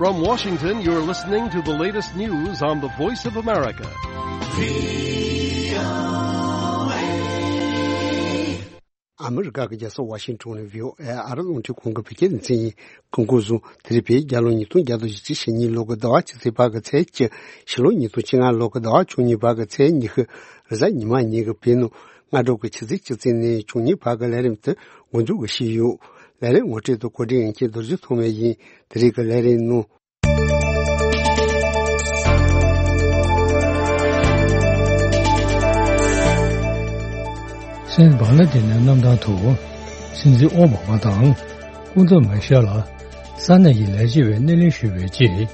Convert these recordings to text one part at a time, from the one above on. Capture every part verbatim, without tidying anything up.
From Washington, you're listening to the latest news on the Voice of America. ཨ་མི་རི་ཀ་གི་རྒྱལ་ས་ཝ་ཤིང་ཊོན་ནས་ཝི་ཨོ་ཨེ་ཨ་རི་རླུང་འཕྲིན་ཁང་གི་བོད་སྐད་སྡེ་ཚན་ཡིན། སྐུ་འཁོར་བཟུང་། དེ་རིང་བོད་རྒྱལ་ལོ་ཉིས་སྟོང་བརྒྱ་དང་བཞི་བཅུ་ཞེ་གཉིས་ལོ་གི་ཟླ་བ་བཅུ་ཚེས་པ་གི་ཚེས་བཅུ། ཕྱི་ལོ་ཉིས་སྟོང་བཅོ་ལྔ་ལོ་གི་ཟླ་བ་བཅུ་གཉིས་པ་གི་ཚེས་ཉི་ཤུ། རེས་གཟའ་ཉི་མ་ཉིན་གྱི་བོད་ནང་སྔ་དྲོ་གི་ཆུ་ཚོད་བཅུ་ཙམ་ནས་བཅུ་གཉིས་བར་གྱི་ལས་རིམ་དེ་འགོ་འཛུགས་ཞུས་ཡོད། ལས་རིམ་ངོ་སྤྲོད་དང་གོ་སྒྲིག་ཡིན་མཁན་རྡོ་རྗེ་ཐོགས་མེད་ཡིན། དེ་རིང་གི་ལས་རིམ་ནང་། སེམས་བང་ལ་དེ་ནས་གནམ་ཐང་དུ་སྲིད་འཛིན་ཨོ་བྷ་མ་དང་སྐུ་ཚབ་མི་ཤེལ་ལ་ས་གནས་ཀྱི་ལས་བྱེད་པས་སྣེ་ལེན་ཞུས་པའི་རྗེས།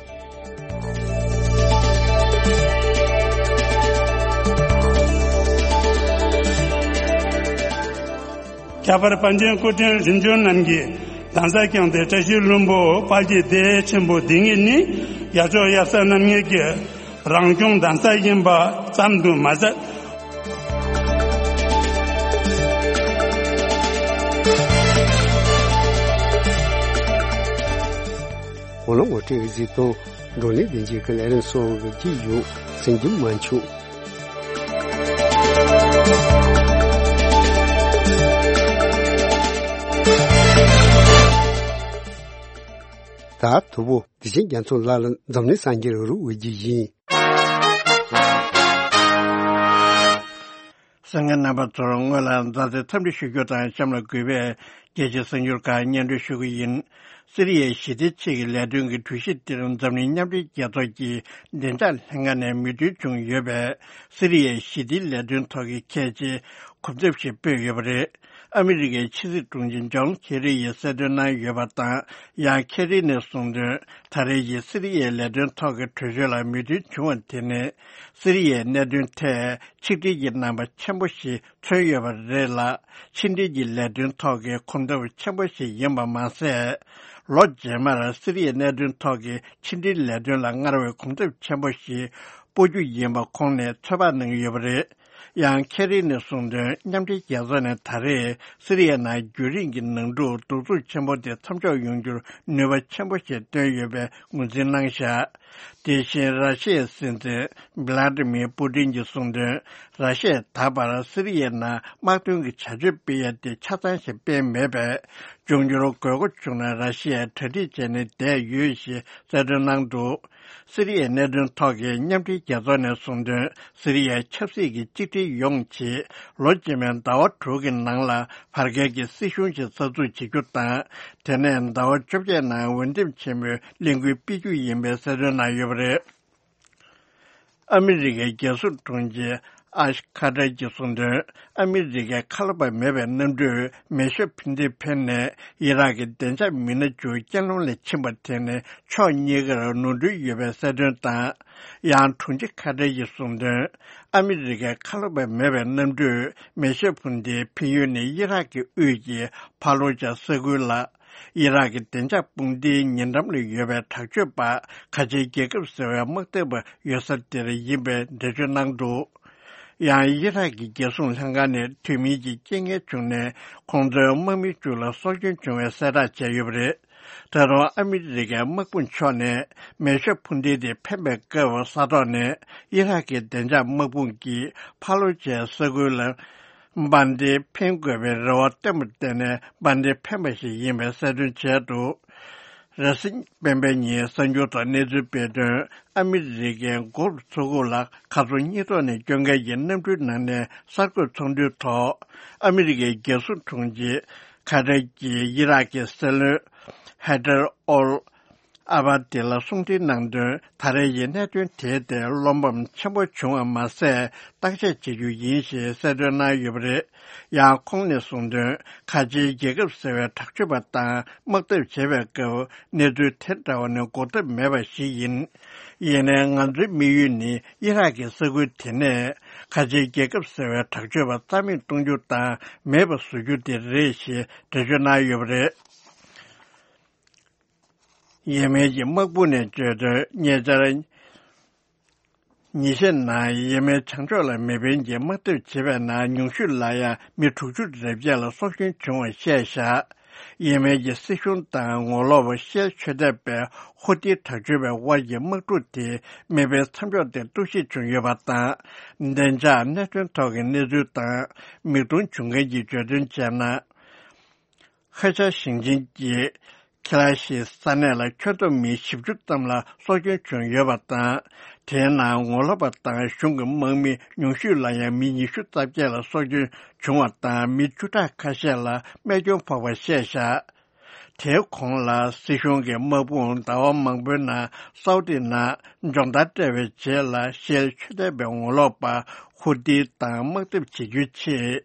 ཁྱད་པར་པཎ་ཆེན་སྐུ་ཕྲེང་རིམ་བྱོན་རྣམས་ཀྱིས་གདན་ས་བསྐྱངས་ཏེ། བཀྲ་ཤིས་ལྷུན་པོ་དཔལ་གྱི་སྡེ་ཆེན་པོ་འདི་ཉིད་ནི་ཡབ་མཆོག་ཡབ་སྲས་རྣམ་གཉིས་ཀྱི་རང་སྐྱོང་གདན་ས་ཡིན་པ་ཙམ་དུ་མ་ཟད། གོ་ལ་ངོ་སྤྲོད་གཟིགས་སྟངས། བགྲོ་གླེང་སྡེ་འཇིགས་ཀྱི་ལས་རིམ་སོགས་ཀྱི་རྒྱུ་ཡོད་སེམས་རྒྱུན་མ་འཆུག། ད་དུ་བོ་དེ་བཞིན་རྒྱ་མཚོ་ལགས་ལ་འཛམ་གླིང་གསར་འགྱུར་རུ་འོས་རྒྱུ་ཡིན། གསན་མཁན་རྣམ་པ་ཚོར་སྔོན་ལ་མཛའ་བརྩེ་འཚམས་འདྲི་ཞུ་རྒྱུ་དང་གཤམ་ལ་གུས་པས་རྒྱལ་སྤྱིའི་གསར་འགྱུར་ཁག་སྙན་སྒྲོན་ཞུ་གི་ཡིན། སི་རི་ཡའི་ཞི་བདེ་ཆེད་ཀྱི་ལས་དོན་གྱི་གྲོས་གཞི་འདིར་འཛམ་གླིང་མཉམ་འབྲེལ་རྒྱལ་ཚོགས་ཀྱི་བདེ་འཇགས་ལྷན་ཁང་ནས་མོས་མཐུན་བྱུང་ཡོད་པས། སི་རི་ཡའི་ཞི་བདེའི་ལས་དོན་ཐོག་གི་གལ་ཆེའི་གོམ་སྟབས་ཤིག་སྤོས་ཡོད་པ་རེད། ཨ་མི་རི་ཀའི་ཕྱི་སྲིད་དྲུང་ཆེ་ཇོན་ཁེ་རི་ཡིས་གསལ་སྟོན་གནང་ཡོད་པ་དང་། ཡང་ཁེ་རི་ནས་གསུངས་དོན། ད་རེས་ཀྱི་སི་རི་ཡའི་ལས་དོན་ཐོག་གི་གྲོས་ཆོད་ལ་མོས་མཐུན་བྱུང་བ་དེ་ནི། སི་རི་ཡའི་གནད་དོན་ཐད་ཆིག་སྒྲིལ་གྱི་རྣམ་པ་ཆེན་པོ་ཞིག་མཚོན་ཡོད་པ་རེད་ལ། ཕྱི་འབྲེལ་གྱི་ལས་དོན་ཐོག་གི་གོམ་སྟབས་ཆེན་པོ་ཞིག་ཡིན་པ་མ་ཟད། ལོ་རྗེས་མར་སི་རི་ཡའི་གནད་དོན་ཐོག་གི་ཕྱི་འབྲེལ་ལས་དོན་ལ་སྔར་བས་གོམ་སྟབས་ཆེན་པོ་ཞིག་སྤོ་རྒྱུ་ཡིན་པ་ཁོང་ནས་ཚོད་དཔག་གནང་གི་ཡོད་པ་རེད། ཡང་ཁེ་རི་ནས་གསུངས་དོན། མཉམ་འབྲེལ་རྒྱལ་ཚོགས་ནས་ད་རེས་སི་རི་ཡའི་ནང་རྒྱུན་རིང་གི་ནང་འཁྲུག་གདུག་རྩུབ་ཆེན་པོ་དེ་མཚམས་འཇོག་ཡོང་རྒྱུར་ནུས་པ་ཆེན་པོ་ཞིག་བཏོན་ཡོད་པའི་ངོས་འཛིན་གནང་བཞག། དེ་བཞིན་ར་ཤི་ཡའི་སྲིད་འཛིན་བྷི་ལ་ཏི་མིར་པུ་ཏིན་གྱིས་གསུངས་དོན། ར་ཤི་ཡས་ད་བར་སི་རི་ཡའི་ནང་དམག་དོན་གྱི་བྱ་སྤྱོད་སྤེལ་ཡ་དེ་ཆ་ཚང་ཞིག་སྤེལ་མེད་པས། འབྱུང་འགྱུར་དགོས་མཁོ་བྱུང་ན་ར་ཤི་ཡས་གྲ་སྒྲིག་བྱས་ནས་བསྡད་ཡོད་ཞེས་གསལ་སྟོན་གནང་འདུག། སི་རི་ཡའི་གནད་དོན་ཐོག་གི་མཉམ་འབྲེལ་རྒྱལ་ཚོགས་ནས་གསུངས་དོན། སི་རི་ཡའི་ཆབ་སྲིད་ཀྱི་གཅིག་སྒྲིལ་ཡོང་ཆེད། ལོ་རྗེས་མའི་ཟླ་བ་དྲུག་གི་ནང་ལ་བར་བརྒལ་གྱི་སྲིད་གཞུང་ཞིག་གསར་འཛུགས་བྱེད་རྒྱུ་དང་། དེ་ནས་ཟླ་བ་བཅོ་བརྒྱད་ནང་འོས་འདེམས་ཆེན་མོའི་གླེང་སྐུལ་སྤེལ་རྒྱུ་ཡིན་པའི་གསལ་སྟོན་གནང་ཡོད་པ་རེད། ཨ་མི་རི་ཀའི་རྒྱལ་སྲུང་དྲུང་ཆེ་ཨ་ཤ་ཁ་ཏར་གྱིས་གསུངས་དོན། ཨ་མི་རི་ཀའི་ཁ་ལོ་པ་མེད་པའི་གནམ་གྲུས་མེ་ཤོད་འཕུར་མདེལ་འཕེན་ནས་ཡི་རག་གི་བདེ་འཇགས་མི་སྣ་བཅུ་རྐྱེན་ལམ་ལ་ཕྱིན་པ་དེ་ནི་ཕྱོགས་གཉིས་ཀར་ནོར་འཁྲུལ་ཡོད་པའི་གསལ་སྟོན་དང་། ཡང་དྲུང་ཆེ་ཁ་ཏར་གྱིས་གསུངས་དོན། ཨ་མི་རི་ཀའི་ཁ་ལོ་པ་མེད་པའི་གནམ་གྲུས་མེ་ཤོད་འཕུར་མདེལ་འཕེན་ཡུལ་ནི་ཡི་རག་གི་དབུས་ཀྱི་ཕ་ལོ་ཇ་ས་ཁུལ་ལ། ཡི་རག་གི་བདེ་འཇགས་དཔུང་སྡེའི་ཉེ་འགྲམ་ལ་ཡོད་པའི་དྲག་སྤྱོད་པ་ཁ་ཆེའི་རྒྱལ་ཁབ་ཟེར་བའི་དམག་འཐབ་པ་ཡོད་ས་དེར་ཡིན་པའི་འགྲེལ་བརྗོད་གནང་འདུག། ཡང་ཡི་རག་གི་རྒྱལ་སྲུང་ལྷན་ཁང་ནས་དུས་མིན་གྱི་རྐྱེན་ངན་བྱུང་ནས་ཁོང་ཚོའི་དམག་མི་བཅུ་ལ་སྲོག་སྐྱོན་བྱུང་བའི་གསལ་བསྒྲགས་བྱས་ཡོད་པ་རེད། ད་རུང་ཨ་མི་རི་ཀའི་དམག་དཔུང་ཕྱོགས་ནས་མེ་ཤོད་འཕུར་མདེལ་དེ་འཕེན་པའི་སྐབས་ས་ཐོག་ནས་ཡི་རག་གི་བདེ་འཇགས་དམག་དཔུང་གིས་ཕ་ལོ་ཇའི་ས་ཁུལ་ལ། འཕུར་མདེལ་འཕེན་དགོས་པའི་རེ་བ་བཏོན་པར་བརྟེན་ནས་འཕུར་མདེལ་འཕེན་པ་ཞིག་ཡིན་པའི་གསལ་སྟོན་བྱས་འདུག། རེས་གཟའ་སྤེན་པའི་ཉིན་གསར་འགྱུར་ཐོག་གནས་ཚུལ་སྤེལ་དོན། ཨ་མི་རི་ཀའི་གྷོལཕ་མཚོ་ཁུག་ལ་མཁའ་མཚོ་གཉིས་ཐོག་ནས་སྐྱོད་མཁན་གྱི་གནམ་གྲུའི་ནང་ནས་གསར་འགོད་ཚོགས་འདུའི་ཐོག་ཨ་མི་རི་ཀའི་རྒྱལ་སྲུང་དྲུང་ཆེ་ཁ་ཏར་གྱིས་ཡི་རག་གི་སྲིད་བློན་ཧེ་དར་ཨོལ། ཨ་བ་དེ་ལ་གསུང་འཕྲིན་གནང་དོན། ད་རེས་ཀྱི་གནད་དོན་དེའི་ཐད་བློ་ཕམ་ཆེན་པོ་བྱུང་བ་མ་ཟད། བརྟག་དཔྱད་བྱེད་རྒྱུ་ཡིན་ཞེས་གསལ་སྟོན་གནང་ཡོད་པ་རེད། ཡང་ཁོང་ནས་གསུངས་དོན། ཁ་ཆེའི་རྒྱལ་ཁབ་ཟེར་བའི་དྲག་སྤྱོད་པ་དང་དམག་འཐབ་བྱེད་པའི་སྐབས་གནས་ཚུལ་དེ་འདྲ་བ་ནི་འགོག་ཐབས་མེད་པ་ཞིག་ཡིན། ཡིན་ནའི་ང་ཚོའི་དམིགས་ཡུལ་ནི་ཡི་རག་གི་ས་ཁུལ་དེ་ནས་ཁ་ཆེའི་རྒྱལ་ཁབ་ཟེར་བའི་དྲག་སྤྱོད་པ་རྩ་མེད་གཏོང་རྒྱུ་དང་མེད་པ་བཟོ་རྒྱུ་དེ་རེད་ཞེས་འགྲེལ་བརྗོད་གནང་ཡོད་པ་རེད། ཡེ་མེན་གྱི་དམག་དཔུང་ནས་བརྗོད་དོན། ཉེ་ཆར། ཉིན་ཤས་ནང་ཡེ་མེན་བྱང་ཕྱོགས་ལ་མེ་འཕེན་གྱིས་དམག་འཐབ་བྱས་པའི་ནང་ཉུང་ཤོས་ལ་ཡང་མི་དྲུག་ཅུ་རེ་བརྒྱད་ལ་སྲོག་སྐྱོན་བྱུང་བ་བཤད་བཞག་ཡེ་མེན་གྱི་སྲིད་གཞུང་དང་ངོ་ལོག་པ་ཤེལ་མཆོད་ཐེབས་པའི་ཧུ་ཏི་དྲག་སྤྱོད་པའི་དབར་གྱི་དམག་འཁྲུག་དེ་མེ་འཕེན་མཚམས་འཇོག་ཐད་གཏོར་བཤིག་བྱུང་ཡོད་པ་དང་། བདེ་འཇགས་གནད་དོན་ཐོག་གི་གནས་ཚུལ་དང་མིག་མཐོང་བྱུང་མཁན་གྱིས་བརྗོད་དོན་བྱས་ན། ཧེ་ཆ་ཞིང་ཆེན་གྱི་ཁི་ལ་ཤི་ས་གནས་ལ་ཁྱོན་བསྡོམས་མི་བཞི་བཅུ་ཙམ་ལ་སྲོག་སྐྱོན་བྱུང་ཡོད་པ་དང་། དེའི་ནང་ངོ་ལོག་པ་དང་གཞུང་གི་དམག་མི་ཉུང་ཤོས་ལ་ཡང་མི་ཉི་ཤུ་རྩ་བརྒྱད་ལ་སྲོག་སྐྱོན་བྱུང་བ་དང་མི་བཅུ་ཕྲག་ཁ་ཤས་ལ་རྨས་སྐྱོན་ཕོག་པ་བཤད་བཞག་དེའི་གོང་ལ་སྲིད་གཞུང་གི་དམག་དཔུང་ཟླ་བ་མང་པོའི་ནང་སའུ་ཏི་ནང་སྦྱོང་བརྡར་སྤྲད་པའི་རྗེས་ལ་ཤེལ་མཆོད་ཐེབས་པའི་ངོ་ལོག་པ་ཧུ་ཏི་དང་དམག་འཐབ་བྱེད་རྒྱུའི་ཆེད།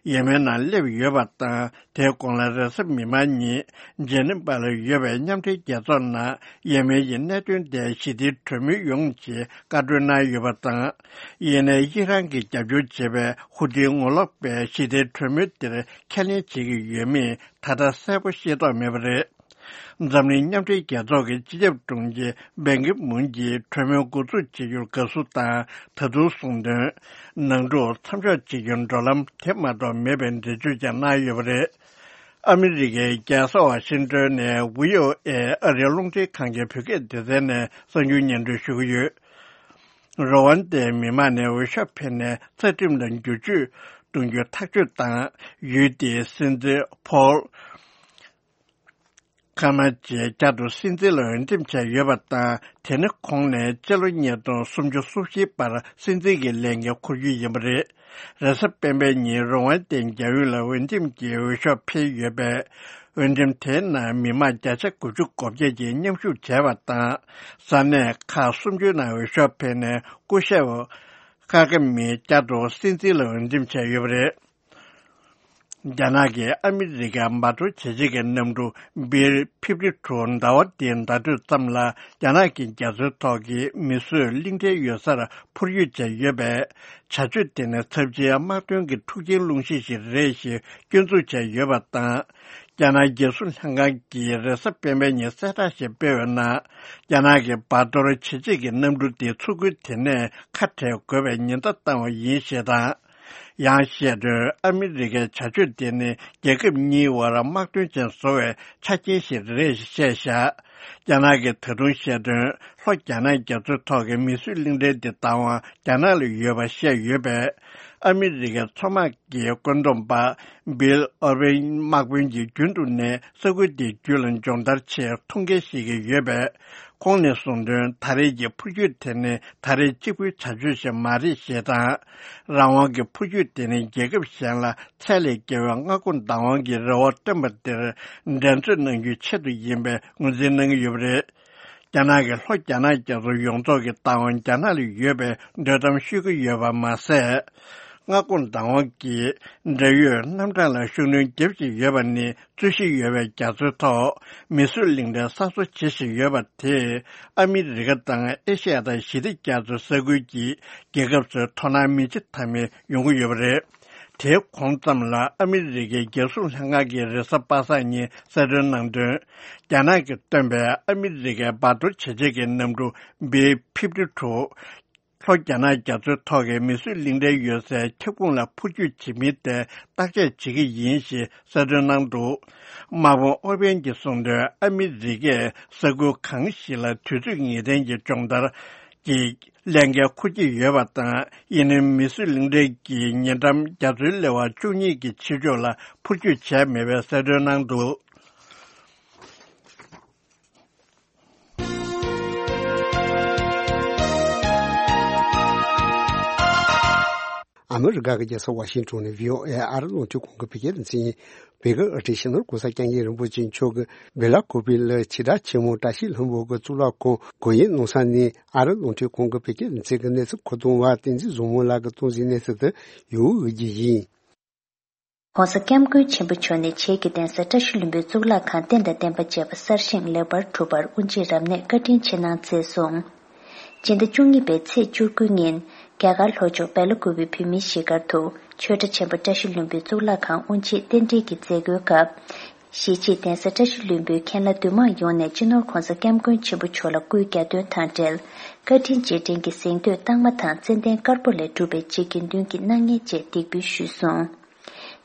ཡེ་མེན་ནང་སླེབས་ཡོད་པ་དང་། དེའི་གོང་ལ་རེས་གཟའ་མིག་དམར་ཉིན་ཇེ་ནི་བ་ལ་ཡོད་པའི་མཉམ་འབྲེལ་རྒྱལ་ཚོགས་ནང་ཡེ་མེན་གྱི་གནད་དོན་ཐད་ཞི་བདེའི་གྲོས་མོལ་ཡོང་ཆེད་བཀའ་འཁྲོལ་གནང་ཡོད་པ་དང་། ཡེ་ནས་ཨི་རན་གྱིས་རྒྱབ་སྐྱོར་བྱེད་པའི་ཧུ་ཏིའི་ངོ་ལོག་པས་ཞི་བདེའི་གྲོས་མོལ་དེར་ཁས་ལེན་བྱེད་ཀྱི་ཡོད་མེད་ད་ལྟ་གསལ་པོ་ཤེས་རྟོགས་མེད་པ་རེད། འཛམ་གླིང་མཉམ་འབྲེལ་རྒྱལ་ཚོགས་ཀྱི་སྤྱི་ཁྱབ་དྲུང་ཆེ་བན་གི་མུན་གྱིས་གྲོས་མོལ་འགོ་འཛུགས་བྱེད་རྒྱུར་དགའ་བསུ་དང་ད་དུང་གསུངས་དོན། ནང་འཁྲུག་མཚམས་འཇོག་བྱེད་རྒྱུར་འགྲོ་ལམ་དེ་མ་གཏོགས་མེད་པའི་འགྲེལ་བརྗོད་ཀྱང་གནང་ཡོད་པ་རེད། ཨ་མི་རི་ཀའི་རྒྱལ་ས་ཝ་ཤིང་ཏོན་ནས་བྷི་ཨོ་ཨེ་ཨ་རིའི་རླུང་འཕྲིན་ཁང་གི་བོད་སྐད་སྡེ་ཚན་ནས་གསར་འགྱུར་སྙན་སྒྲོན་ཞུ་གི་ཡོད། རོ་ཝན་ཏའི་མི་མང་ནས་འོས་ཤོག་འཕེན་ནས་རྩ་ཁྲིམས་ལ་བསྒྱུར་བཅོས་གཏོང་རྒྱུ་ཐག་གཅོད་དང་ཡུལ་དེའི་སྲིད་འཛིན་ཕོལ་ཁ་མ་ཅེ་བསྐྱར་དུ་སྲིད་འཛིན་ལ་འོས་འདེམས་བྱས་ཡོད་པ་དང་། དེ་ནི་ཁོང་ནས་སྤྱི་ལོ་ཉིས་སྟོང་སུམ་ཅུ་སོ་བཞིའི་བར་སྲིད་འཛིན་གྱི་ལས་འགན་འཁུར་རྒྱུ་ཡིན་པ་རེད། རེས་གཟའ་སྤེན་པའི་ཉིན་རོ་ཝན་ཏའི་རྒྱལ་ཡོངས་ལ་འོས་འདེམས་ཀྱི་འོས་ཤོག་འཕེན་ཡོད་པས། འོས་འདེམས་དེའི་ནང་མི་མང་བརྒྱ་ཆ་དགུ་བཅུ་གོ་བརྒྱད་ཀྱིས་མཉམ་ཞུགས་བྱས་པ་དང་། ས་གནས་ཁག་སུམ་ཅུའི་ནང་འོས་ཤོག་འཕེན་ནས་སྐུ་ཞབས་ཁ་ཀ་མི་བསྐྱར་དུ་སྲིད་འཛིན་ལ་འོས་འདེམས་བྱས་ཡོད་པ་རེད། རྒྱ་ནག་གིས་ཨ་མི་རི་ཀའི་འབར་གཏོར་བྱེད་ཆེད་ཀྱི་གནམ་གྲུ་བྷིལ་ཕིབ་ཊི་ཊུ་ཟླ་བ་འདིའི་ཟླ་སྟོད་ཙམ་ལ་རྒྱ་ནག་གི་རྒྱ་མཚོའི་ཐོག་གི་མིས་བཟོས་གླིང་ཕྲན་ཡོད་སར་འཕུར་སྐྱོད་བྱས་ཡོད་པས། བྱ་སྤྱོད་དེ་ནི་ཚབས་ཆེའི་དམག་དོན་གྱི་འཁྲུག་རྐྱེན་སློང་གཞི་ཞིག་རེད་ཞེས་སྐྱོན་འཛུགས་བྱས་ཡོད་པ་དང་། རྒྱ་ནག་རྒྱལ་སྲུང་ལྷན་ཁང་གིས་རེས་གཟའ་སྤེན་པའི་ཉིན་གསལ་བསྒྲགས་ཤིག་སྤེལ་བའི་ནང་། རྒྱ་ནག་གི་འབར་གཏོར་བྱེད་ཆེད་ཀྱི་གནམ་གྲུ་དེ་མཚོ་ཁུལ་དེ་ནས་ཁ་བྲལ་དགོས་པའི་ཉེན་བརྡ་བཏང་བ་ཡིན་ཞེས་དང་། ཡང་བཤད་དོན། ཨ་མི་རི་ཀའི་བྱ་སྤྱོད་དེ་ནི་རྒྱལ་ཁབ་གཉིས་བར་དམག་དོན་ཅན་བཟོ་བའི་ཆ་རྐྱེན་ཞིག་རེད་ཞེས་བཤད་བཞག་རྒྱ་ནག་གིས་ད་དུང་བཤད་དོན། ལྷོ་རྒྱ་ནག་རྒྱ་མཚོའི་ཐོག་གི་མིས་བཟོས་གླིང་ཕྲན་དེ་བདག་དབང་རྒྱ་ནག་ལ་ཡོད་པ་བཤད་ཡོད་པས། ཨ་མི་རི་ཀའི་མཚོ་དམག་གི་བཀོད་འདོམས་པ་བྷིལ་ཨོ་རི་ཝན་དམག་དཔོན་གྱིས་རྒྱུན་དུ་ནས་ས་ཁུལ་དེའི་རྒྱུད་ལ་སྦྱོང་བརྡར་ཆེད་ཐུགས་འགན་བཞེས་ཀྱི་ཡོད་པས། ཁོང་ནས་གསུངས་དོན། ད་རེས་ཀྱི་འཕུར་སྐྱོད་དེ་ནི་ད་རེས་གཅིག་པུའི་བྱ་སྤྱོད་ཞིག་མ་རེད་ཞེས་དང་། རང་དབང་གི་འཕུར་སྐྱོད་དེ་ནི་རྒྱལ་ཁབ་གཞན་ལ་ཚད་ལས་བརྒལ་བའི་མངའ་ཁོངས་བདག་དབང་གི་རེ་བ་བཏོན་པ་དེར་འགྲན་རྩོད་གནང་རྒྱུའི་ཆེད་དུ་ཡིན་པའི་ངོས་འཛིན་གནང་གི་ཡོད་པ་རེད། རྒྱ་ནག་གིས་ལྷོ་རྒྱ་ནག་རྒྱ་མཚོ་ཡོངས་རྫོགས་ཀྱི་བདག་དབང་རྒྱ་ནག་ལ་ཡོད་པའི་འདོད་གཏམ་ཤོད་ཀྱི་ཡོད་པ་མ་ཟད། མངའ་ཁོངས་བདག་དབང་གི་འབྲེལ་ཡོད་རྣམ་གྲངས་ལ་ཤུགས་སྣོན་རྒྱབ་བཞིན་ཡོད་པ་ནི། རྩོད་གཞི་ཡོད་པའི་རྒྱ་མཚོའི་ཐོག་མིས་བཟོས་གླིང་ཕྲན་གསར་བཟོ་བྱེད་བཞིན་ཡོད་པ་དེས། ཨ་མི་རི་ཀ་དང་ཨེ་ཤི་ཡ་དང་ཞི་བདེ་རྒྱ་མཚོའི་ས་ཁུལ་གྱི་རྒྱལ་ཁབ་ཚོའི་དོ་སྣང་མི་བྱེད་ཐབས་མེད་ཡོང་གི་ཡོད་པ་རེད། དེའི་གོང་ཙམ་ལ་ཨ་མི་རི་ཀའི་རྒྱལ་སྲུང་ལྷན་ཁང་གིས་རེས་གཟའ་པ་སངས་ཉིན་གསལ་སྟོན་གནང་དོན། རྒྱ་ནག་གིས་བཏོན་པའི་ཨ་མི་རི་ཀའི་འབར་གཏོར་བྱེད་ཆེད་ཀྱི་གནམ་གྲུ་བྷིལ་ཕིབ་ཊི་ཊུ། ལྷོ་རྒྱ་ནག་རྒྱ་མཚོའི་ཐོག་གི་མིས་བཟོས་གླིང་ཕྲན་ཡོད་སའི་ཁྱབ་ཁོངས་ལ་འཕུར་སྐྱོད་བྱེད་མིན་ཐད་བརྟག་དཔྱད་བྱེད་ཀྱི་ཡིན་ཞེས་གསལ་སྟོན་གནང་འདུག་དམག་དཔོན་ཨོ་པན་གྱིས་གསུངས་དོན། ཨ་མི་རི་ཀས་ས་ཁུལ་གང་ཞིག་ལ་དུས་ཚོད་ངེས་གཏན་གྱི་སྦྱོང་བརྡར་གྱི་ལས་འགན་འཁུར་གྱི་ཡོད་པ་དང་། ཡིན་ནའི་མིས་བཟོས་གླིང་ཕྲན་གྱི་ཉེ་འགྲམ་རྒྱ་མཚོའི་ལེ་དབར་བཅུ་གཉིས་ཀྱི་ཕྱི་ཕྱོགས་ལ་འཕུར་སྐྱོད་བྱས་མེད་པའི་གསལ་སྟོན་གནང་འདུག་ཨ་མི་རི་ཀ་གི་རྒྱལ་ས་ཝ་ཤིང་ཊོན་ནས་བྷི་ཨོ་ཨེ་ཨ་རི་རླུང་འཕྲིན་ཁང་གི་བོད་སྐད་སྡེ་ཚན་ཡིན། བོད་ཀྱི་དབུ་ཁྲིད་སྤྱི་ནོར་༸གོང་ས་༸སྐྱབས་མགོན་རིན་པོ་ཆེ་མཆོག་གིས་བེ་ལ་ཀོ་པི་ལ་ཕྱི་དྲག་ཆེན་མོ་བཀྲ་ཤིས་ལྷུན་པོ་གི་གཙུག་ལག་ཁང་སྒོ་དབྱེ་གནང་ས་ནས་ཨ་རི་རླུང་འཕྲིན་ཁང་གི་བོད་སྐད་སྡེ་ཚན་གྱི་ཁོ་ཐོང་བ་བསྟན་འཛིན་བཟང་མོ་ལགས་ཀྱིས་གཏོང་གཟིགས་གནང་ས་དེ་ཡོད་འོས་ཀྱི་ཡིན། ༸གོང་ས་༸སྐྱབས་མགོན་ཆེན་པོ་མཆོག་ནས་བྱེས་ཀྱི་གདན་ས་བཀྲ་ཤིས་ལྷུན་པོའི་གཙུག་ལག་ཁང་རྟེན་དང་བརྟེན་པ་བཅས་པ་གསར་བཞེངས་ལེགས་པར་གྲུབ་པར་དབུ་འབྱེད་རབ་གནས་བཀའ་དྲིན་ཆེ་གནང་མཛད་སོང་། སྤྱི་ཟླ་བཅུ་གཉིས་པའི་ཚེས་བཅུ་དགུ་ཉིན། རྒྱ་གར་ལྷོ་ཕྱོགས་སྦེ་ལ་ཀུ་པེ་བོད་མིའི་གཞིས་སྒར་དུ་ཆོས་གྲྭ་ཆེན་པོ་བཀྲ་ཤིས་ལྷུན་པོའི་གཙུག་ལག་ཁང་དབུ་འབྱེད་རྟེན་འབྲེལ་གྱི་མཛད་སྒོའི་སྐབས། གཞིས་བྱེས་གདན་ས་བཀྲ་ཤིས་ལྷུན་པོའི་མཁན་བླ་འདུས་མང་ཡོངས་ནས་སྤྱི་ནོར་༸གོང་ས་༸སྐྱབས་མགོན་ཆེན་པོ་མཆོག་ལ་སྐུའི་གྱ་སྟོན་དང་འབྲེལ། བཀའ་དྲིན་རྗེས་དྲན་གྱི་གཟེངས་བསྟོད་རྟགས་མ་དང་ཙན་དན་དཀར་པོ་ལས་གྲུབ་པའི་རྗེ་དགེ་འདུན་གྱི་སྣང་བརྙན་བཅས་འདེགས་འབུལ་ཞུས་སོང་།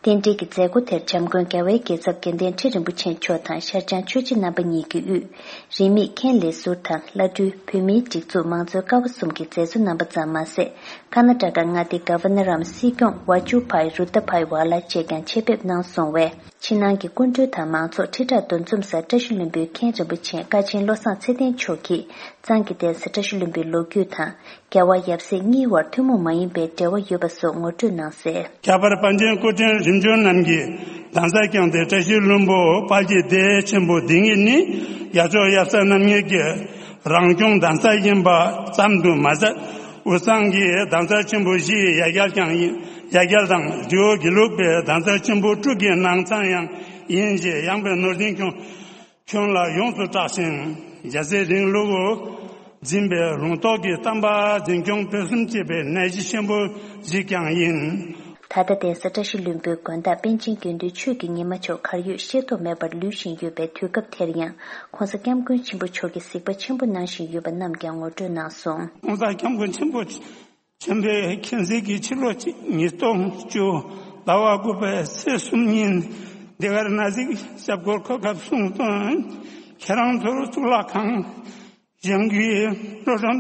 རྟེན་འབྲེལ་གྱི་མཛད་སྒོ་དེར་བྱམས་མགོན་རྒྱལ་བའི་རྒྱལ་ཚབ་དགེ་ལྡན་ཁྲི་རིན་པོ་ཆེ་མཆོག་དང་ཤར་བྱང་ཆོས་རྗེ་རྣམ་པ་གཉིས་ཀྱི་དབུས། རིས་མེད་མཁན་ལས་ཟུར་དང་བླ་སྤྲུལ་བོད་མིའི་སྒྲིག་འཛུགས་མང་གཙོའི་ཀ་བ་གསུམ་གྱི་མཛད་གཙོ་རྣམ་པ་ཙམ་མ་ཟད། ཁ་ན་ཏྲ་ཀ་མངའ་སྡེའི་གྷ་ཝར་ནར་འམ་སྲིད་སྐྱོང་ཝ་ཇུ་བྷའི་རུ་ཏ་བྷའི་ཝ་ལ་བཅས་ཀྱང་ཆེད་ཕེབས་གནང་སོང་བས། ཕྱི་ནང་གི་སྐུ་མགྲོན་དང་མང་ཚོགས་ཁྲི་ཕྲག་འདུ་འཛོམས་སར་བཀྲ་ཤིས་ལྷུན་པོའི་མཁན་རིན་པོ་ཆེ་ཀ་ཆེན་བློ་བཟང་ཚེ་བརྟན་མཆོག་གིས་གཙང་གི་གདན་ས་བཀྲ་ཤིས་ལྷུན་པོའི་ལོ་རྒྱུས་དང་། རྒྱལ་བ་ཡབ་སྲས་གཉིས་བར་ཐུན་མོང་མ་ཡིན་པའི་འབྲེལ་བ་ཡོད་པ་སོགས་ངོ་སྤྲོད་གནང་གསལ། ཁྱད་པར་པཎ་ཆེན་སྐུ་ཕྲེང་རིམ་བྱོན་རྣམས་ཀྱིས་གདན་ས་བསྐྱངས་ཏེ། བཀྲ་ཤིས་ལྷུན་པོ་དཔལ་གྱི་སྡེ་ཆེན་པོ་འདི་ཉིད་ནི་ཡབ་མཆོག་ཡབ་སྲས་རྣམ་གཉིས་ཀྱི་རང་སྐྱོང་གདན་ས་ཡིན་པ་ཙམ་དུ་མ་ཟད། དབུས་གཙང་གི་གདན་ས་ཆེན་པོ་བཞིའི་ཡ་གྱལ་ཀྱང་ཡིན། ཡ་གྱལ་དང་རི་བོ་དགེ་ལུགས་པའི་གདན་ས་ཆེན་པོ་དྲུག་གི་ནང་ཚང་ཡང་ཡིན་ཞེས་ཡངས་པའི་ནོར་འཛིན་ཁྱོན། ཁྱོན་ལ་ཡོངས་སུ་གྲགས་ཤིང་། རྒྱལ་སྲས་རིང་ལུགས་འཛིན་པའི་ལུང་རྟོགས་ཀྱི་བསྟན་པ་འཛིན་སྐྱོང་སྤེལ་གསུམ་བྱེད་པའི་གནས་གཞི་ཆེན་པོ་ཞིག་ཀྱང་ཡིན། ད་ལྟ་གདན་ས་བཀྲ་ཤིས་ལྷུན་པོའི་དགོན་བདག་པཎ་ཆེན་དགེ་འདུན་ཆོས་ཀྱི་ཉི་མ་མཆོག་གར་ཡོད་ཤེས་རྟོགས་མེད་པར་ལུས་བཞིན་ཡོད་པའི་དུས་སྐབས་དེར་ཡང་༸གོང་ས་༸སྐྱབས་མགོན་ཆེན་པོ་མཆོག་གིས་གཟིགས་པ་ཆེན་པོ་གནང་བཞིན་ཡོད་པ་རྣམས་ཀྱང་ངོ་སྤྲོད་གནང་སོང་། ༸གོང་ས་༸སྐྱབས་མགོན་ཆེན་པོ་ཆེན་པོས་མཁྱེན་གཟིགས་ཀྱི་ཕྱི་ལོ་ཉིས་སྟོང་བཅུ་ཟླ་བ་དགུ་པའི་ཚེས་གསུམ་ཉིན་འདི་གར་ན་ཟིག་ཞབས་སྐོར་འཁོད་སྐབས་གསུངས་དོན། ཁྱེད་རང་ཚོར་གཙུག་ལག་ཁང་གཞན་གྱི་བློ་གྲོས་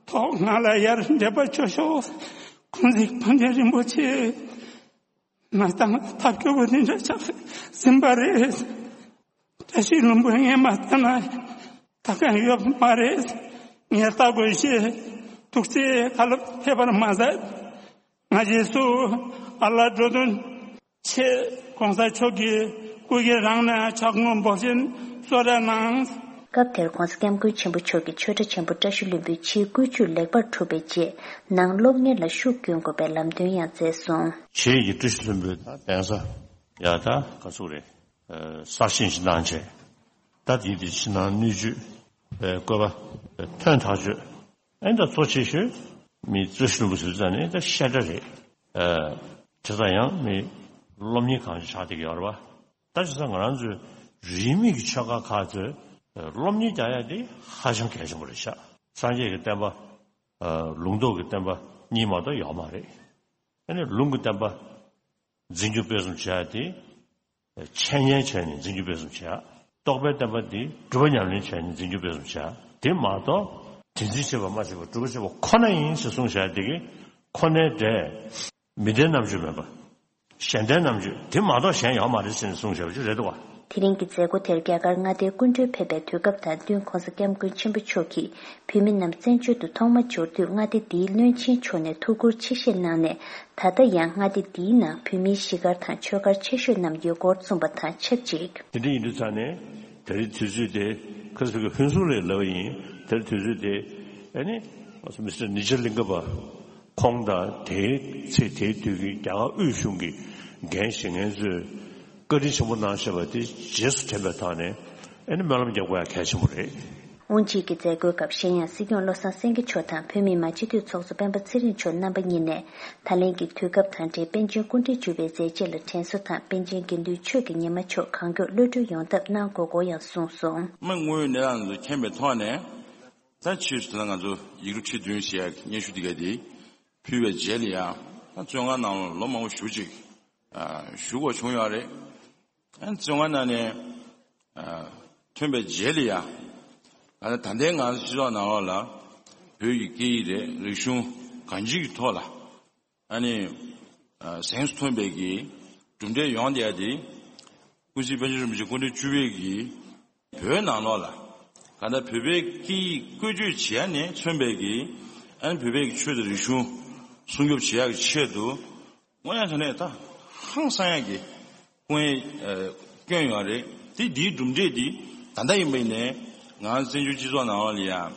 ཐོག་ང་ལ་ཡར་འདེབས་པ་ཆོག་ཤོག་ཁོང་ཚིག་ཕམ་ཆེན་རིན་པོ་ཆེ་མ་བཏང་ཐབས་སྐྱོ་པོ་འདི་འདྲ་ཆགས་ཟིན་པ་རེད། བཀྲ་ཤིས་ལྷུན་པོ་ངས་མ་བལྟས་ན་ད་གང་ཡོད་མ་རེད། ངས་ལྟ་དགོས་ཞེས་ཐུགས་རྗེ་བཀའ་སློབ་ཕེབས་པར་མ་ཟད། ང་རྗེས་སུ་ཨ་ལ་འགྲོ་དོན་ཆེད་༸གོང་ས་མཆོག་གི་སྐུ་སྒེར་རང་ནས་ཕྱག་དངུལ་འབོར་ཆེན་གསོལ་རས་གནང་། སྐབས་དེར་༸གོང་ས་༸སྐྱབས་མགོན་ཆེན་པོ་མཆོག་གིས་ཆོས་གྲྭ་ཆེན་པོ་བཀྲ་ཤིས་ལྷུན་པོའི་ཕྱིའི་བཀོད་ཇུས་ལེགས་པར་གྲུབ་པའི་རྗེས། ནང་སློབ་གཉེར་ལ་ཤུགས་བསྐྱོན་དགོས་པའི་ལམ་སྟོན་ཡང་མཛད་སོང་། ཆེད་ཀྱི་བཀྲ་ཤིས་ལྷུན་པོའི་གདན་ས་ཡ་ད་ག་ཚོད་རེད། གསར་བཞེངས་ཤིག་གནང་བྱས། ད་དེ་དེ་ཕྱི་ནང་སྣོད་བཅུད་བཀོད་པ་ཐོན་ཐག་ཆོད། ཨེ་ད་གཙོ་ཆེ་ཤོས་མི་བཀྲ་ཤིས་ལྷུན་པོ་ཟེར་ཙང་ནས་ད་བཤད་གྲྭ་རེད། བྱས་ཙང་ཡང་མི་སློབ་གཉེར་གང་ཅི་ཆགས་བསྡད་ཀྱི་ཡོད་རེད་པ། ད་བྱས་ཙང་ང་རང་ཚོའི་རིས་མེད་ཀྱི་ཆོས་ཁ་ཁག་ཚོས་སློབ་གཉེར་རྒྱག་ཡ་དེ་ཧ་ཅང་གལ་ཆེན་པོ་རེད་ཤག་སངས་རྒྱས་ཀྱི་བསྟན་པ། ལུང་རྟོགས་ཀྱི་བསྟན་པ་གཉིས་མ་གཏོགས་ཡོད་མ་རེད། ཨ་ནི་ལུང་གི་བསྟན་པ་འཛིན་སྐྱོང་སྤེལ་གསུམ་བྱེད་ཡ་དེ། འཆད་ཉན་བྱས་ནས་འཛིན་སྐྱོང་སྤེལ་གསུམ་བྱེད་ཡ། རྟོགས་པའི་བསྟན་པ་འདི་སྒྲུབ་པ་ཉམས་ལེན་བྱས་ནས་འཛིན་སྐྱོང་སྤེལ་གསུམ་བྱེད་ཡ། དེ་མ་གཏོགས་དེ་འཛིན་བྱེད་པ་སྨྲ་བྱེད་པ་སྒྲུབ་པ་བྱེད་པ་ཁོ་ན་ཡིན་ཞེས་གསུངས་བཞག་དེ་གི་ཁོ་ནའི་འབྲས་མི་ལྡན་རྣམ་དཔྱོད་མེད་པ། གཞན་ལྡན་རྣམ་དཔྱོད་དེ་མ་གཏོགས་གཞན་ཡོད་མ་རེད་ཟེར་ནས་གསུངས་བཞག་པ་ཅིག་རེད་འདུག་བ། དེ་རིང་གི་མཛད་སྒོ་དེར་རྒྱ་གར་མངའ་སྡེའི་སྐུ་མགྲོན་ཕེབས་པའི་དུས་སྐབས་དང་བསྟུན་༸གོང་ས་༸སྐྱབས་མགོན་ཆེན་པོ་མཆོག་གིས་བོད་མི་རྣམས་བཙན་བྱོལ་དུ་ཐོག་མ་འབྱོར་དུས་མངའ་སྡེ་འདིའི་བློན་ཆེན་མཆོག་ནས་ཐུགས་ཁུར་ཆེ་བཞེས་གནང་ནས། ད་ལྟ་ཡང་མངའ་སྡེ་འདིའི་ནང་བོད་མིའི་གཞིས་སྒར་དང་ཆོས་སྒར་ཆེ་ཤོས་རྣམས་ཡོད་སྐོར་གསུངས་པ་དང་ཆབས་ཅིག་དེ་འདྲ་ཡིན་དུས་ཙང་ནས་དེ་རིང་དུས་ཚོད་དེ་ཁ་སང་གི་ཕུན་ཚོགས་ལས་ལབ་པ་ཡིན། དེ་རིང་དུས་ཚོད་དེ་ཨ་ནི་མི་སི་ཊར་ནི་ཇ་ལིང་ག་པ་ཁོང་དང་དེའི་ཚེ་དེའི་དུས་ཀྱི་རྒྱ་གར་དབུས་གཞུང་གི་འགན་བཞེས་མཁན་ཚོས་བཀའ་དྲིན་ཆེན་པོ་གནང་བཞག་པ་དེ་རྗེས་སུ་དྲན་པའི་ཐོག་ནས་ཨ་ནི་སྨོན་ལམ་རྒྱག་དགོས་ཡ་གལ་ཆེན་པོ་རེད། དབུ་འབྱེད་ཀྱི་མཛད་སྒོའི་སྐབས་གཞན་ཡང་སྲིད་སྐྱོང་བློ་བཟང་སེང་གེ་མཆོག་དང་བོད་མིའི་མ་སྤྱི་འཐུས་ཚོགས་གཙོ་སྤེན་པ་ཚེ་རིང་མཆོག་རྣམ་པ་གཉིས་ནས་ད་ལན་གྱི་དུས་སྐབས་དང་འབྲེལ་པཎ་ཆེན་སྐུ་ཕྲེང་བཅུ་པའི་མཛད་རྗེས་ལ་དྲན་གསོ་དང་པཎ་ཆེན་དགེ་འདུན་ཆོས་ཀྱི་ཉི་མ་མཆོག་གང་མགྱོགས་གློད་གྲོལ་ཡོང་ཐབས་གནང་དགོས་སྐོར་ཡང་གསུངས་སོང་། མི་དངོས་ཡོད་གནས་སྟངས་ཚོ་མཁྱེན་པའི་ཐོག་ནས་ད་ཕྱིས་སུ་ད་ང་ཚོ་ཡིག་འབྲུ་ཁྲི་བདུན་ཞེས་སྙན་ཞུ་འདི་ག་དེ་ཕུལ་བའི་རྗེས་ལ་ཡང་ད་བཙོན་ཁང་ནང་ལོ་མང་པོ་བཞུགས་ཅིག་བཞུགས་དགོས་བྱུང་ཡོད་རེད། ཨ་ནི་བཙོན་ཁང་ནང་ནས་ཨ་ཐོན་པའི་རྗེས་ལ་ཡང་ཨ་ནི་ད་ལྟའི་ང་ཚོ་སྤྱི་ཚོགས་ནང་ལོགས་ལ་བོད་ཀྱི་སྐད་ཡིག་རེད། རིག་གཞུང་གང་ཅིའི་ཐོག་ལ་ཨ་ནི་ཨ་གཟེངས་སུ་ཐོན་པའི་གི་གྲུབ་འབྲས་ཡོང་བསྡད་ཡ་དེ་སྐུ་ཚེ་པཎ་ཆེན་རིན་པོ་ཆེ་སྐུ་ཕྲེང་བཅུ་པའི་གི་བོད་ནང་ལོགས་ལ་གང་ལྟར་བོད་པའི་སྐད་ཡིག་བཀོལ་སྤྱོད་བྱེད་ཡ་ནས་མཚོན་པའི་གི་ཨ་ནི་བོད་པའི་གི་ཆོས་དང་རིག་གཞུང་སྲུང་སྐྱོབ་བྱེད་ཡ་གི་ཆེད་དུ། དངོས་ཡང་དྲང་གནས་ད་ཧང་སང་ཡག་གི་སྐུ་ངལ་ཨ་བསྐྱོན་ཡོད་རེད། དེ་འདིའི་གྲུབ་འབྲས་འདི་ད་ལྟ་ཡིན་པ་ཡིན་ནའི་ང་བཙན་བྱོལ་སྤྱི་ཚོགས་ནང་ལོགས་ལ་ཡང་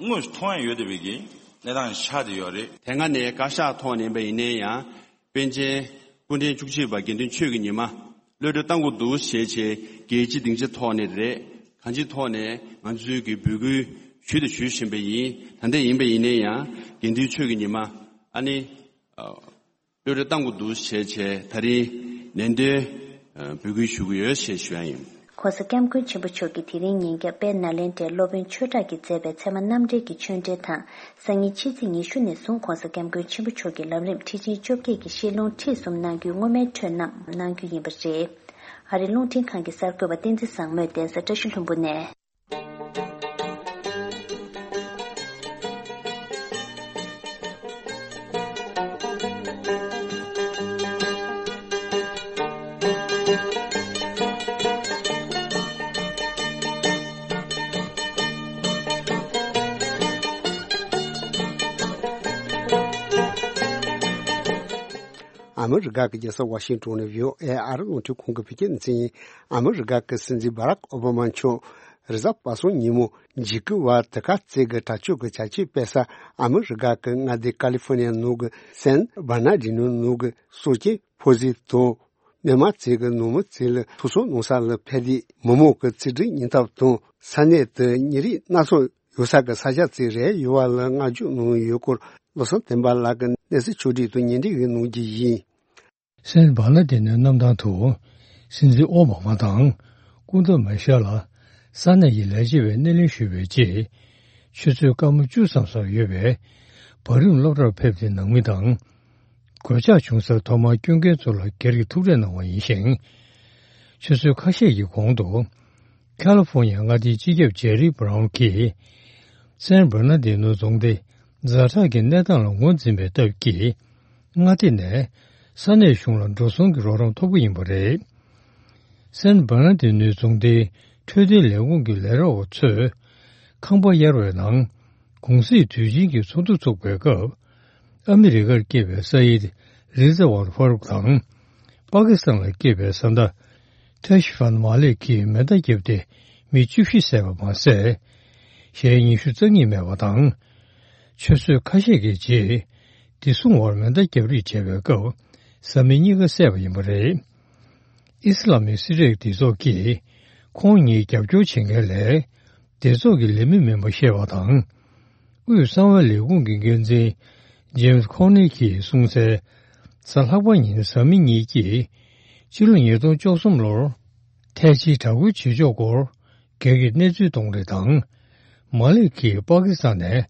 དངོས་སུ་མཐོང་ཡག་ཡོད་བསྡད་པའི་གི་གནས་སྟངས་ཆགས་བསྡད་ཡོད་རེད། དེ་སྔ་ནས་བཀའ་ཤག་ཐོག་ནས་ཡིན་པ་ཡིན་ནའི་ཡང་པཎ་ཆེན་སྐུ་ཕྲེང་བཅུ་གཅིག་པ་དགེ་འདུན་ཆོས་ཀྱི་ཉི་མ་གློད་གྲོལ་བཏང་དགོས་འདུག་ཞེས་བྱས་རྒྱལ་སྤྱི་སྡིངས་ཆ་ཐོག་ནས་རེད། གང་ཅིའི་ཐོག་ནས་ང་ཚོའི་གི་འབོད་སྐུལ་ཞུས་དང་ཞུ་བཞིན་པ་ཡིན། ད་ལྟ་ཡིན་པ་ཡིན་ནའི་ཡང་དགེ་འདུན་ཆོས་ཀྱི་ཉི་མ་ཨ་ནི། གློད་གྲོལ་བཏང་དགོས་འདུག་ཞེས་བྱས་ད་རིང་ནན་ཏན་འབོད་སྐུལ་ཞུ་གི་ཡོད་ཞེས་ཞུ་ཡ་ཡིན། ༸གོང་ས་༸སྐྱབས་མགོན་ཆེན་པོ་མཆོག་གིས་དེ་རིང་ཉིན་རྒྱབ་དཔལ་ནཱ་ལེནྡྲའི་སློབ་དཔོན་ཆོས་གྲགས་ཀྱིས་མཛད་པའི་ཚད་མ་རྣམ་འགྲེལ་གྱི་ཆོས་འབྲེལ་དང་། སང་ཉིན་ཕྱི་ཚེས་ཉི་ཤུ་ནས་བཟུང་༸གོང་ས་༸སྐྱབས་མགོན་ཆེན་པོ་མཆོག་གི་ལམ་རིམ་ཁྲིད་ཆེན་བཅོ་བརྒྱད་ཀྱི་བཤད་ལུང་ཁྲིད་གསུམ་གནང་རྒྱུའི་སྔོན་མའི་འཕྲོས་རྣམས་གནང་རྒྱུ་ཡིན་པ་རེད། ཨ་རིའི་རླུང་འཕྲིན་ཁང་གི་གསར་འགོད་པ་བསྟན་འཛིན་བཟང་མོས་གདན་ས་བཀྲ་ཤིས་ལྷུན་པོ་ནས། ཨ་མི་རི་ཀ་གི་རྒྱལ་ས་ཝ་ཤིང་ཏོན་ནས་བྷི་ཨོ་ཨེ་ཨ་རི་རླུང་འཕྲིན་ཁང་གི་བོད་སྐད་སྡེ་ཚན་ཡིན། ཨ་མི་རི་ཀ་གི་སྲིད་འཛིན་སྦ་རག་ཨོ་བྷ་མ་མཆོག་རེས་གཟའ་པ་སངས་ཉིན་མོ་འཇིགས་སྐུལ་བ་དེ་ག་རྩེ་གི་དྲག་སྤྱོད་ཀྱི་བྱ་སྤྱོད་སྤེལ་ས་ཨ་མི་རི་ཀ་གི་མངའ་སྡེ་ཀ་ལི་ཧྥོ་ནི་ཡ་ནང་གི་སན་བར་ན་ཌི་ནོ་ནང་གི་སྲོག་ཆགས་ཕོ་ཟི་དང་། མི་མང་བཅས་ཀྱི་ནང་མི་བཅས་ལ་ཐུག་སོང་གནང་ས་ལ་ཕེབས་ཏེ་མི་མང་གི་རྩིས་སྤྲོད་ཉེས་འདབས་དང་ས་གནས་དེ་ཉེ་རིགས་སྣ་ཚོགས་ཡོད་ས་གི་ས་ཆ་བཅས་རེད་ཡོད་པ་ལ་བསྔགས་བརྗོད་གནང་ཡོད་སྐོར་བློ་བཟང་བསྟན་པ་ལགས་ཀྱིས་གནས་ཚུལ་ཕྱོགས་སྒྲིག་དང་སྙན་སྒྲོན་ཞིག་གནང་རྒྱུ་ཡིན། སན་བར་ན་ཌི་ནོའི་གནམ་ཐང་དུ་སྲིད་འཛིན་ཨོ་བྷ་མ་དང་སྐུ་ཟླ་མེ་ཤལ་ལ་ས་གནས་ཀྱི་ལས་བྱེད་པའི་སྣེ་ལེན་ཞུས་པའི་རྗེས། ཆུ་ཚོད་སྐར་མ་བཅུ་ཙམ་སོང་ཡོད་པའི་བར་རིམ་སློབ་གྲྭར་ཕེབས་ཏེ་ནང་མི་དང་། གོད་ཆག་བྱུང་སར་ཐོག་མར་སྐྱོད་མཁན་ཚོ་ལ་སྒེར་གྱི་ཐུག་འཕྲད་གནང་བ་ཡིན་ཞིང་། ཆུ་ཚོད་ཁ་ཤས་ཀྱི་གོང་དུ། ཁ་ལི་ཧྥོ་ནི་ཡ་མངའ་སྡེའི་སྤྱི་ཁྱབ་ཇེ་རི་བྷ་རའུན་གྱིས། སན་བར་ན་ཌི་ནོ་རྫོང་སྡེ་ཛ་དྲག་གི་གནས་སྟངས་ལ་ངོས་འཛིན་པའི་སྟབས་ཀྱིས། མངའ་སྡེ་ནས་ས་གནས་གཞུང་ལ་འགྲོ་སོང་གི་རོགས་རམ་ཐོབ་ཀྱི་ཡིན་པ་རེད། སན་བར་ན་ཌི་ནོའི་རྫོང་སྡེའི་འཕྲོད་བསྟེན་ལས་ཁུངས་ཀྱི་ལས་རོགས་པ་ཚོས། ཁང་པ་གཡར་བའི་ནང་། གུང་སེང་དུས་ཆེན་གྱི་ཚོགས་འདུ་ཚོགས་པའི་སྐབས། ཨ་མི་རི་ཀར་སྐྱེས་པའི་ས་ཡིད་རི་ཛ་ཝར་ཧྥ་རུག་དང་། པ་ཀི་སི་ཐན་ལ་སྐྱེས་པའི་བཟའ་ཟླ་ཐེ་ཤི་ཧྥན་མ་ལིག་གིས་མེ་མདའ་བརྒྱབ་སྟེ་མི་བཅུ་བཞི་བསད་པ་མ་ཟད། གཞན་ཉི་ཤུ་རྩ་གཉིས་རྨས་པ་དང་། ཆུ་ཚོད་ཁ་ཤས་ཀྱི་རྗེས། བདེ་སྲུང་བར་མེ་མདའ་བརྒྱབ་རེས་བྱས་པའི་སྐབས། བཟའ་མི་གཉིས་ཀ་བསད་པ་ཡིན་པ་རེད། ཨི་སི་ལ་མིག་སི་རེག་སྡེ་ཚོགས་ཀྱིས་ཁོང་ཉིད་རྒྱབ་སྐྱོར་བྱེད་མཁན་ལས་སྡེ་ཚོགས་ཀྱི་ལས་མི་མིན་པ་བཤད་པ་དང་། དབུས་གསང་བའི་ལས་ཁུངས་ཀྱི་འགན་འཛིན་ཇེམ་སི་ཁོ་ནེ་གིས་གསུངས་གསལ། གཟའ་ལྷག་པ་ཉིན་བཟའ་མི་གཉིས་ཀྱིས་སྤྱི་ལོ་ཉིས་སྟོང་བཅུ་གསུམ་ལོར་ཐའི་ཅིའི་དྲག་རྒོལ་བྱེད་ཕྱོགས་སྐོར་སྒེར་གྱི་གནས་ཚུལ་གཏོང་རེས་དང་། མ་ལིག་གིས་པ་ཀི་སི་ཐན་ནས་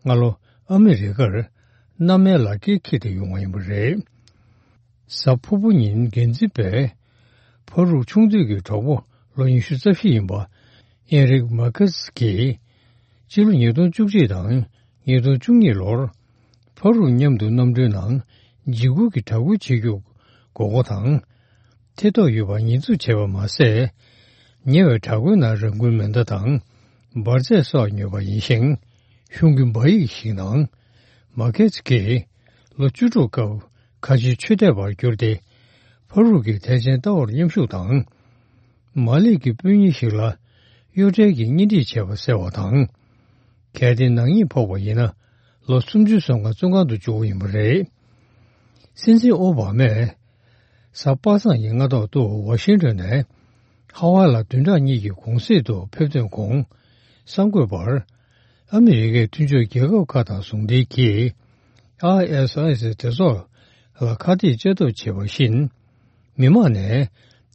སྔ་ལོ་ཨ་མི་རི་ཀར་མནའ་མའི་ལག་འཁྱེར་འཁྱེར་ཏེ་ཡོང་བ་ཡིན་པ་རེད། གཟའ་ཕུར་བུ་ཉིན་འགན་འཛིན་པས་ཕ་རུག་ཆུང་དུས་ཀྱི་གྲོགས་པོ་ལོ་ཉི་ཤུ་རྩ་བཞི་ཡིན་པ་ཨེན་རིག་མར་ཁེ་སི་གིས་སྤྱི་ལོ་ཉིས་སྟོང་བཅུ་གཅིག་དང་ཉིས་སྟོང་བཅུ་གཉིས་ལོར་ཕ་རུག་མཉམ་དུ་གནམ་གྲུའི་ནང་འཇིགས་སྐུལ་གྱི་དྲག་རྒོལ་བྱེད་རྒྱུ་དགོས་མཁོ་དང་། ཐེ་གཏོགས་ཡོད་པ་ཉེས་འཛུགས་བྱས་པ་མ་ཟད། ཉེ་བའི་དྲག་རྒོལ་ནང་རང་འཁུལ་མེ་མདའ་དང་འབར་རྫས་སོགས་ཉོས་པ་ཡིན་ཞིང་། གཞུང་གི་སྦ་ཡིག་ཞིག་ནང་མར་ཁེ་སི་གིས་ལོ་བཅུ་དྲུག་སྐབས་ཁ་ཆེའི་ཆོས་དད་པར་གྱུར་ཏེ། ཕ་རུག་གི་ཐེག་ཆེན་ལྟ་བར་མཉམ་ཞུགས་དང་། མ་ལིག་གི་སྤུན་ཉེ་ཞིག་ལ་གཡོ་བྲལ་གྱི་གཉེན་སྒྲིག་བྱས་པ་གསལ་བ་དང་། གལ་ཏེ་ནག་ཉེས་ཕོག་པ་ཡིན་ན་ལོ་སུམ་ཅུ་སོན་ཁར་བཙོན་ཁང་དུ་འཇུག་པ་ཡིན་པ་རེད། སྲིད་འཛིན་ཨོ་བྷ་མས་གཟའ་པ་སངས་ཀྱི་སྔ་ཐོག་ཏུ་ཝ་ཤིང་ཊོན་ནས་ཧ་ཝའི་ལ་བདུན་ཕྲག་གཉིས་ཀྱི་གུང་སེང་དུ་ཕེབས་ཐོན་གོང་གསར་འགོད་པར། ཨ་མི་རི་ཀའི་མཐུན་ཕྱོགས་རྒྱལ་ཁབ་ཁག་དང་ཟུང་འབྲེལ་གྱིས་ཨའི་ཨེས་ཨའི་སི་སྡེ་ཚོགས་ལ་ཁ་གཏད་བཅག་ཐབས་བྱས་པ་བཞིན། མི་མང་ནས་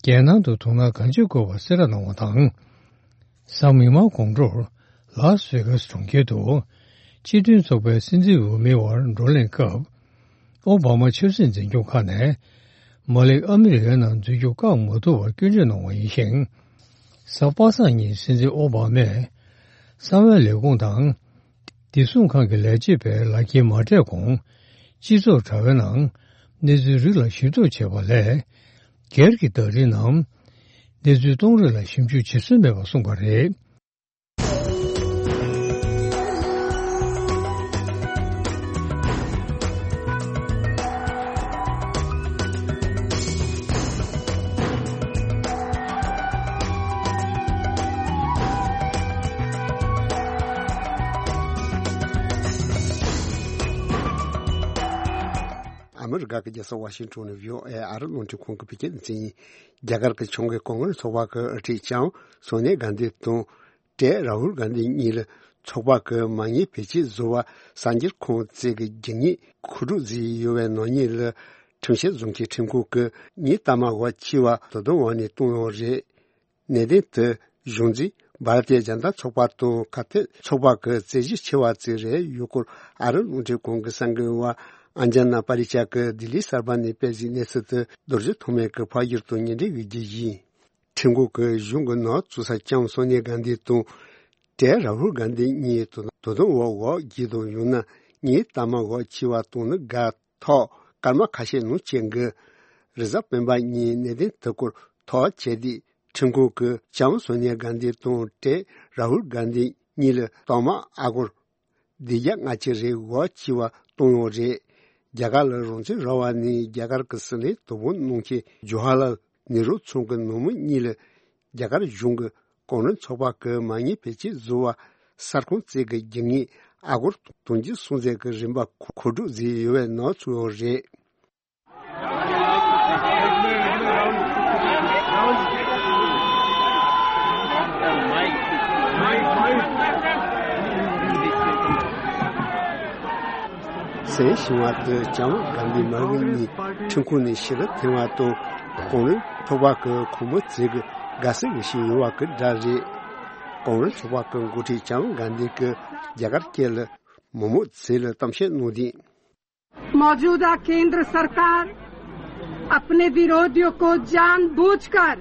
རྒྱལ་ནང་དུ་དོ་སྣང་གང་ཆེ་དགོས་པ་གསལ་བསྒྲགས་གནང་བ་དང་། གཟའ་མིག་དམར་དགོང་དྲོར་ལཱ་སི་ཝེ་གཱ་སི་གྲོང་ཁྱེར་དུ་སྤྱི་མཐུན་ཚོགས་པའི་སྲིད་འཛིན་འོས་མིའི་དབར་བགྲོ་གླེང་སྐབས། ཨོ་བྷ་མ་ཆབ་སྲིད་འཛིན་སྐྱོང་ཁག་ནས་མ་ལིག་ཨ་མི་རི་ཀའི་ནང་འཛུལ་རྒྱུ་བཀག་མ་ཐུབ་པར་སྐྱོན་བརྗོད་གནང་བ་ཡིན་ཞིང་། གཟའ་པ་སངས་ཉིན་སྲིད་འཛིན་ཨོ་བྷ་མས་གསང་བའི་ལས་ཁུངས་དང་། བདེ་སྲུང་ཁང་གི་ལས་བྱེད་པའི་ལག་འཁྱེར་མ་སྤྲད་གོང་སྤྱི་ཚོགས་དྲ་བའི་ནང་གནས་ཚུལ་རིགས་ལ་ཞིབ་འཚོལ་བྱས་པ་ལས། སྒེར་གྱི་བརྡ་རིས་ནང་གནས་ཚུལ་གཏོང་རིགས་ལ་ཞིབ་འཇུག་བྱེད་སྲོལ་མེད་པ་གསུངས་པ་རེད། ཨ་མི་རི་ཀ་གི་རྒྱལ་ས་ཝ་ཤིང་ཊོན་ནས་བྷི་ཨོ་ཨེ་ཨ་རི་རླུང་འཕྲིན་ཁང་གི་བོད་སྐད་སྡེ་ཚན་ཡིན། རྒྱ་གར་གྱི་ཕྱོགས་འགལ་གོ་གནས་ཚོགས་པ་གི་དབུ་ཁྲིད་ལྕམ་སོ་ནི་གྷན་དྷི་དང་། ཏྲེ་རཱ་ཧུལ་གྷན་དྷི་གཉིས་ལ་ཚོགས་པ་གི་མ་དངུལ་བེད་སྤྱོད་བཟོ་བ་གསར་འགྱུར་ཁང་བཅས་ཀྱི་རྒྱུ་དངོས་མཁོ་སྒྲུབ་བཟོས་ཡོད་པའི་ནག་ཉེས་ལ་ཁྲིམས་བཤེར་བཟོ་མཁན་ཁྲིམས་ཁང་གིས་ཉིན་རྟག་མ་བར་འཁྱིལ་བ་དོ་དམ་འོག་ནས་བཏང་ཡོད་རེད། གནད་དོན་དེ་གཞུང་འཛིན་བྷ་ར་ཏི་ཡ་ཇན་ཏ་ཚོགས་པ་དང་ཁ་གཏད་ཚོགས་པ་གི་རྩོད་གཞི་ཆེ་བ་ཅིག་རེད་ཡོད་སྐོར། ཨ་རི་རླུང་འཕྲིན་ཁང་གི་གསར་འགོད་པ་ཨན་ཇ་ན་པ་རི་ཅག་གིས་ལྡི་ལི་གསར་པ་ནས་སྤེལ་གཟིགས་གནས་ཚུལ་དེ་རྡོ་རྗེ་ཐོགས་མེད་ཀྱིས་ཕབ་བསྒྱུར་དང་སྙན་སྒྲོན་ཞུ་རྒྱུ་ཡིན། ཁྲིམས་ཁང་གིས་གཞུང་གི་ནག་བཙུགས་ས་ལྕམ་སོ་ནི་གྷན་དྷི་དང་། བྲན་རཱ་ཧུལ་གྷན་དྷི་གཉིས་དོ་དོ་དམ་འོག་འོག་བརྒྱུད་དང་ཡང་ན་གཉིས་ལྟ་མ་འོག་བྱས་པ་དང་ནི་དགའ་ཐོག་སྐར་མ་ཁ་ཤས་ནང་བྱེད་དགོས། རེས་གཟའ་སྤེན་པ་ཉིན་གནད་དོན་དེ་སྐོར་ཐག་བཅད་དུས་ཁྲིམས་ཁང་གིས་ལྕམ་སོ་ནི་གྷན་དྷི་དང་བྲན་རཱ་ཧུལ་གྷན་དྷི་གཉིས་ལ་རྟགས་མ་ཨ་སྒོར་བདུན་བརྒྱ་ལྔ་བཅུ་རེ་འོག་བྱས་པ་བཏང་ཡོད་རེད། རྒྱ་གར་ལ་རང་བཙན་རག་པ་ནས་རྒྱ་གར་གྱི་སྲིད་བློན་དོ་དགོང་གནང་མཁན་ཇོ་ཧ་ལལ་ནེ་རུ་མཚུངས་ཀྱི་ནང་མི་གཉིས་ལ་རྒྱ་གར་གཞུང་གིས་གོང་རིམ་ཚོགས་པ་གི་མ་དངུལ་བེད་སྤྱོད་བཟོ་བ་གསར་ཁང་བཙུགས་ཀྱི་རྒྱུ་དངུལ་ཨ་སྒོར་དུང་ཕྱུར་སུམ་བརྒྱ་གི་རིན་པ་མཁོ་སྒྲུབ་བཟོས་ཡོད་པའི་ནག་བཙུགས་ཡོད་རེད། གསན་བྱུང་བ་དེ་ལྕམ་གྷན་དྷི་མ་གི་གཉིས་ཁྲིམས་ཁང་ནས་ཕྱི་ལ་འཐེན་པ་དང་གོང་རིམ་ཚོགས་པ་གི་ཁོངས་མི་ཚོས་ཀྱི་དགའ་བསུ་ཞུ་བཞིན་ཡོད་པ་གི་སྒྲ་རེད། གོང་རིམ་ཚོགས་པ་གི་འགོ་ཁྲིད་ལྕམ་གྷན་དྷི་གིས་རྒྱ་གར་སྐད་ལ་མི་མང་ཚོ་ལ་གཏམ་བཤད་གནང་དུས། मौजूदा केंद्र सरकार अपने विरोधियों को जानबूझकर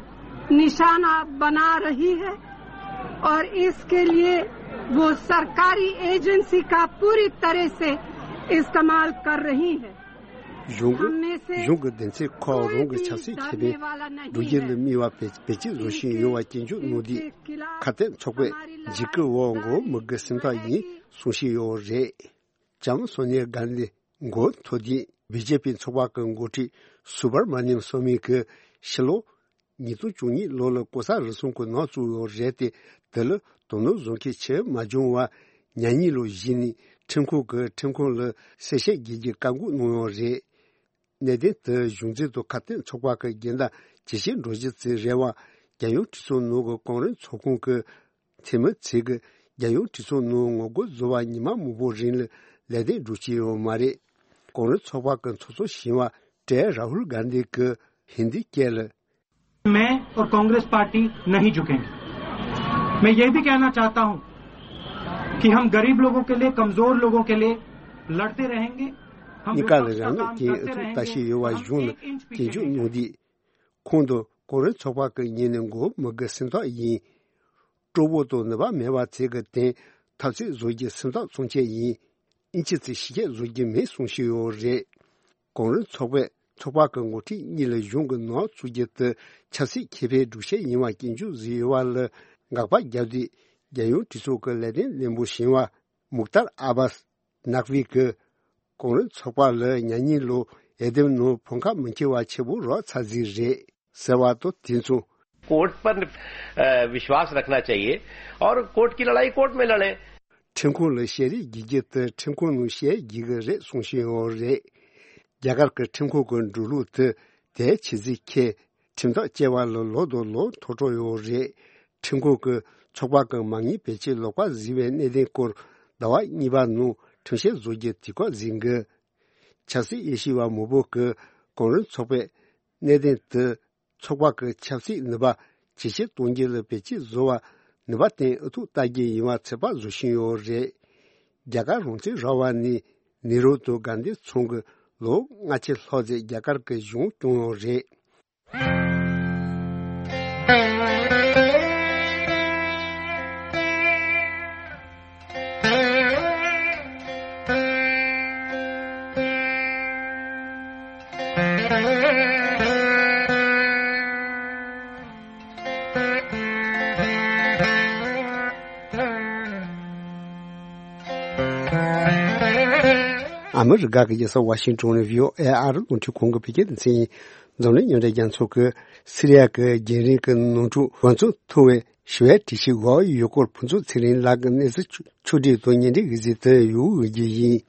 निशाना बना रही है और इसके लिए वो सरकारी एजेंसी का पूरी तरह से इस्तेमाल कर रही है। གཞུང་གི་གཞུང་གི་སྡེ་ཚན་ཁག་རང་གི་ཆབ་སྲིད་ཁེ་ཕན་སྒྲུབ་རྒྱུ་ལ་དམིགས་པ་བེད་བེད་སྤྱོད་བཟོ་བཞིན་ཡོད་པ་སྐྱོན་བརྗོད་གནང་དུས། ཁ་གཏད་ཚོགས་པས་འཇིགས་སྐུལ་འོག་མགོ་མི་དགུ་སེམས་ཐག་ཡིན་གསུང་བཞིན་ཡོད་རེད། ལྕམ་སོ་ནི་གྷན་དྷི་མགོ་འཐོམས་དུས་བི་ཇེ་པི་ཚོགས་པ་གི་འགོ་ཁྲིད་སུ་བྷར་མ་ནིམ་སོ་མི་གིས་ཕྱི་ལོ་ཉིས་སྟོང་བཅུ་གཉིས་ལོ་ལ་ལྐོག་ཟ་རུལ་སུངས་ཀྱི་ནག་བཙུགས་ཡོད་རེད་དེ། དེ་ལ་དོ་སྣང་བཟོ་མཁན་ཆེ་མ་བྱུང་བར་ཉེ་ཉིན་ལོ་གཞི་ནས་ཁྲིམས་ཁང་གིས་ཁྲིམས་ཁང་ལ་གསལ་བཤད་རྒྱག་རྒྱུའི་བཀའ་འགུག་གནང་ཡོད་རེད། གནད་དོན་དེ་གཞུང་འཛིན་དང་ཁ་གཏད་ཚོགས་པ་གི་འགལ་ཟླ་ཇེ་ཆེར་འགྲོ་རྒྱུ་ཅིག་རེད་པ། རྒྱལ་ཡོངས་གྲོས་ཚོགས་ནང་གི་གོང་རིམ་ཚོགས་ཁང་གི་འཐུས་མི་ཚོས་ཀྱི་རྒྱལ་ཡོངས་གྲོས་ཚོགས་ནང་ངོ་རྒོལ་བཟོ་བ་ཉི་མ་མང་པོ་རིང་ལ་ལས་དོན་འགྲུབ་ཀྱི་ཡོད་མ་རེད། གོང་རིམ་ཚོགས་པ་གི་ཚོགས་གཙོ་གཞོན་པ་བྲན་རཱ་ཧུལ་གྷན་དྷི་གིས་ཧིན་དིའི་སྐད་ལ། मैं और कांग्रेस पार्टी नहीं झुकेंगे। मैं ये भी कहना चाहता हूं कि हम गरीब लोगों के लिए, कमजोर लोगों के लिए लड़ते रहेंगे। हम གཉིས་ཀ་ལ་विपक्ष का རང་काम ལུགས་ཀྱི་करते ཨུ་ཚུགས་ལྟ་रहेंगे। བཞིན་ཡོད་པ་हम གཞུང་ལ་एक इंच पीछे སྐྱོན་བརྗོད་नहीं། གནང་དུས། ཁོང་དང་གོང་རིམ་ཚོགས་པ་གི་ཉིན་ནས་མགོ་མི་དགུ་སེམས་ཐག་ཡིན། སྤྲོ་པོ་དང་ནུས་པ་མེད་པ་ཚོས་ཀྱི་དོན་འཐབ་རྩོད་བཟོ་རྒྱུ་སེམས་ཐག་ཚུན་ཆད་ཡིན། ཨིན་ཅི་ཙི་ཞིབ་བཤེར་བཟོ་རྒྱུ་མེད་གསུང་བཞིན་ཡོད་རེད། གོང་རིམ་ཚོགས་པས་ཚོགས་པ་གི་འགོ་ཁྲིད་གཉིས་ལ་གཞུང་གི་ནག་བཙུགས་རྒྱུ་དེ་ཆབ་སྲིད་ཁེ་ཕན་སྒྲུབ་བྱེད་ཡིན་པ་སྐྱོན་བརྗོད་བཟོས་ཡོད་པ་ལ་དགག་པ་བརྒྱབ་དུས། རྒྱལ་ཡོངས་གྲོས་ཚོགས་ཀྱི་ལས་དོན་བློན་པོ་གཞོན་པ་མུག་ཏར་ཨ་བཱས་ནག་ཝི་གིས་གོང་རིམ་ཚོགས་པ་ལ་ཉེ་ཉིན་ལོ་འོས་འདེམས་ནང་ཕམ་ཁ་མི་ཁྱེར་བ་ཆེན་པོ་རག་ཚར་རྩིས་རེད་ཟེར་བ་དང་དེ་མཚུངས། कोर्ट पर, अ, विश्वास रखना चाहिए और कोर्ट की लड़ाई कोर्ट में लड़ें। ཁྲིམས་ཁང་ལ་བཤད་རེས་རྒྱག་རྒྱུ་དེ་ཁྲིམས་ཁང་ནང་བཤད་རྒྱག་གི་རེད་གསུང་བཞིན་ཡོད་རེད། རྒྱ་གར་གྱི་ཁྲིམས་ཁང་གི་འགྲོ་ལུགས་དེ་དེའི་ཆེད་རྩིས་ཁེལ། ཁྲིམས་ཐག་བཅད་པ་ལ་ལོ་དང་ལོ་མཐོ་གྲོང་ཡོད་རེད། ཁྲིམས་ཁང་གིས་ཚོགས་པ་གི་མ་དངུལ་བེད་སྤྱོད་ལོག་པ་བཟོས་པའི་གནད་དོན་སྐོར་ཟླ་བ་གཉིས་པ་ནང་ཁྲིམས་བཤེར་བཟོ་རྒྱུ་དུས་བཀག་འཛིན་དགོས། ཆབ་སྲིད་དབྱེ་ཞིབ་པ་མང་པོ་གིས་གོང་རིམ་ཚོགས་པས་གནད་དོན་དེ་ཚོགས་པ་གི་ཆབ་སྲིད་ནུས་པ་ཇེ་ཆེར་གཏོང་རྒྱུ་ལ་བེད་སྤྱོད་བཟོ་བར་ནུས་པ་བཏོན་ཨུ་ཐུག་ལྟ་རྒྱུ་ཡིན་པ་ཚོད་དཔག་བཟོ་བཞིན་ཡོད་རེད། རྒྱ་གར་རང་བཙན་རག་པ་ནས་ནེ་རུ་དང་གྷན་དྷི་མཚུངས་ཀྱི་ལོ་ལྔ་བཅུ་ལྷག་ཙམ་རྒྱ་གར་གྱི་གཞུང་སྐྱོང་ཡོད་རེད། ཨ་མི་རི་ཀ་གི་རྒྱལ་ས་ཝ་ཤིང་ཏོན་ནས་བྷི་ཨོ་ཨེ་ཨ་རི་རླུང་འཕྲིན་ཁང་གི་བོད་སྐད་སྡེ་ཚན་ཡིན། འཛམ་གླིང་མཉམ་འབྲེལ་རྒྱལ་ཚོགས་ཀྱིས་སི་རི་ཡ་གི་རྒྱང་རིང་གི་ནང་འཁྲུག་འབད་བརྩོན་ཐུབ་པའི་ཞི་བའི་གྲོས་གཞི་འགོད་ཡོད་སྐོར་ཕུན་ཚོགས་ཚེ་རིང་ལགས་ཀྱི་གནས་ཚུལ་ཕྱོགས་བསྒྲིགས་དང་སྙན་སྒྲོན་གྱི་གཟིགས་དེ་ཡོང་ཡོད་རྒྱུ་ཡིན།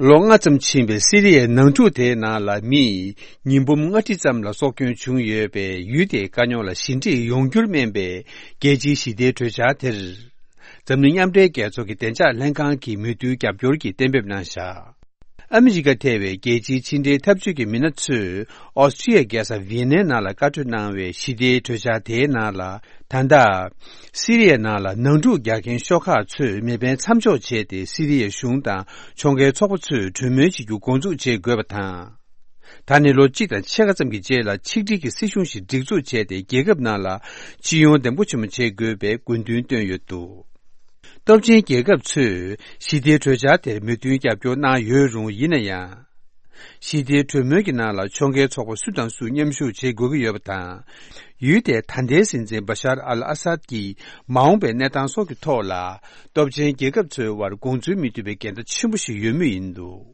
ལོ་ལྔ་ཙམ་ཕྱིན་པའི་སི་རི་ཡའི་ནང་འཁྲུག་དེའི་ནང་ལ་མིས་ཉིས་འབུམ་ལྔ་ཁྲི་ཙམ་ལ་སྲོག་སྐྱོན་བྱུང་ཡོད་པའི་ཡུལ་དེའི་དཀའ་རྙོག་ལ་ཞི་འགྲིག་ཡོང་རྒྱུར་སྨན་པའི་རྒྱལ་སྤྱིའི་ཞི་བདེའི་གྲོས་འཆར་དེར། འཛམ་གླིང་མཉམ་འབྲེལ་རྒྱལ་ཚོགས་ཀྱི་བདེ་འཇགས་ལྷན་ཁང་གིས་མོས་མཐུན་རྒྱབ་སྐྱོར་གྱི་གཏན་འབེབས་གནང་བཞག་ཨ་མི་རི་ཀ་ཐེ་བའི་རྒྱལ་སྤྱིའི་ཕྱི་འབྲེལ་འཐབ་ཇུས་ཀྱི་མི་སྣ་ཚོས་ཨོ་སི་ཀྲི་ཡའི་རྒྱལ་ས་ཝི་ཡེ་ནའི་ནང་ལ་བཀའ་གྲོས་གནང་བའི་ཞི་བདེའི་གྲོས་འཆར་དེའི་ནང་ལ། ད་ལྟ་སི་རི་ཡའི་ནང་ལ་ནང་འཁྲུག་རྒྱག་མཁན་ཤོག་ཁག་ཚོས་མེ་འཕེན་མཚམས་འཇོག་བྱས་ཏེ། སི་རི་ཡའི་གཞུང་དང་ཕྱོགས་འགལ་ཚོགས་པ་ཚོས་གྲོས་མོལ་བྱེད་རྒྱུ་འགོ་འཛུགས་བྱེད་དགོས་པ་དང་། ད་ནི་ལོ་གཅིག་དང་ཕྱེད་ཀ་ཙམ་གྱི་རྗེས་ལ་ཆིག་སྒྲིལ་གྱི་སྲིད་གཞུང་ཞིག་སྒྲིག་འཛུགས་བྱས་ཏེ། རྒྱལ་ཁབ་ནང་ལ་སྤྱི་ཡོངས་བདེ་པོ་ཆེན་པོ་བྱེད་དགོས་པའི་དགོས་འདུན་བཏོན་ཡོད་འདུག། སྟོབས་ཆེན་རྒྱལ་ཁབ་ཚོས་ཞི་བདེའི་གྲོས་འཆར་དེར་མོས་མཐུན་རྒྱབ་སྐྱོར་གནང་ཡོད་རུང་། ཡིན་ན་ཡང་། ཞི་བདེའི་གྲོས་མོལ་གྱི་ནང་ལ་ཕྱོགས་འགལ་ཚོགས་པ་སུ་དང་སུ་མཉམ་ཞུགས་བྱེད་དགོས་ཀྱི་ཡོད་པ་དང་། ཡུལ་དེའི་ད་ལྟའི་སྲིད་འཛིན་བ་ཤར་ཨལ་ཨ་སཱད་ཀྱི་མ་འོངས་པའི་གནས་སྟངས་སོགས་ཀྱི་ཐོག་ལ། སྟོབས་ཆེན་རྒྱལ་ཁབ་ཚོའི་དབར་དགོངས་ཚུལ་མི་མཐུན་པའི་འགལ་ཟླ་ཆེན་པོ་ཞིག་ཡོད་མུས་ཡིན་འདུག།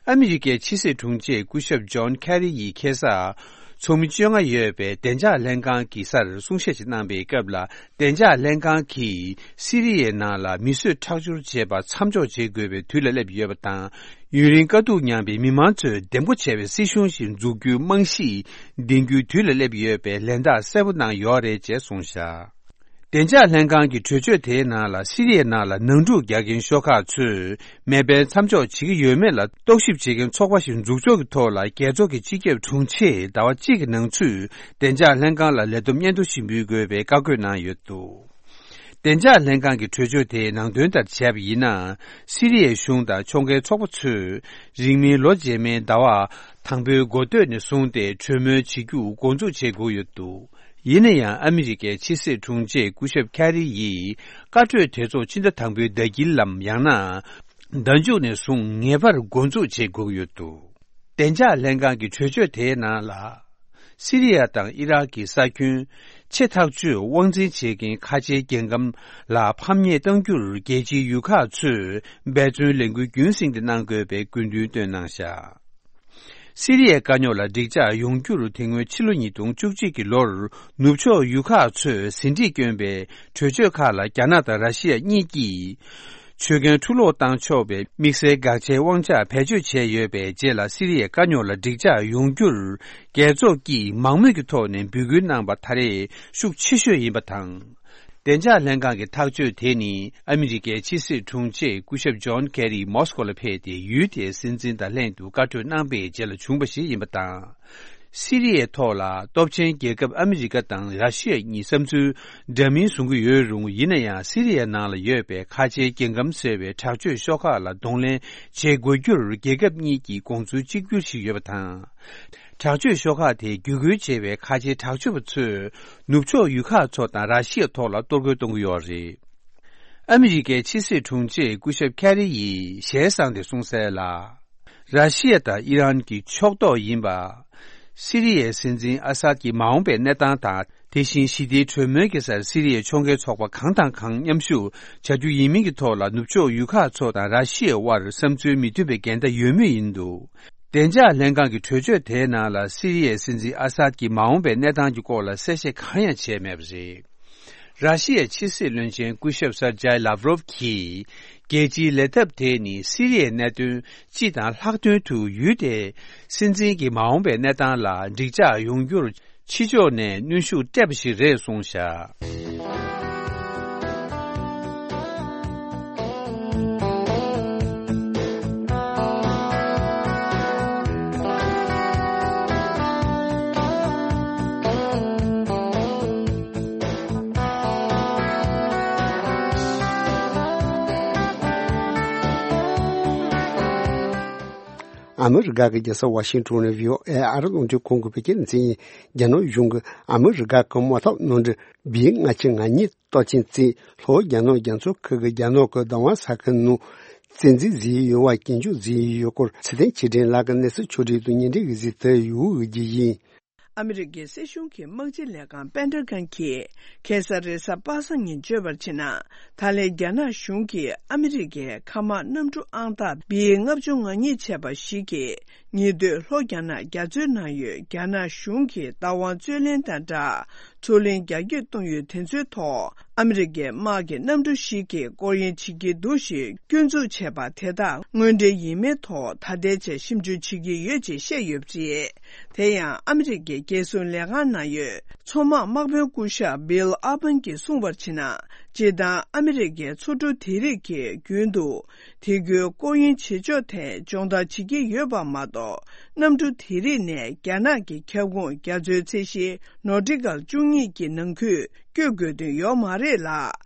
ཨ་མི་རི་ཀའི་ཕྱི་སྲིད་དྲུང་ཆེ་སྐུ་ཞབས་ཇོན་ཁེ་རི་ཡིས་ཁ་སང་ཚོགས་མི་བཅོ་ལྔ་ཡོད་པའི་བདེ་འཇགས་ལྷན་ཁང་གི་སར་གསུང་བཤད་ཅིག་གནང་པའི་སྐབས་ལ། བདེ་འཇགས་ལྷན་ཁང་གིས་སི་རི་ཡའི་ནང་ལ་མི་གསོད་ཁྲག་སྦྱོར་བྱེད་པ་མཚམས་འཇོག་བྱེད་དགོས་པའི་དུས་ལ་སླེབས་ཡོད་པ་དང་། ཡུན་རིང་དཀའ་སྡུག་མྱངས་པའི་མི་མང་ཚོས་བདེ་པོ་བྱ་བའི་སྲིད་གཞུང་ཞིག་འཛུགས་རྒྱུའི་རྨང་གཞི་འདིང་རྒྱུའི་དུས་ལ་སླེབས་ཡོད་པའི་ལན་རྟགས་གསལ་པོ་གནང་ཡོད་རེད་ཅེས་གསུངས་བཞག། བདེ་འཇགས་ལྷན་ཁང་གི་གྲོས་ཆོད་དེའི་ནང་ལ། སི་རི་ཡའི་ནང་ལ་ནང་འཁྲུག་རྒྱག་མཁན་ཤོག་ཁག་ཚོས་མེ་འཕེན་མཚམས་འཇོག་བྱེད་ཀྱི་ཡོད་མེད་ལ་རྟོག་ཞིབ་བྱེད་མཁན་ཚོགས་པ་ཞིག་འཛུགས་ཕྱོགས་ཀྱི་ཐོག་ལ། རྒྱལ་ཚོགས་ཀྱི་སྤྱི་ཁྱབ་དྲུང་ཆེས་ཟླ་བ་གཅིག་གི་ནང་ཚུད་བདེ་འཇགས་ལྷན་ཁང་ལ་ལས་བསྡོམས་སྙན་ཐོ་ཞིག་འབུལ་དགོས་པའི་བཀའ་བཀོད་གནང་ཡོད་འདུག། བདེ་འཇགས་ལྷན་ཁང་གི་གྲོས་ཆོད་དེའི་ནང་དོན་ལྟར་བྱས་པ་ཡིན་ན། སི་རི་ཡའི་གཞུང་དང་ཕྱོགས་འགལ་ཚོགས་པ་ཚོས་རིང་མིན་ལོ་རྗེས་མའི་ཟླ་བ་དང་པོའི་འགོ་སྟོད་ནས་བཟུང་སྟེ་གྲོས་མོལ་བྱེད་རྒྱུ་འགོ་འཛུགས་བྱེད་དགོས་ཡོད་འདུག། ཡིན་ན་ཡང་། ཨ་མི་རི་ཀའི་ཕྱི་སྲིད་དྲུང་ཆེ་སྐུ་ཞབས་ཁེ་རི་ཡིས་བཀའ་གྲོས་དེ་ཚོ་ཕྱི་ཟླ་དང་པོའི་ཟླ་དཀྱིལ་ལམ། ཡང་ན་ཟླ་མཇུག་ནས་བཟུང་ངེས་པར་འགོ་འཛུགས་བྱེད་དགོས་ཀྱི་ཡོད་འདུག། བདེ་འཇགས་ལྷན་ཁང་གི་གྲོས་ཆོད་དེའི་ནང་ལ། སི་རི་ཡ་དང་ཨི་རག་གི་ས་ཁྱོན་ཆེ་ཐག་ཆོད་དབང་འཛིན་བྱེད་མཁན་ཁ་ཆེའི་རྒྱལ་ཁམས་ལ་ཕམ་ཉེས་གཏང་རྒྱུར་རྒྱལ་སྤྱིའི་ཡུལ་ཁག་ཚོས་འབད་བརྩོན་ལས་འགུལ་རྒྱུན་བསྲིངས་ཏེ་གནང་དགོས་པའི་སྐུལ་འདུན་བཏོན་གནང་བཞག། སི་རི་ཡའི་དཀའ་རྙོག་ལ་འགྲིག་འཇགས་ཡོང་རྒྱུར། དེ་སྔོན་ཕྱི་ལོ་ཉིས་སྟོང་བཅུ་གཅིག་གི་ལོར་ནུབ་ཕྱོགས་ཡུལ་ཁག་ཚོས་ཟིན་བྲིས་བསྐྱོན་པའི་གྲོས་ཆོད་ཁག་ལ། རྒྱ་ནག་དང་ར་ཤི་ཡ་གཉིས་ཀྱིས་ཆོད་གན་འཁྲུ་སློག་བཏང་ཆོག་པའི་དམིགས་བསལ་དགག་བྱའི་དབང་ཆ་བེད་སྤྱོད་བྱས་ཡོད་པའི་རྗེས་ལ། སི་རི་ཡའི་དཀའ་རྙོག་ལ་འགྲིག་འཇགས་ཡོང་རྒྱུར་རྒྱལ་ཚོགས་ཀྱིས་མང་མོས་ཀྱི་ཐོག་ནས་འབོད་སྐུལ་གནང་པ་ད་རེས་ཤུགས་ཆེ་ཤོས་ཡིན་པ་དང་། བདེ་འཇགས་ལྷན་ཁང་གི་ཐག་གཅོད་དེ་ནི། ཨ་མི་རི་ཀའི་ཕྱི་སྲིད་དྲུང་ཆེ་སྐུ་ཞབས་ཇོན་ཁེ་རི་མོ་སི་ཀོ་ལ་ཕེབས་ཏེ། ཡུལ་དེའི་སྲིད་འཛིན་དང་ལྷན་དུ་བཀའ་གྲོས་གནང་པའི་རྗེས་ལ་བྱུང་བ་ཞིག་ཡིན་པ་དང་། སི་རི་ཡའི་ཐོག་ལ་སྟོབས་ཆེན་རྒྱལ་ཁབ་ཨ་མི་རི་ཀ་དང་ར་ཤི་ཡ་གཉིས་བསམ་ཚུལ་འདྲ་མིན་བཟུང་གི་ཡོད་རུང་། ཡིན་ན་ཡང་། སི་རི་ཡའི་ནང་ལ་ཡོད་པའི་ཁ་ཆེའི་རྒྱལ་ཁམས་ཟེར་བའི་དྲག་སྤྱོད་ཤོག་ཁག་ལ་གདོང་ལེན་བྱེད་དགོས་རྒྱུར་རྒྱལ་ཁབ་གཉིས་ཀྱི་དགོངས་ཚུལ་གཅིག་གྱུར་ཞིག་ཡོད་པ་དང་། དྲག་སྤྱོད་ཤོག་ཁག་དེས་བརྒྱུད་སྐུལ་བྱས་པའི་ཁ་ཆེའི་དྲག་སྤྱོད་པ་ཚོས་ནུབ་ཕྱོགས་ཡུལ་ཁག་ཚོ་དང་ར་ཤི་ཡའི་ཐོག་ལ་གཏོར་རྒོལ་གཏོང་གི་ཡོད་རེད། ཨ་མི་རི་ཀའི་ཕྱི་སྲིད་དྲུང་ཆེ་སྐུ་ཞབས་ཁེ་རི་ཡིས་ཞལ་བཟང་སྟེ་གསུངས་གསལ་ལ། ར་ཤི་ཡ་དང་ཨི་རན་གྱི་ཕྱོགས་གཏོགས་ཡིན་པ། སི་རི་ཡའི་སྲིད་འཛིན་ཨ་སཱད་ཀྱི་མ་འོངས་པའི་གནས་སྟངས་དང་། དེ་བཞིན་ཞི་བདེའི་གྲོས་མོལ་གྱི་སར་སི་རི་ཡའི་ཕྱོགས་འགལ་ཚོགས་པ་གང་དང་གང་མཉམ་ཞུགས་བྱ་རྒྱུ་ཡིན་མིན་གྱི་ཐོག་ལ། ནུབ་ཕྱོགས་ཡུལ་ཁག་ཚོ་དང་ར་ཤི་ཡའི་དབར་བསམ་ཚུལ་མི་མཐུན་པའི་འགལ་ཟླ་ཡོད་མུས་ཡིན་འདུག། བདེ་འཇགས་ལྷན་ཁང་གི་གྲོས་ཆོད་དེའི་ནང་ལ། སི་རི་ཡའི་སྲིད་འཛིན་ཨ་སཱད་ཀྱི་མ་འོངས་པའི་གནས་སྟངས་ཀྱི་སྐོར་ལ་གསལ་བཤད་གང་ཡང་བྱས་མེད་པ་རེད། ར་ཤི་ཡའི་ཕྱི་སྲིད་བློན་ཆེན་སྐུ་ཞབས་སར་ཇའི་ལཱབ་རོབ་ཀྱིས། རྒྱལ་སྤྱིའི་ལས་ཐབས་དེ་ནི་སི་རི་ཡའི་གནད་དོན་སྤྱི་དང་ལྷག་དོན་དུ་ཡུལ་དེའི་སྲིད་འཛིན་གྱི་མ་འོངས་པའི་གནས་སྟངས་ལ་འགྲིག་འཇགས་ཡོང་རྒྱུར་ཕྱི་ཕྱོགས་ནས་གནོན་ཤུགས་སྤྲད་པ་ཞིག་རེད་གསུངས་བཞག། ཨ་མི་རི་ཀ་གི་རྒྱལ་ས་ཝ་ཤིང་ཊོན་ནས་ཝི་ཨོ་ཨེ་ཨ་རི་རླུང་འཕྲིན་ཁང་གི་བོད་སྐད་སྡེ་ཚན་ཡིན། རྒྱ་ནག་གཞུང་གིས་ཨ་མི་རི་ཀ་གི་དམག་འཐབ་གནམ་གྲུ་བི་ལྔ་བཅུ་ང་གཉིས་གཏོར་སྐྱོན་བརྩིས། ལྷོ་རྒྱ་ནག་རྒྱ་མཚོ་ཁུལ་གྱི་རྒྱ་ནག་གི་བདག་དབང་ས་ཁུལ་ནང་བཙན་འཛུལ་བཟོས་ཡོད་པ་སྐྱོན་བརྗོད་བཟོས་ཡོད་སྐོར། ཚེ་བརྟན་ཆོས་སྒྲོན་ལགས་ཀྱིས་གནས་ཚུལ་ཕྱོགས་སྒྲིག་དང་སྙན་སྒྲོན་གྱིས་གཟིགས་ཏེ་ཡོད་རྒྱུ་ཡིན། ཨ་མི་རི་ཀའི་སྲིད་གཞུང་གི་དམག་སྤྱི་ལས་ཁང་པེན་ཏ་གོན་གྱིས་ཁ་སང་རེས་གཟའ་པ་སངས་ཉིན་བརྗོད་པར་བྱས་ན། ད་ལན་རྒྱ་ནག་གཞུང་གིས་ཨ་མི་རི་ཀའི་མཁའ་དམག་གནམ་གྲུ་ཨང་རྟགས་བི་ལྔ་བཅུ་ང་གཉིས་བྱས་པ་ཞིག་གིས། ཉེ་དུས་ལྷོ་རྒྱ་ནག་རྒྱ་མཚོའི་ནང་ཡོད་རྒྱ་ནག་གཞུང་གི་བདག་དབང་རྩོད་ལེན་དང་སྦྲགས། མཚོ་གླིང་རྒྱ་སྐྱེད་གཏོང་ཡུལ་དེ་ཚོའི་ཐོག་ཨ་མི་རི་ཀའི་དམག་གི་གནམ་གྲུ་ཞིག་གིས་སྐོར་གཡེང་བྱེད་ཀྱི་འདུག་ཞེས་སྐྱོན་འཛུགས་བྱས་པ་དེ་དག་དངོས་འབྲེལ་ཡིན་མིན་ཐོག་ད་ལྟའི་ཆར་ཞིབ་འཇུག་བྱེད་ཀྱི་ཡོད་ཅེས་བཤད་ཡོད་པ་རེད། དེ་ཡང་ཨ་མི་རི་ཀའི་རྒྱལ་སྲུང་ལས་ཁང་ནང་ཡོད་མཚོ་དམག་དམག་དཔོན་སྐུ་ཞབས་བྷིལ་ཨ་པན་གྱིས་གསུངས་པར་བྱས་ན། སྤྱིར་བཏང་ཨ་མི་རི་ཀའི་མཚོ་གྲུ་དེ་རིགས་ཀྱིས་རྒྱུན་དུ་དེ་ཁུལ་སྐོར་གཡེང་བྱེད་ཕྱོགས་ཐད་སྦྱོང་བརྡར་བྱེད་ཀྱི་ཡོད་པ་མ་གཏོགས། གནམ་གྲུ་དེ་རིགས་ནས་རྒྱ་ནག་གི་ཁྱབ་ཁོངས་རྒྱ་མཚོའི་ཚད་གཞི་ནོ་ཊི་ཀལ་བཅུ་གཉིས་ཀྱི་ནང་ཁུལ་བསྐྱོད་དགོས་དོན་ཡོད་མ་རེད་ལ།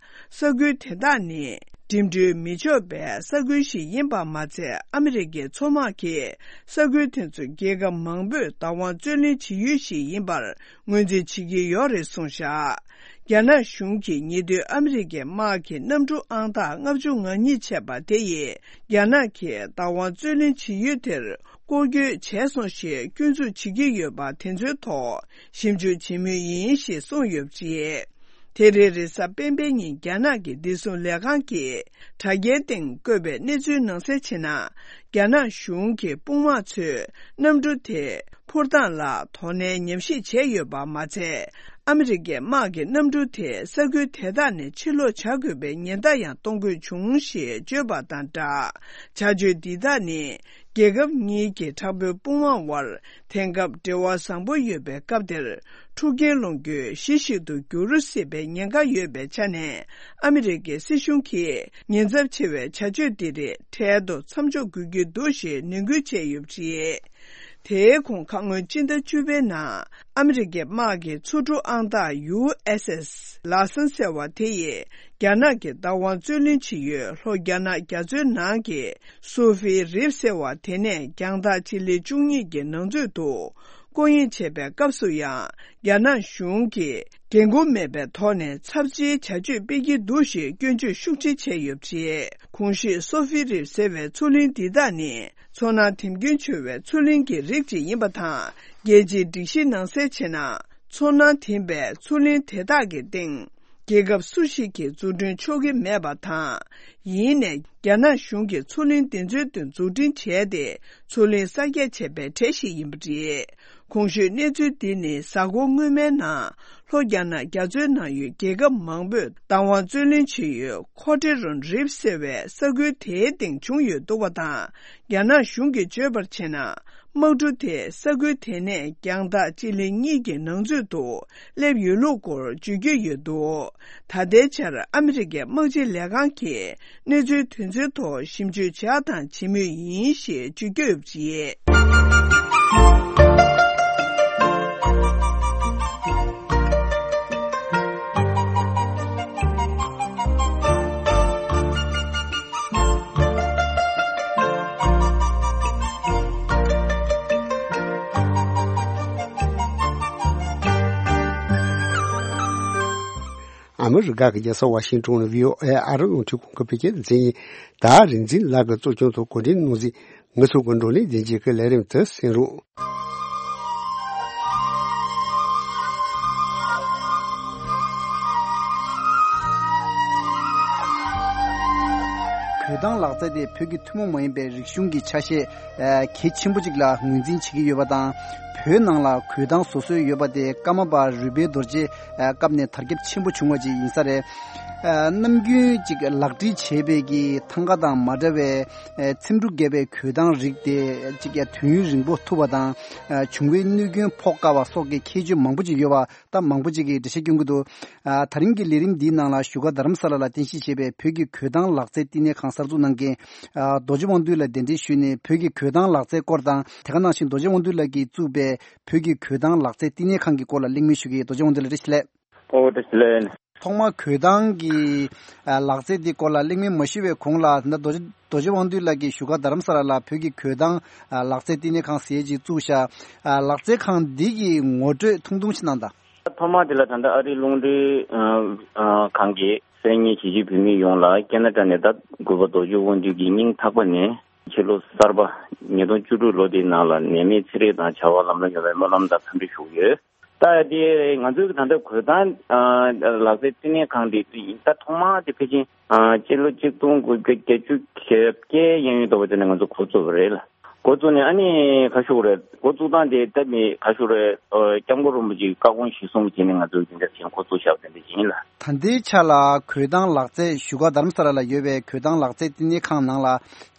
ས་ཁུལ་དེ་དག་ནི་འགྲིམ་འགྲུལ་མི་ཆོག་པའི་ས་ཁུལ་ཞིག་ཡིན་པ་མ་ཚད། ཨ་མི་རི་ཀའི་མཚོ་དམག་གིས་ས་ཁུལ་དེ་ཚོ་རྒྱལ་ཁབ་མང་པོས་བདག་དབང་རྩོད་ལེན་བྱེད་ཡུལ་ཞིག་ཡིན་པར་ངོས་འཛིན་བྱེད་ཀྱི་ཡོད་རེད་གསུངས་བཞག་རྒྱ་ནག་གཞུང་གིས་ཉེ་དུས་ཨ་མི་རི་ཀའི་དམག་གི་གནམ་གྲུ་ཨང་རྟགས་ལྔ་བཅུ་ང་གཉིས་བྱས་པ་དེ་ཡིས་རྒྱ་ནག་གིས་བདག་དབང་རྩོད་ལེན་བྱེད་ཡུལ་དེར་སྐོར་སྐྱོད་བྱས་སོང་ཞེས་སྐྱོན་འཛུགས་བྱེད་ཀྱི་ཡོད་པ་དེ་ཚོའི་ཐོག་ཞིབ་འཇུག་བྱེད་མུས་ཡིན་ཞེས་གསུངས་ཡོད་པ་རེད། དེ་རིང་རེས་གཟའ་སྤེན་པའི་ཉིན་རྒྱ་ནག་གི་བདེ་སྲུང་ལས་ཁང་གིས་དྲ་རྒྱའི་སྟེང་བཀོད་པའི་གནས་ཚུལ་ནང་གསལ་བྱས་ན། རྒྱ་ནག་གཞུང་གི་དཔུང་དམག་ཚོས་གནམ་གྲུ་དེ་འཕུར་སྟངས་ལ་དོ་ནན་ཉམས་ཞིབ་བྱས་ཡོད་པ་མ་ཚད། ཨ་མི་རི་ཀའི་དམག་གི་གནམ་གྲུ་དེ་ས་ཁུལ་དེ་དག་ནས་ཕྱིར་ལོག་བྱ་དགོས་པའི་ཉེན་བརྡ་ཡང་གཏོང་དགོས་བྱུང་ཞེས་བརྗོད་པ་དང་སྦྲགས། བྱ་སྤྱོད་འདི་དག་ནི་རྒྱལ་ཁབ་གཉིས་ཀྱི་དྲག་པོའི་དཔུང་དམག་དབར་དེང་སྐབས་འབྲེལ་བ་བཟང་པོ་ཡོད་པའི་སྐབས་དེར། འཁྲུག་རྐྱེན་སློང་རྒྱུའི་གཞི་ཞིག་ཏུ་འགྱུར་སྲིད་པའི་ཉེན་ཁ་ཡོད་པའི་ཆ་ནས། ཨ་མི་རི་ཀའི་སྲིད་གཞུང་གིས་ཉེན་ཚབས་ཆེ་བའི་བྱ་སྤྱོད་འདི་རིགས་འཕྲལ་དུ་མཚམས་འཇོག་དགོས་ཀྱི་འདུག་ཞེས་ནན་སྐུལ་བྱས་ཡོད་པ་རེད། དེའི་གོང་ཁ་སྔོན་སྤྱི་ཟླ་བཅུ་པའི་ནང་ཨ་མི་རི་ཀའི་དམག་གི་མཚོ་གྲུ་ཨང་རྟགས་ཡུ་ཨེས་ཨེས་ལ་སན་ཟེར་བ་དེ་ཡིས་རྒྱ་ནག་གི་བདག་དབང་རྩོད་ལེན་བྱེད་ཡུལ་ལྷོ་རྒྱ་ནག་རྒྱ་མཚོའི་ནང་གི་སུ་ཧྥི་རིབ་ཟེར་བ་དེ་ནས་རྒྱང་ཐག་སྤྱི་ལེ་བཅུ་གཉིས་ཀྱི་ནང་ཚུད་དུ་སྐོར་གཡེང་བྱེད་པའི་སྐབས་སུ་ཡང་། རྒྱ་ནག་གཞུང་གིས་འགན་འཁུར་མེད་པའི་ཐོག་ནས་ཚབས་ཆེའི་བྱ་སྤྱོད་སྤེལ་གྱི་འདུག་ཞེས་སྐྱོན་བརྗོད་ཤུགས་ཆེ་བྱས་ཡོད་པ་རེད། གོང་ཞུས་སོ་ཧྥི་རིབ་ཟེར་བའི་མཚོ་གླིང་འདི་དག་ནི་མཚོ་ནང་དེམ་རྒྱུན་ཆེ་བའི་མཚོ་གླིང་གི་རིགས་གཅིག་ཡིན་པ་དང་། རྒྱལ་སྤྱིའི་སྒྲིག་གཞི་ནང་གསལ་བྱས་ན། མཚོ་ནང་དེམ་པའི་མཚོ་གླིང་དེ་དག་གི་སྟེང་། རྒྱལ་ཁབ་སུ་ཞིག་གིས་འཛུགས་སྐྲུན་ཆོག་གི་མེད་པ་དང་། ཡིན་ནའི་རྒྱ་ནག་གཞུང་གིས་མཚོ་གླིང་དེ་ཚོའི་སྟེང་འཛུགས་སྐྲུན་བྱས་ཏེ། མཚོ་གླིང་གསར་རྒྱག་བྱས་པའི་གྲས་ཤིག་ཡིན་པ་རེད། གོང་ཞུས་གནས་ཚུལ་འདི་ནི་གཟའ་འཁོར་སྔོན་མའི་ནང་ལྷོ་རྒྱ་ནག་རྒྱ་མཚོའི་ནང་ཡོད་རྒྱལ་ཁབ་མང་པོས་བདག་དབང་རྩོད་ལེན་བྱེད་ཡུལ་ཁོ་ཏྲེ་རོན་རིབ་ཟེར་བའི་ས་ཁུལ་དེའི་སྟེང་བྱུང་ཡོད་འདུག་པ་དང་། རྒྱ་ནག་གཞུང་གིས་བརྗོད་པར་བྱས་ན། དམག་གྲུ་དེས་ས་ཁུལ་དེ་ནས་རྒྱང་ཐག་སྤྱི་ལེ་གཉིས་ཀྱི་ནང་ཚུད་དུ་སླེབས་ཡོད་ལུགས་སྐོར་བརྗོད་ཀྱི་ཡོད་འདུག་ད་ལྟའི་ཆར་ཨ་མི་རི་ཀའི་དམག་སྤྱི་ལས་ཁང་གིས་གནས་ཚུལ་དེ་ཚོའི་ཐོག་ཞིབ་འཇུག་བྱས་དང་བྱེད་མུས་ཡིན་ཞེས་བརྗོད་ཀྱི་ཡོད་པ་རེད། ཨ་མི་རི་ཀ་གི་རྒྱལ་ས་ཝ་ཤིང་ཊོན་ནས་བྷི་ཨོ་ཨེ་ཨ་རི་རླུང་འཕྲིན་ཁང་གི་བོད་སྐད་སྡེ་ཚན་ཡིན། ད་རིག་འཛིན་ལགས་ཀྱིས་གཙོ་སྐྱོང་ཐོག་གོ་སྒྲིག་གནང་ཟིན། ངེད་ཚོ་གི་བགྲོ་གླེང་མཛད་རྗེས་ཀྱི་ལས་རིམ་དུ་གསན་རོགས། གོས་ཐང་ལག་རྩལ་དེ་བོད་ཀྱི་ཐུན་མོང་མ་ཡིན་པའི་རིག་གཞུང་གི་ཆ་ཤས་གལ་ཆེན་པོ་ཅིག་ལ་ངོས་འཛིན་བྱེད་ཀྱི་ཡོད་པ་དང་། བོད་ནང་ལ་གོས་ཐང་བཟོ་སྲོལ་ཡོད་པ་དེ་ཀརྨ་པ་རུས་སྦལ་རྡོ་རྗེ་སྐབས་ནས་དར་ཁྱབ་ཆེན་པོ་བྱུང་བ་ཅིག་ཡིན་ས་རེད། ནམ་རྒྱུན་ཅིག་ལག་བྲིས་བྱས་པའི་གི་ཐང་ག་དང་མ་འདྲ་བའི་ཚེམ་དྲུབ་བརྒྱབ་པའི་གོས་ཐང་རིགས་དེ་ཅིག་དུས་ཡུན་རིང་པོ་ཐུབ་པ་དང་། བྱུང་བའི་གནོད་སྐྱོན་ཕོག་དཀའ་བ་སོགས་ཀྱི་ཁྱད་ཆོས་མང་པོ་ཅིག་ཡོད་པ། ད་མང་པོ་ཅིག་གིས་འགྲེལ་བཤད་སྐྱོན་གྱི་འདུག་ཨ། ད་རིང་གི་ལས་རིམ་འདིའི་ནང་ལ་བཞུགས་སྒར་རྡ་རམ་ས་ལ་ལ་རྟེན་གཞི་བྱས་པའི་བོད་ཀྱི་གོས་ཐང་ལག་རྩལ་བསྟི་གནས་ཁང་གསར་འཛུགས་གནང་མཁན། ཨ། རྡོ་རྗེ་དབང་འདུས་ལགས་གདན་འདྲེན་ཞུས་ནས་བོད་ཀྱི་གོས་ཐང་ལག་རྩལ་སྐོར་དང་། དེ་ག་ནང་བཞིན་རྡོ་རྗེ་དབང་འདུས་ལགས་ཀྱིས་བཙུགས་པའི་བོད་ཀྱི་གོས་ཐང་ལག་རྩལ་བསྟི་གནས་ཁང་གི་སྐོར་ལ་གླེང་མོལ་ཞུ་གི་ཡིན། རྡོ་རྗེ་དབང་འདུས་ལགས་བཀྲ་ཤིས་བདེ་ལེགས། ཨོ་བཀྲ་ཤིས་བདེ་ལེགས། ཐོག་མར་གོས་ཐང་གི་ཨ། ལག་རྩལ་འདི་སྐོར་ལ་གླེང་མོལ་མ་ཞུས་པའི་གོང་ལ། ད་རྡོ་རྗེ་རྡོ་རྗེ་དབང་འདུས་ལགས་ཀྱིས་བཞུགས་སྒར་རྡ་རམ་ས་ལ་ལ་བོད་ཀྱི་གོས་ཐང་ཨ། ལག་རྩལ་བསྟི་གནས་ཁང་ཟེར་ཅིག་བཙུགས་ཤག་ཨ། ལག་རྩལ་ཁང་འདི་གི་ངོ་སྤྲོད་ཐུང་ཐུང་ཞིག་གནང་དང་། ཐོག་མ་དེ་ལ་ད་ལྟ་ཨ་རིའི་རླུང་འཕྲིན་ཨ། ཨ། ཁང་གིས་གསན་མཁན་གཞིས་བྱེས་བོད་མི་ཡོངས་ལ་ཁེ་ན་ཌ་ནས་ད་གུས་པ་རྡོ་རྗེ་དབང་འདུས་ཀྱི་སྙིང་ཐག་པ་ནས་ཕྱི་ལོ་གསར་པ་ཉིས་སྟོང་བཅུ་དྲུག་ལོ་འདིའི་ནང་ལ་ནད་མེད་ཚེ་རིང་དང་བྱ་བ་ལམ་འགྲོ་ཡོང་བའི་སྨོན་ལམ་དང་འཚམས་འདྲི་ཞུ་གི་ཡོད། ད་དེ་ང་ཚོའི་ད་ལྟ་གོས་ཐང་ཨ། ལག་རྩལ་བསྟི་གནས་ཁང་དེ་ད་ཐོག་མ་དེ་ཕལ་ཆེར་ཨ། སྤྱི་ལོ་གཅིག་སྟོང་དགུ་བརྒྱ་བརྒྱད་ཅུ་གྱ་བརྒྱད་གཡས་གཡོན་དུ་བ་དེ་ནས་ང་ཚོ་འགོ་བཙུགས་པ་རེད་ལ། འགོ་བཙུགས་ནས་ཨ་ནི་ག་ཞུ་རེད། འགོ་བཙུགས་སྟངས་དེ་ད་མི་ག་ཞུ་རེད། ཨ། སྐྱབས་མགོན་རིན་པོ་ཆེའི་བཀའ་དགོངས་གཞིར་བཟུང་བྱས་ནས་ང་ཚོས་དེ་འདྲ་བྱས་འགོ་བཙུགས་བཞག་པ་དེ་འདྲ་ཞིག་ཡིན་ལ། ད་ལྟའི་ཆ་ལ་གོས་ཐང་ལག་རྩལ་བཞུགས་སྒར་རྡ་རམ་ས་ལ་ལ་ཡོད་པའི་གོས་ཐང་ལག་རྩལ་བསྟི་གནས་ཁང་ནང་ལ་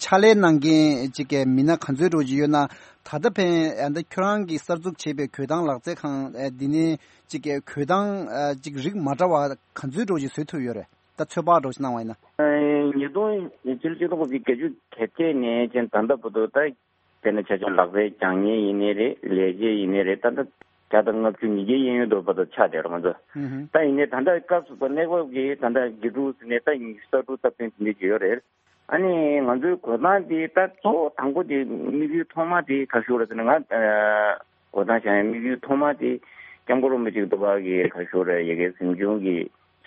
ཕྱག་ལས་གནང་མཁན་ཅིག་གི་མི་སྣ་ག་ཚོད་འདྲ་བོ་ཅིག་ཡོད་ན། ད་ལྟ་ཕན་ཨ། ད་ཁྱོད་རང་གིས་གསར་འཛུགས་བྱས་པའི་གོས་ཐང་ལག་རྩལ་ཁང་ཨ། འདི་ནས་ཅིག་གི་གོས་ཐང་ཨ། ཅིག་རིགས་མ་འདྲ་བ་ག་ཚོད་འདྲ་བོ་ཅིག་བཟོས་ཐུབ་ཡོད་རེད། ད་ཚོད་དཔག་འདྲ་ཞིག་གནང་བ་ཡིན་ན། ཉིས་སྟོང་ཕྱི་ལོ་ཆིག་སྟོང་དགུ་བརྒྱ་བརྒྱད་ཅུ་གྱ་བརྒྱད་ནས་ཅན་ད་ལྟ་བར་དུ། ད་དཔེར་ན་ཆ་བཞག་ལག་རྩལ་སྦྱང་མཁན་ཡིན་ནའི་རེད། ལས་བྱེད་ཡིན་ནའི་རེད། ད་ལྟ་བརྒྱ་དང་ལྔ་བཅུ་ཉིས་བརྒྱའི་གཡས་གཡོན་དུ་བར་དུ་ཆགས་བསྡད་རེད་ང་ཚོ། ཨུ་ཧུམ། ད་ཡིན་ནའི་ད་ལྟ་སྐབས་སུ་བབ་གནས་བབ་ཀྱི་ད་ལྟ་དགེ་ཕྲུག་ཟེར་ནས་ད་ཉི་ཤུ་རྩ་དྲུག་རྩ་བདུན་དེ་འདྲ་ཅིག་ཡོད་རེད། ཨ་ནི་ང་ཚོའི་འགྲོ་སྟངས་དེ་ད་གཙོ་བོ་དང་པོ་དེ་དམིགས་ཡུལ་ཐོག་མ་དེ་ག་ཞུ་རེད་ཟེར་ན། ང་འགྲོ་སྟངས་བྱ་ཡ་དམིགས་ཡུལ་ཐོག་མ་དེ་སྐྱབས་མགོན་རིན་པོ་ཆེ་འདུག་པ་གི་ག་ཞུ་རེད། ཡ་གི་གཟིམ་ཆུང་གི་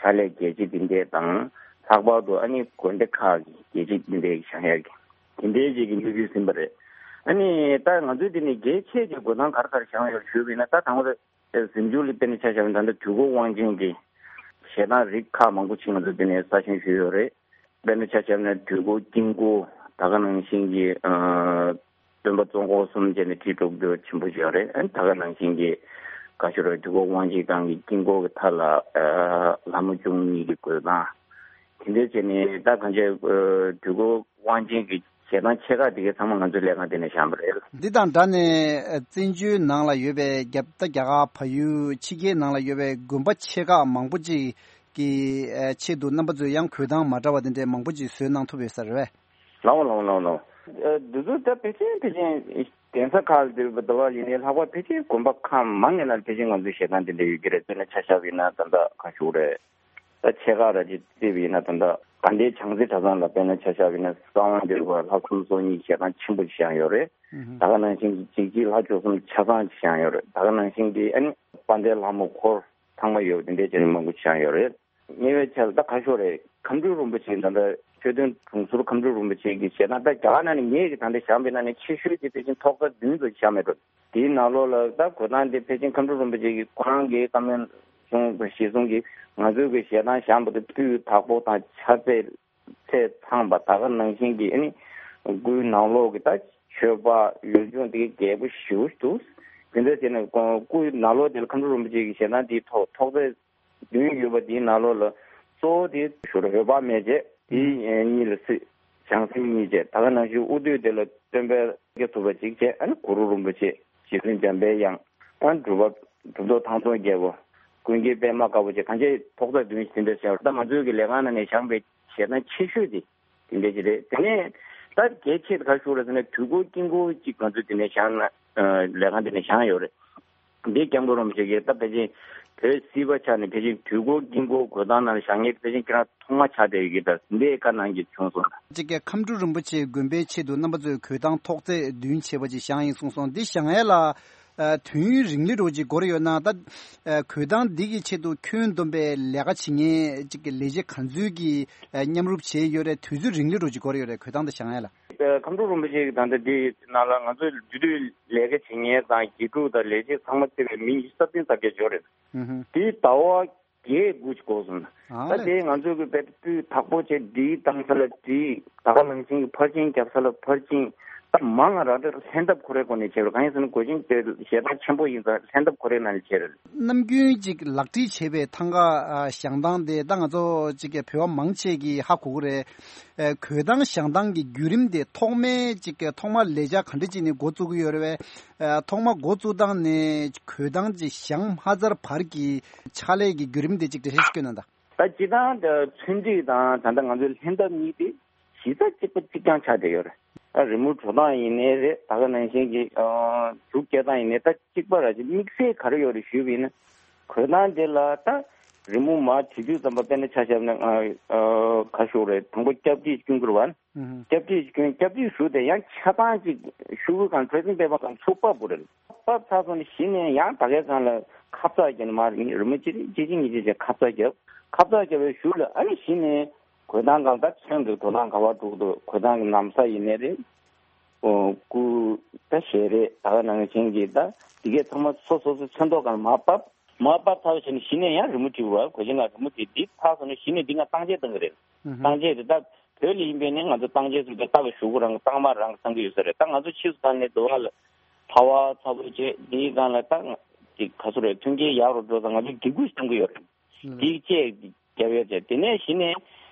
ཕྱག་ལས་རྒྱས་བྱེད་འདི་འདྲས་དང་། ལྷག་པར་དུ་ཨ་ནི་དགོན་སྡེ་ཁག་གི་རྒྱས་བྱེད་འདི་འདྲས་བཞེངས་ཡ་གི་དེ་འདྲའི་ཅིག་གི་དམིགས་ཡུལ་ཟིན་པ་རེད། ཨ་ནི་ད་ང་ཚོས་འདི་ནས་གལ་ཆེ་ཆེ་འགྲོ་སྟངས་ག་རེ་ག་རེ་བཞེངས་ཡོད་ཞུས་པ་ཡིན་ན། ད་དང་པོ་རེད། གཟིམ་ཆུང་ལ་དཔེར་ན་ཆ་བཞག་ན་ད་ལྟ་དུས་འཁོར་དབང་ཆེན་གྱི་ཞལ་ཐང་རིགས་ཁག་མང་པོ་ཅིག་ང་ཚོ་འདི་ནས་གསར་བཞེངས་ཞུས་ཡོད་རེད། དཔེར་ན་ཆ་བཞག་ན་དུས་འཁོར་དཀྱིལ་འཁོར། ད་ག་ནང་བཞིན་གྱི་ཨ་སྟོན་པ་གཙོ་འཁོར་གསུམ་བྱས་ནས་ཁྲི་དྲུག་ཅུ་ཆེན་པོ་ཅིག་ཡོད་རེད། ཨ་ནི་ད་ག་ནང་བཞིན་གྱི་ག་ཞུ་རེད། དུས་འཁོར་དབང་ཆེན་སྒང་གི་དཀྱིལ་འཁོར་གྱི་མཐའ་ལ་ཨ་ལྷ་མོ་བཅུ་གཉིས་ཀྱི་འགོད་སྟངས། དེ་འདྲ་བྱས་ནས་ད་གང་ཅི་ཨ་དུས་འཁོར་དབང་ཆེན་གྱི་ཞལ་ཐང་ཆེ་ཁག་དེ་གའི་ཚང་མ་ང་ཚོའི་ལས་ཁང་དེ་ནས་བཞེངས་པ་རེད། འདི་དང་སྦྲགས་ནས་ཨ་བཙན་བྱོལ་ནང་ལ་ཡོད་པའི་རྒྱ་ད་རྒྱ་གར་བལ་ཡུལ་ཕྱི་རྒྱལ་ནང་ལ་ཡོད་པའི་དགོན་པ་ཆེ་ཁག་མང་པོ་ཅིག་གི་ཨ་ཆེད་དུ་རྣམ་པ་ཚོས་ཡང་འགོད་སྟངས་མ་འདྲ་བ་དེ་འདྲའི་མང་པོ་ཅིག་བཟོས་གནང་ཐུབ་ཡོད་ས་རེད་པས། ལའོ་ལའོ་ལའོ་ལའོ། ཨ་འདི་ཚོ་ད་ཕལ་ཆེར་ཕལ་ཆེར་གདན་ས་ཁག་ལ་འདིར་འདུག་པ་ཡིན་ནའི། ལྷག་པར་ཕལ་ཆེར་དགོན་པ་ཁག་མང་ངེས་ན་ཕལ་ཆེར་ང་ཚོའི་ཞལ་ཐང་དེ་འདྲ་ཡོད་ཀྱི་རེད། དཔེར་ན་ཆ་བཞག་པ་ཡིན་ན་ད་ལྟ་ག་ཞུ་རེད། ད་ཆེ་ཁག་ར་ཅིག་བརྩིས་པ་ཡིན་ན། ད་ལྟ་དགའ་ལྡན་བྱང་རྩེ་གྲྭ་ཚང་ལ་དཔེར་ན་ཆ་བཞག་པ་ཡིན་ན་གསང་བ་འདུས་པ་ལྷ་ཁང་སོ་གཉིས་ཞལ་ཐང་ཆེན་པོ་ཞིག་བཞེངས་ཡོད་རེད། ཨུ་ཧུམ། ད་ག་ནང་བཞིན་གྱི་འཇིགས་བྱེད་ལྷ་བཅུ་གསུམ་ཆ་ཚང་ཞིག་བཞེངས་ཡོད་རེད། ད་ག་ནང་བཞིན་གྱི་ཨ་ནི་དཔལ་ལྡན་ལྷ་མོ་འཁོར་ཚང་མ་ཡོད་པ་དེ་འདྲའི་ཅན་མང་པོ་ཞིག་བཞེངས་ཡོད་རེད། ཉེ་བའི་ཆར་ད་ག་ཞུ་རེད། ཁམས་སྤྲུལ་རིན་པོ་ཆེ་ད་ལྟ་མཆོད་རྟེན་དྲུང་ཟུར་ཁམས་སྤྲུལ་རིན་པོ་ཆེ་གི་ཞལ་ཐང་ད་རྒྱ་གར་ནང་ནས་ངེད་ཀྱིས་ད་ལྟ་བཞེངས་པའི་ནང་ནས་ཆེ་ཤོས་དེ་ཕལ་ཆེར་ཐོག་རྩེག་བདུན་ཙམ་ཞིག་བཞེངས་མེད་འགྲོ། དེའི་ནང་ལོགས་ལ་ད་འགོད་སྟངས་དེ་ཕལ་ཆེར་ཁམས་སྤྲུལ་རིན་པོ་ཆེ་གིས་ཁོ་རང་གི་བཀའ་མོལ་གཞུང་གཞི་བཟུང་གིས་ང་ཚོའི་གི་ཞལ་ཐང་བཞེངས་པ་དེ་སྤུས་དག་པོ་དང་ཕྱག་རྫས་ཚད་ཚང་བ། ད་ག་ནང་བཞིན་གྱི་ཨ་ནི་སྐུའི་ནང་ལོགས་ཀྱི་ད་མཆོད་པ་ཡུལ་ལྗོངས་དེ་གའི་རྒྱས་པོ་ཞེ་པོ་ཞིག་འདུག། དེ་འདྲ་བྱས་ནས་སྐུའི་ནང་ལོགས་དེ་ལ་ཁམས་སྤྲུལ་རིན་པོ་ཆེ་གི་ཞལ་ཐང་དེའི་ཐོག་ཐོག་རྩེག་བདུན་ཡོད་པ་དེའི་ནང་ལོགས་ལ་གཙོ་བོ་དེ་ཞུ་ར་འོད་དཔག་མེད་བྱས། དེའི་གཉིས་ལ་སྲིད་བྱང་སེམས་གཉིས་བྱས། ད་ག་ནང་བཞིན་དབུ་སྟོད་དེ་ལ་སྟོན་པའི་སྐྱབས་ཐུབ་པ་གཅིག་བྱས། ཨ་ནི་གུ་རུ་རིན་པོ་ཆེ། རྗེ་བཙུན་འཇམ་པའི་དབྱངས། ཨ་ནི་གྲུབ་པ་གྲུབ་ཐོབ་ཐང་སྟོང་རྒྱལ་པོ། ཀུན་མཁྱེན་པདྨ་དཀར་པོ་བཅས་གང་ཅི་ཐོག་རྩེག་བདུན་ཞིག་དེ་འདྲ་བྱས། ད་ང་ཚོའི་གི་ལས་ཁང་ནང་ནས་བཞེངས་པའི་ཞལ་ཐང་ཆེ་ཤོས་དེ་དེ་འདྲ་ཅིག་རེད། དེ་ནས་ད་གལ་ཆེ་ད་ག་ཞུ་རེད་ཟེར་ན། དུས་འཁོར་དཀྱིལ་འཁོར་གཅིག་ང་ཚོས་དེ་ནས་བཞེངས་ན། ལས་ཁང་དེ་ནས་བཞེངས་ཡོད་རེད། འདི་སྐྱབས་མགོན་རིན་པོ་ཆེ་གིས་ད་ཕལ་ཆེར་བོད་སྲིད་པ་ཆགས་ནས་ཕལ་ཆེར་དུས་འཁོར་དཀྱིལ་འཁོར་འགོད་སྟངས་ནང་བཞེངས་མཁན་ཕལ་ཆེར་ཁྱེད་རང་ཐོག་མ་ཆགས་བསྡད་ཡོད་ཀྱི། ད་འདི་བཀའ་གནང་གི་བྱུང་སོང་། གཅིག་གི་ཁམས་སྤྲུལ་རིན་པོ་ཆེའི་དགོན་པའི་ཆེད་དུ་རྣམ་པ་ཚོས་འགོད་སྟངས་ཐོག་རྩེག་བདུན་བྱས་པ་ཅིག་བཞེངས་ཡིན་གསུངས་སོང་། འདི་བཞེངས་ཡས་ལ་ཨ་དུས་ཡུན་རིང་ལི་འདྲ་ཅིག་འགོར་ཡོད་ན། ད་ཨ་འགོད་སྟངས་འདི་གི་ཆེད་དུ་ཁྱོན་བསྡོམས་པའི་ལས་ཀ་བྱེད་མཁན་གཅིག་གི་ལས་བྱེད་ག་ཚོད་ཀྱིས་ཨ་མཉམ་རུབ་བྱས་ཡོད་རེད། དུས་ཚོད་རིང་ལི་འདྲ་ཅིག་འགོར་ཡོད་རེད། འགོད་སྟངས་འདི་བཞེངས་ཡས་ལ། ཁམས་སྤྲུལ་རིན་པོ་ཆེ་གི་ད་ལྟ་འདི་ནང་ལ་ང་ཚོའི་འབྲེལ་ཡོད་ལས་ཀ་བྱེད་མཁན་དང་དགེ་ཕྲུག་དང་ལས་བྱེད་ཚང་མ་བརྩིས་པའི་མི་ཉི་ཤུ་རྩ་བདུན་རྩ་བརྒྱད་འབྱོར་རེད། ཨུ་ཧུ། དེའི་ཟླ་བ་བརྒྱད་དགུ་ཅིག་འགོར་སོང་། ཨ་ད་ལས། དེ་ང་ཚོ་གི་དཔེ་སྤུས་དག་པོ་བྱས་སྒྲིག་བཏང་ས་ལ་སྒྲིག། ད་ག་ནང་བཞིན་གྱི་ཕར་ཕྱིན་རྒྱབ་ས་ལ་ཕར་ཕྱིན། ད་མང་ང་རག་ད་ལྷན་ཐབས་ཁོ་རའི་སྒོ་ནས་བྱས་རེད། གང་ཡིན་ཟེར་ན་སྒོ་ཆེན་དེ་ཞལ་ཐང་ཆེན་པོ་ཡིན་ཙང་ལྷན་ཐབས་ཁོ་རའི་ནང་ནས་བྱས་རེད། ནམ་རྒྱུན་ཅིག་ལག་བྲིས་བྱས་པའི་ཐང་ག་ཨ་བཞེངས་སྟངས་དེ་ད་ང་ཚོ་ཅིག་གི་བོད་པ་མང་ཆེ་གིས་ཧ་གོ་གི་རེད། ཨ་འགོད་སྟངས་བཞེངས་སྟངས་ཀྱི་བརྒྱུད་རིམ་དེ་ཐོག་མའི་ཅིག་གི་ཐོག་མ་ལས་འཆར་ག་འདྲ་ཅིག་ནས་འགོ་བཙུགས་ཀྱི་ཡོད་རེད་པས། ཨ་ཐོག་མ་འགོ་བཙུགས་སྟངས་ནས་འགོད་སྟངས་ཅིག་བཞེངས་མ་ཚར་བར་གྱི་ཕྱག་ལས་ཀྱི་བརྒྱུད་རིམ་དེ་ཅིག་འགྲེལ་བཤད་ཅིག་སྐྱོན་གནང་དང་། ད་སྤྱིར་བཏང་ད་ཚོན་སྒྲིག་དང་ད་ལྟ་ང་ཚོའི་ལྷན་ཐབས་གཉིས་དེ་གཞི་རྩ་གཅིག་པ་གཅིག་རྐྱང་ཆགས་བསྡད་ཡོད་རེད། ད་རི་མོ་འགྲོ་སྟངས་ཡིན་ནའི་རེད། ད་ག་ནང་བཞིན་གྱི་ཨ་གཟུགས་སྐྱེ་སྟངས་ཡིན་ནའི་ད་གཅིག་པ་ར་ཅིག་དམིགས་བསལ་ག་རེ་ཡོད་རེད་ཞུས་པ་ཡིན་ན། འགོད་སྟངས་དེ་ལ་ད་རི་མོ་མར་བྲིས་དུས་ཙམ་པ་དཔེར་ན་ཆ་བཞག་ན་ཨ་ག་ཞུ་རེད། དང་པོ་སྐྱབས་བྲིས་སྐྱོན་གྱི་རེད་པ། ཨུ་ཧུ། སྐྱབས་བྲིས་སྐྱོན། སྐྱབས་བྲིས་ཞུ་དེ་ཡང་ཆ་ཚང་ཅིག་ཤོག་གུ་གང་ཁྲོལ་སེམས་པའི་པ་གང་ཚུགས་པ་བུ་རེད། ཕབ་ཚར་སོང་ནས་གཞི་ནས་ཡང་ད་གའི་སྒང་ལ་ཁ་ཚ་བརྒྱབ་ནས་མར་རི་མོ་གཅིག་རེ་གཅིག་གཅིག་གཉིས་གཅིག་བྱས་ཁ་ཚ་བརྒྱབ། ཁ་ཚ་བརྒྱབ་པའི་གཞུག་ལ་ཨ་ནི་གཞི་ནས་འགོད་སྟངས་སྒང་ད་ཚོན་གྱི་འགྲོ་སྟངས་ག་པར་འགྲོ་གི་འདུག། འགོད་སྟངས་ཀྱི་ན་བཟའ་ཡིན་ནའི་རེད། ཨོ་སྐུ་ད་ཞལ་རས་ད་ག་ནང་བཞིན་གྱི་ད་འདི་གས་ཚང་མ་སོ་སོ་སོ་ཚོན་མདོག་སྒང་ལ་མར་ཕབ། མར་ཕབ་ཚར་བ་བྱས་ནས་གཞི་ནས་ཡང་རི་མོ་བྲིས་པ། གོས་ཆེན་ལ་རི་མོ་བྲིས། འདི་ཚར་སོང་ནས་གཞི་ནས་འདི་ང་གཏང་བྱེད་གཏང་གི་རེད། ཨུ་ཧུ། གཏང་བྱེད་དེ་ད་བོད་ལ་ཡིན་པས་ནས་ང་ཚོ་གཏང་བྱེད་ཚོ་དེ་རྟག་པར་གཞུག་གུ་རང་གི་གཏང་མ་རང་གི་གཏང་གི་ཡོད་ས་རེད། ད་ང་ཚོ་ཕྱིས་སུ་ད་ནས་འདུག་བ་ལ་ཚ་བ་ཚ་བོ་བྱས་འདིའི་སྒང་ལ་ད་ཅིག་ག་ཚོད་རེད། མཐུན་རྐྱེན་ཡག་རུ་འགྲོ་ཙང་ང་ཚོ་སྒྱིད་སྐུད་གཏང་གི་ཡོད་རེད། ཨུ་ཧུ། འདི་བཅས་རྒྱབ་ཡོད་ཚེ་དེ་ནས་གཞི་ནས་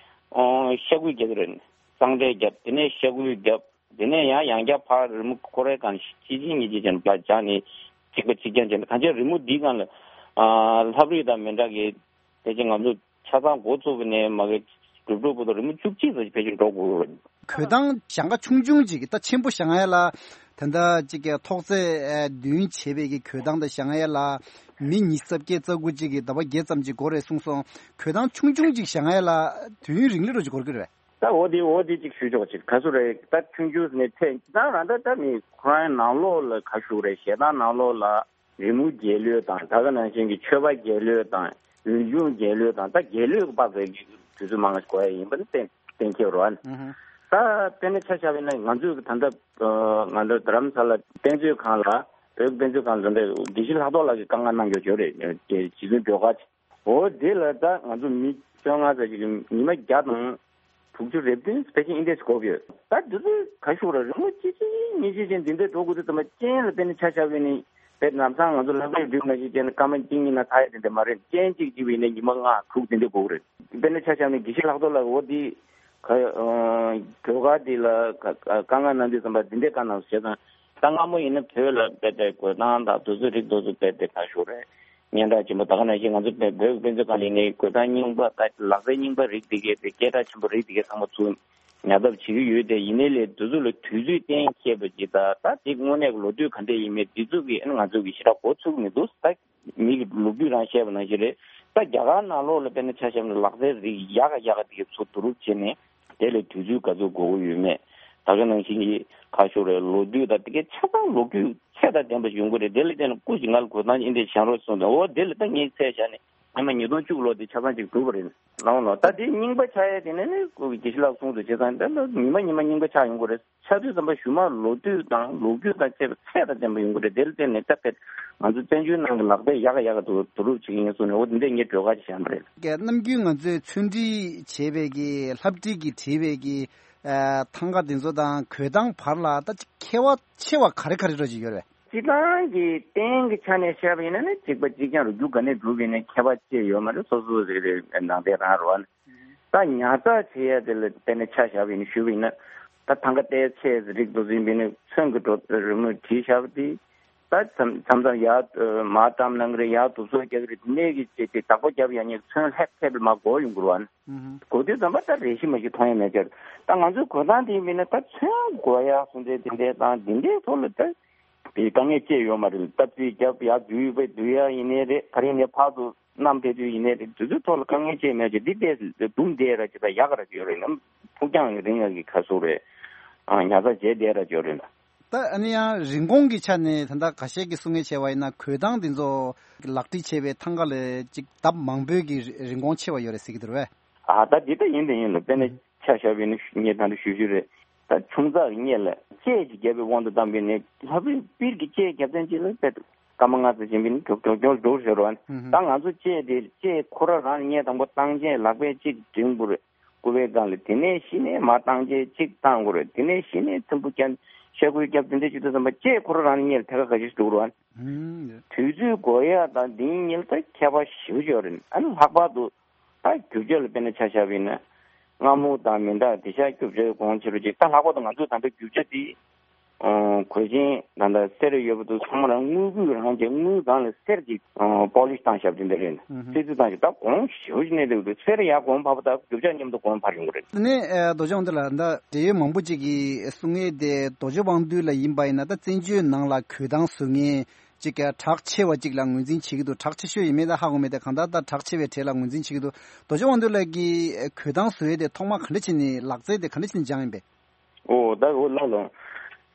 ཨོ་ཤ་ཁུ་རྒྱག་གི་རེད། གཙང་སྦྲ་རྒྱབ། དེ་ནས་ཤ་ཁུ་རྒྱབ། དེ་ནས་ཡང་ཡང་བསྐྱར་ཕར་རི་མོ་ཁོ་རའི་སྒང་གཅིག་གཅིག་གཉིས་གཅིག་བྱས་ནས་ཕར་སྦྱར་ནས་གཅིག་པ་གཅིག་རྐྱང་བྱས་ནས། གང་ཅི་རི་མོ་འདིའི་སྒང་ལ་ཨ་ལྷ་བྲིས་དང་མི་འདྲ་གི་ཕལ་ཆེར་ང་ཚོ་ ཆ་ཚང་འགོ་བཙུགས་པ་ནས་མ་གི་གྲུབ་གྲུབ་བར་དུ་རི་མོ་བཅུ་གཅིག་ཙམ་ཞིག་ཕལ་ཆེར་འགྲོ་དགོས་རེད། གོས་ཐང་ཞེང་ཁ་ཆུང་ཆུང་ཅིག་ད་ཆེན་པོ་བཞེངས་ཡ་ལ་ད་ལྟ་ཅིག་གི་ཐོག་བརྩེགས་བདུན་བྱས་པའི་གི་གོས་ཐང་ད་བཞེངས་ཡ་ལ་མི་ཉི་ཤུ་རྩ་བརྒྱད་རྩ་དགུ་ཅིག་གི་ཟླ་བ་བརྒྱད་ཙམ་ཅིག་འགོར་རེད་གསུངས་སོང་། གོས་ཐང་ཆུང་ཆུང་ཅིག་བཞེངས་ཡ་ལ་དུས་ཡུན་རིང་ལེ་རུ་ཅིག་འགོར་གི་རེད། ད་འོ་དེ་འོ་དེ་ཅིག་ཞུ་ཆོག་ཅིག་ག་ཚོད་རེད། ད་ཆུང་ཆུང་ནས་ཚད་ཅིག་ད་རང་ད་ད་མི་ཁོ་རང་ནང་ལོགས་ལ་ག་ཞུ་རེད། ཞེ་སྡང་ནང་ལོགས་ལ་རི་མོ་རྒྱལ་གླུ་དང་ད་ག་ནང་བཞིན་གྱི་མཆོད་པ་རྒྱལ་གླུ་དང་འོན་ཆུང་རྒྱལ་གླུ་དང་ད་རྒྱལ་གླུ་གི་དཔག་ཚད་ཀྱི་དུས་ཚོད་མང་ང་ཞིག་འགོར་ཡ་ཡིན་པ་ནི་གཏན་གཏན་འཁེལ་རོ། ཨ་ནི་ད་དཔེར་ན་ཆ་བཞག་པ་ཡིན་ན་ང་ཚོས་ད་ལྟ་ང་ཚོ་རྡ་རམ་ས་ལ་དཔེ་མཛོད་ཁང་ལ་བོད་དཔེ་མཛོད་ཁང་ལ་འདི་འདྲ་དགེ་བཤེས་ལྷག་རྡོར་ལགས་ཀྱིས་བཀའ་མངགས་གནང་ཡོད་ཅོག་རེད། རྗེ་བཙུན་སྒྲོལ་དཀར། འོ་དེ་ལ་ད་ང་ཚོ་མི་བཅོ་ལྔ་ཙམ་ཞིག་གིས་ཉི་མ་བརྒྱ་དང་དྲུག་ཅུ་རེ་བདུན་ཕལ་ཆེར་ཨིན་དེ་ཞིག་འགོར་གི་ཡོད། ད་འདི་ཚོས་ག་ཞུ་ར་རི་མོ་ཅི་ཅི་ཉི་ཅི་ཅན་འདི་འདྲ་འགྲོ་དགོས་དུས་ཙམ་པ་རྐྱེན་ལ་བརྟེན་ནས་ཆ་བཞག་པ་ཡིན་ནི་དཔེ་ལམ་སང་ང་ཚོ་ལྷག་པའི་སྒྲིག་ན་ཅི་ཅན་སྐར་མ་གཅིག་གཉིས་ན་ཚར་ཡ་དེ་འདྲ་མ་རེད། རྐྱེན་གཅིག་ཅིག་ཡིན་ན་ཉི་མ་ལྔ་དྲུག་དེ་འདྲ་འགོར་གི་རེད། དཔེར་ན་ཆ་བཞག་ནས་དགེ་བཤེས་ལྷག་རྡོར་ལགས་འོ་དེ་ག་ཨ་སྒྲོལ་དཀར་དེ་ལ་ག་ག་བཀའ་མངགས་གནང་དུས་ཙམ་པ་འདི་འདྲ་བཀའ་གནང་ཟེར་དང་། ད་སྔ་མོ་ཡིན་ན་བོད་ལ་དཔེ་དེ་གོས་ཐང་དང་དུས་ཚོད་རིགས་དུས་ཚོད་དཔེ་དེ་ག་ཞུ་རེད། སྙན་གྲགས་ཆེན་པོ་ད་ག་ནང་བཞིན་ང་ཚོ་བོད་བོད་དཔེ་མཛོད་ཁང་ལ་ཡིན་ནའི་གོས་ཐང་རྙིང་པ་ད་ལག་རྩལ་རྙིང་པ་རིགས་དེ་གའི་དེ་སྐད་གྲགས་ཆེན་པོ་རིགས་དེ་གའི་ཚང་མ་ཚུར་ཉར་ཐབས་བྱེད་ཀྱི་ཡོད་དེ། ཡིན་ནའི་ལས་དུས་ཚོད་ལ་དུས་ཚོད་གཏན་འཁེལ་བ་ཅིག་ད་ད་དེ་དངོས་གནས་ཀྱི་ལོ་དུས་ག་འདྲ་ཡིན་མིན་དེ་ཚོ་གི་ཨ་ནི་ང་ཚོ་གི་ཞེ་དྲག་གོ་ཚུགས་མི་འདུག་ད་མི་གི་ལོ་རྒྱུས་རང་བཤད་པ་ནང་བཞིན་རེད། ད་རྒྱ་གར་ནང་ལོགས་ལ་དཔེར་ན་ཆ་བཞག་ན་ལག་རྩལ་རིགས་ཡག་ག་ཡག་ག་དེ་གའི་ཚུར་བསྡུ་རུབ་བྱས་ནས། དེ་ལ་དུས་ཚོད་ག་ཚོད་འགོར་གྱི་ཡོད་མེད། ད་ག་ནང་བཞིན་གྱི་ཁ་ཤོར་བའི་ལོ་དུས་དང་དེ་གའི་ཆ་ཚང་ལོ་རྒྱུས་ཚད་དང་ལྡན་པ་ཞིག་ཡོང་གི་རེད། དེ་ལ་བརྟེན་ནས་སྐུ་ཞིག་ང་ལ་གོས་ཐང་ཨིན་དེ་བཞེངས་རོགས་གསུངས་ཏེ། འོ་དེ་ལ་ད་ངས་ཚད་བཞག་ནས་ཉི་མ་ཉིས་སྟོང་བཅུ་ལོ་དེ་ཆ་ཚང་ཅིག་འགྲུབ་པ་རེད། ལའོ་ལོ་ད་དེ་རྙིང་པ་ཆགས་ཡས་དེ་ནས་ནི་སྐུ་གི་དགེ་བཤེས་ལགས་གསུངས་དུས་བྱས་ཙང་ད་ལོ་ཉི་མ་ཉི་མ་རྙིང་པ་ཆགས་ཡོང་གི་རེད། ཆ་དུས་ཙམ་པ་གཞུག་མ་ལོ་དུས་དང་ལོ་རྒྱུས་དང་བཅས་པའི་ཚད་དང་ལྡན་པ་ཡོང་གི་རེད། དེ་ལ་བརྟེན་ནས་ད་ཕེད་ང་ཚོ་བཙན་བྱོལ་ནང་གི་ལག་རྩལ་ཡག་ག་ཡག་ག་འདུག་བསྡུ་རུབ་བྱེད་ཀྱི་ཡིན་གསུངས་ནས། འོ་དེ་འདྲས་ངས་སྒྲོལ་དཀར་ཅིག་བཞེངས་པ་རེད། ཀྱེ་ནམ་རྒྱུན་ང་ཚོས་ཚོན་སྒྲིག་བྱས་པའི་གི་ལྷ་བྲིས་ཀྱིས་བྲིས་པའི་གི་ཨ་ཐང་ག་དེ་ཚོ་དང་གོས་ཐང་བར་ལ་ད་ཅིག་ཁྱད་པར་ཆེ་བ་ག་རེ་ག་རེ་འདྲ་ཅིག་ཡོད་རེད། སྤྱིར་བཏང་གི་རྟེན་གྱི་ཆ་ནས་བཤད་པ་ཡིན་ན་ནི་གཅིག་པ་གཅིག་རྐྱང་རུ་རྒྱུ་ག་ནས་གྲུབ་ཡིན་ན་ཁྱད་པར་ཅི་ཡོད་མ་རེད། སོ་སོ་རེ་རེ་ནང་བསྟན་རང་རུ་བ་ནི། ད་ཉར་ཚགས་བྱེད་ཡ་དེ་ལ་དཔེར་ན་ཆ་བཞག་པ་ཡིན་ན་ཞུས་པ་ཡིན་ན། ད་ཐང་ག་ཏའི་ཆས་རིགས་དུ་འཛིན་པ་ཡིན་ན་ཚོན་གྱི་འགྲོ་རི་མོ་བྲིས་བཞག་པ་དེ། ད་མཚམས་མཚམས་མཚམས་ཡར་མར་བཀྲམ་གནང་གི་རེད། ཡར་དུ་སོ་རྒྱག་གི་རེད། དེ་ནས་ཀྱི་ཅེས་ཏེ་བདག་པོ་རྒྱབ་ཡ་ཉེ་ཚོན་ལྷེབ་ལྷེབ་ལ་མར་འགོ་ཡོང་གི་རེད་བ། ཨུ་ཧུ། འགོ་དུས་ཙམ་པ་ད་རེ་ཞིག་མ་ཞིག་མཐོང་ཡ་མེད་ཀྱང་། ད་ང་ཚོའི་གོས་ཐང་དེ་ཡིན་པ་ཡིན་ན་ད་ཚོན་འགོ་ཡ་སོང་ཚེ་དེ་འདྲའི་དང་དེ་འདྲའི་ཐོག་ལ་ད་དེ་དཀའ་ངལ་ཅི་ཡོད་མ་རེད། སྟབས་རྩེ་རྒྱབ་ཡ་བསྡུས་པ་བསྡུ་ཡ་ཡིན་ནའི་རེད། ག་རེ་ནས་ཕར་དུ་བསྣམས་ཕེབས་དུས་ཡིན་ནའི་རེད། དེ་ཚོའི་ཐོག་ལ་དཀའ་ངལ་ཅི་མེད་ཅེས་འདི་ལྟས་སུ་སྡུམ་བསྡད་ར་ཅིག་ད་ཡག་ག་ར་ཅིག་ཡོད་རེད་ནམ། ཕུགས་རྒྱང་རིང་ཡ་གི་ཁ་སོ་རེད། ཨ་ཉར་ཚགས་བྱས་བསྡད་ར་ཅིག་ཡོད་རེད་ལ། ད་ཨ་ནི་ཡང་རིན་གོང་གི་ཆ་ནས་ད་ལྟ་ཁ་ཤས་ཀྱིས་གསུང་ངེས་བྱས་པ་ཡིན་ན་གོས་ཐང་འདི་ཚོ་ལག་བྲིས་བྱས་པའི་ཐང་ག་ལས་ཅིག་ལྡབ་མང་པོའི་གི་རིན་གོང་ཆེ་བ་ཡོད་རེད་ཟེར་གྱི་འདུག་རེད་པས། ཨ་ད་འདི་ད་ཡིན་དེ་ཡིན་ལ། དཔེར་ན་ཆ་བཞག་པ་ཡིན་ན་ངས་ད་ལྟ་ཞུ་ཞུ་རེད། ད་ཆུང་ཙག་གི་གཉེར་ལ་ལྕེ་ཅིག་བརྒྱབ་པའི་དབང་དུ་བཏང་པ་ཡིན་ན་ལྷ་བུའི་པིར་གྱི་ལྕེ་བརྒྱབ་ཐེངས་གཅིག་ལ་དཔེ་སྐར་མ་ལྔ་ཙམ་བྱིན་པ་ཡིན་ན་མགྱོགས་མགྱོགས་མགྱོགས་འགྲོ་ཟེར་བ། ཨུ་ཧུ། ད་ང་ཚོ་ལྕེ་དེ་ལྕེ་ཁོ་རང་རང་ལ་གཉེར་དང་པོ་བཏང་བྱས་ལག་པས་གཅིག་འབྲིང་པོ་རེད། སྐུ་པའི་སྒང་ལ། དེ་ནས་གཞི་ནས་མར་བཏང་བྱས་གཅིག་བཏང་དགོས་རེད། དེ་ནས་གཞི་ནས་ཚིམ་པོ་བརྒྱབ་ཤ་ཁུ་བརྒྱབ་དེ་འདྲ་བྱེད་དུས་ཙམ་པ་ལྕེ་ཁོ་རང་རང་གཉིས་ལ་ཐད་ཀར་ཁ་ཤས་ཤིག་འགྲོ་གི་རེད་བ། ཨུམ། དུས་ཚོད་འགོར་ཡ་དང་འདི་གཉིས་ལ་ད་ཁྱད་པར་ཞེ་པོ་ཅིག་ཡོད་རེད། ཨ་ནི་ལྷག་པར་དུ་ད་རྒྱུ་ཆ་ལ་དཔེར་ན་ཆ་བཞག་པ་ཡིན་ན་རྔ་མོང་དང་མི་འདྲ་དེ་ཤ་རྒྱུ་ཆ་གོང་ཆེ་རུ་ཅིག་ད་ལྷག་པར་དུ་ང་ཚོས་ད་ལྟ་རྒྱུ་ཆ་དེ་གོས་ཆེན་ད་ལྟ་གསེར་ཡོད་པ་དུ་ཚང་མ་རང་དངུལ་སྐུད་རང་བྱས་དངུལ་སྒང་ལ་གསེར་གྱི་པོ་ལིཤ་བཏང་བཞག་པ་དེ་འདྲ་རེད། ཨུ་ཧུ། སྲིད་རྩིས་བཏང་ཞིག་ད་གོང་ཞེ་པོ་ཞིག་གནས་འདུག་འདུག་གསེར་ཡར་གོང་འཕར་བ་དང་རྒྱུ་ཆ་མཉམ་དུ་གོང་འཕར་ཡོང་གི་རེད། དེ་ནས་ཨ་རྡོ་རྗེ་དབང་འདུས་ལགས་ད་འབྲེལ་ཡོད་མང་པོ་ཅིག་གིས་གསུང་ཡས་དེ་རྡོ་རྗེ་དབང་འདུས་ལ་ཡིན་པ་ཡིན་ན་ད་བཙན་བྱོལ་ནང་ལ་གོས་ཐང་བཟོ་མཁན་ཅིག་གྲགས་ཆེ་བ་ཅིག་ལ་ངོས་འཛིན་བྱེད་ཀྱི་འདུག་གྲགས་ཆེ་ཤོས་ཡིན་མིན་ད་ཧ་གོ་མེད་དེ་གང་ལྟར་ད་གྲགས་ཆེ་བའི་གྲས་ལ་ངོས་འཛིན་བྱེད་ཀྱི་འདུག་རྡོ་རྗེ་དབང་འདུས་ལགས་ཀྱིས་གོས་ཐང་བཟོ་ཡས་དེ་ཐོག་མ་ག་འདྲ་བྱས་ནས་ལག་རྩལ་དེ་ག་འདྲ་བྱས་ནས་སྦྱངས་ཡིན་པས། ཨོ་ད་འོ་ལགས་ལགས།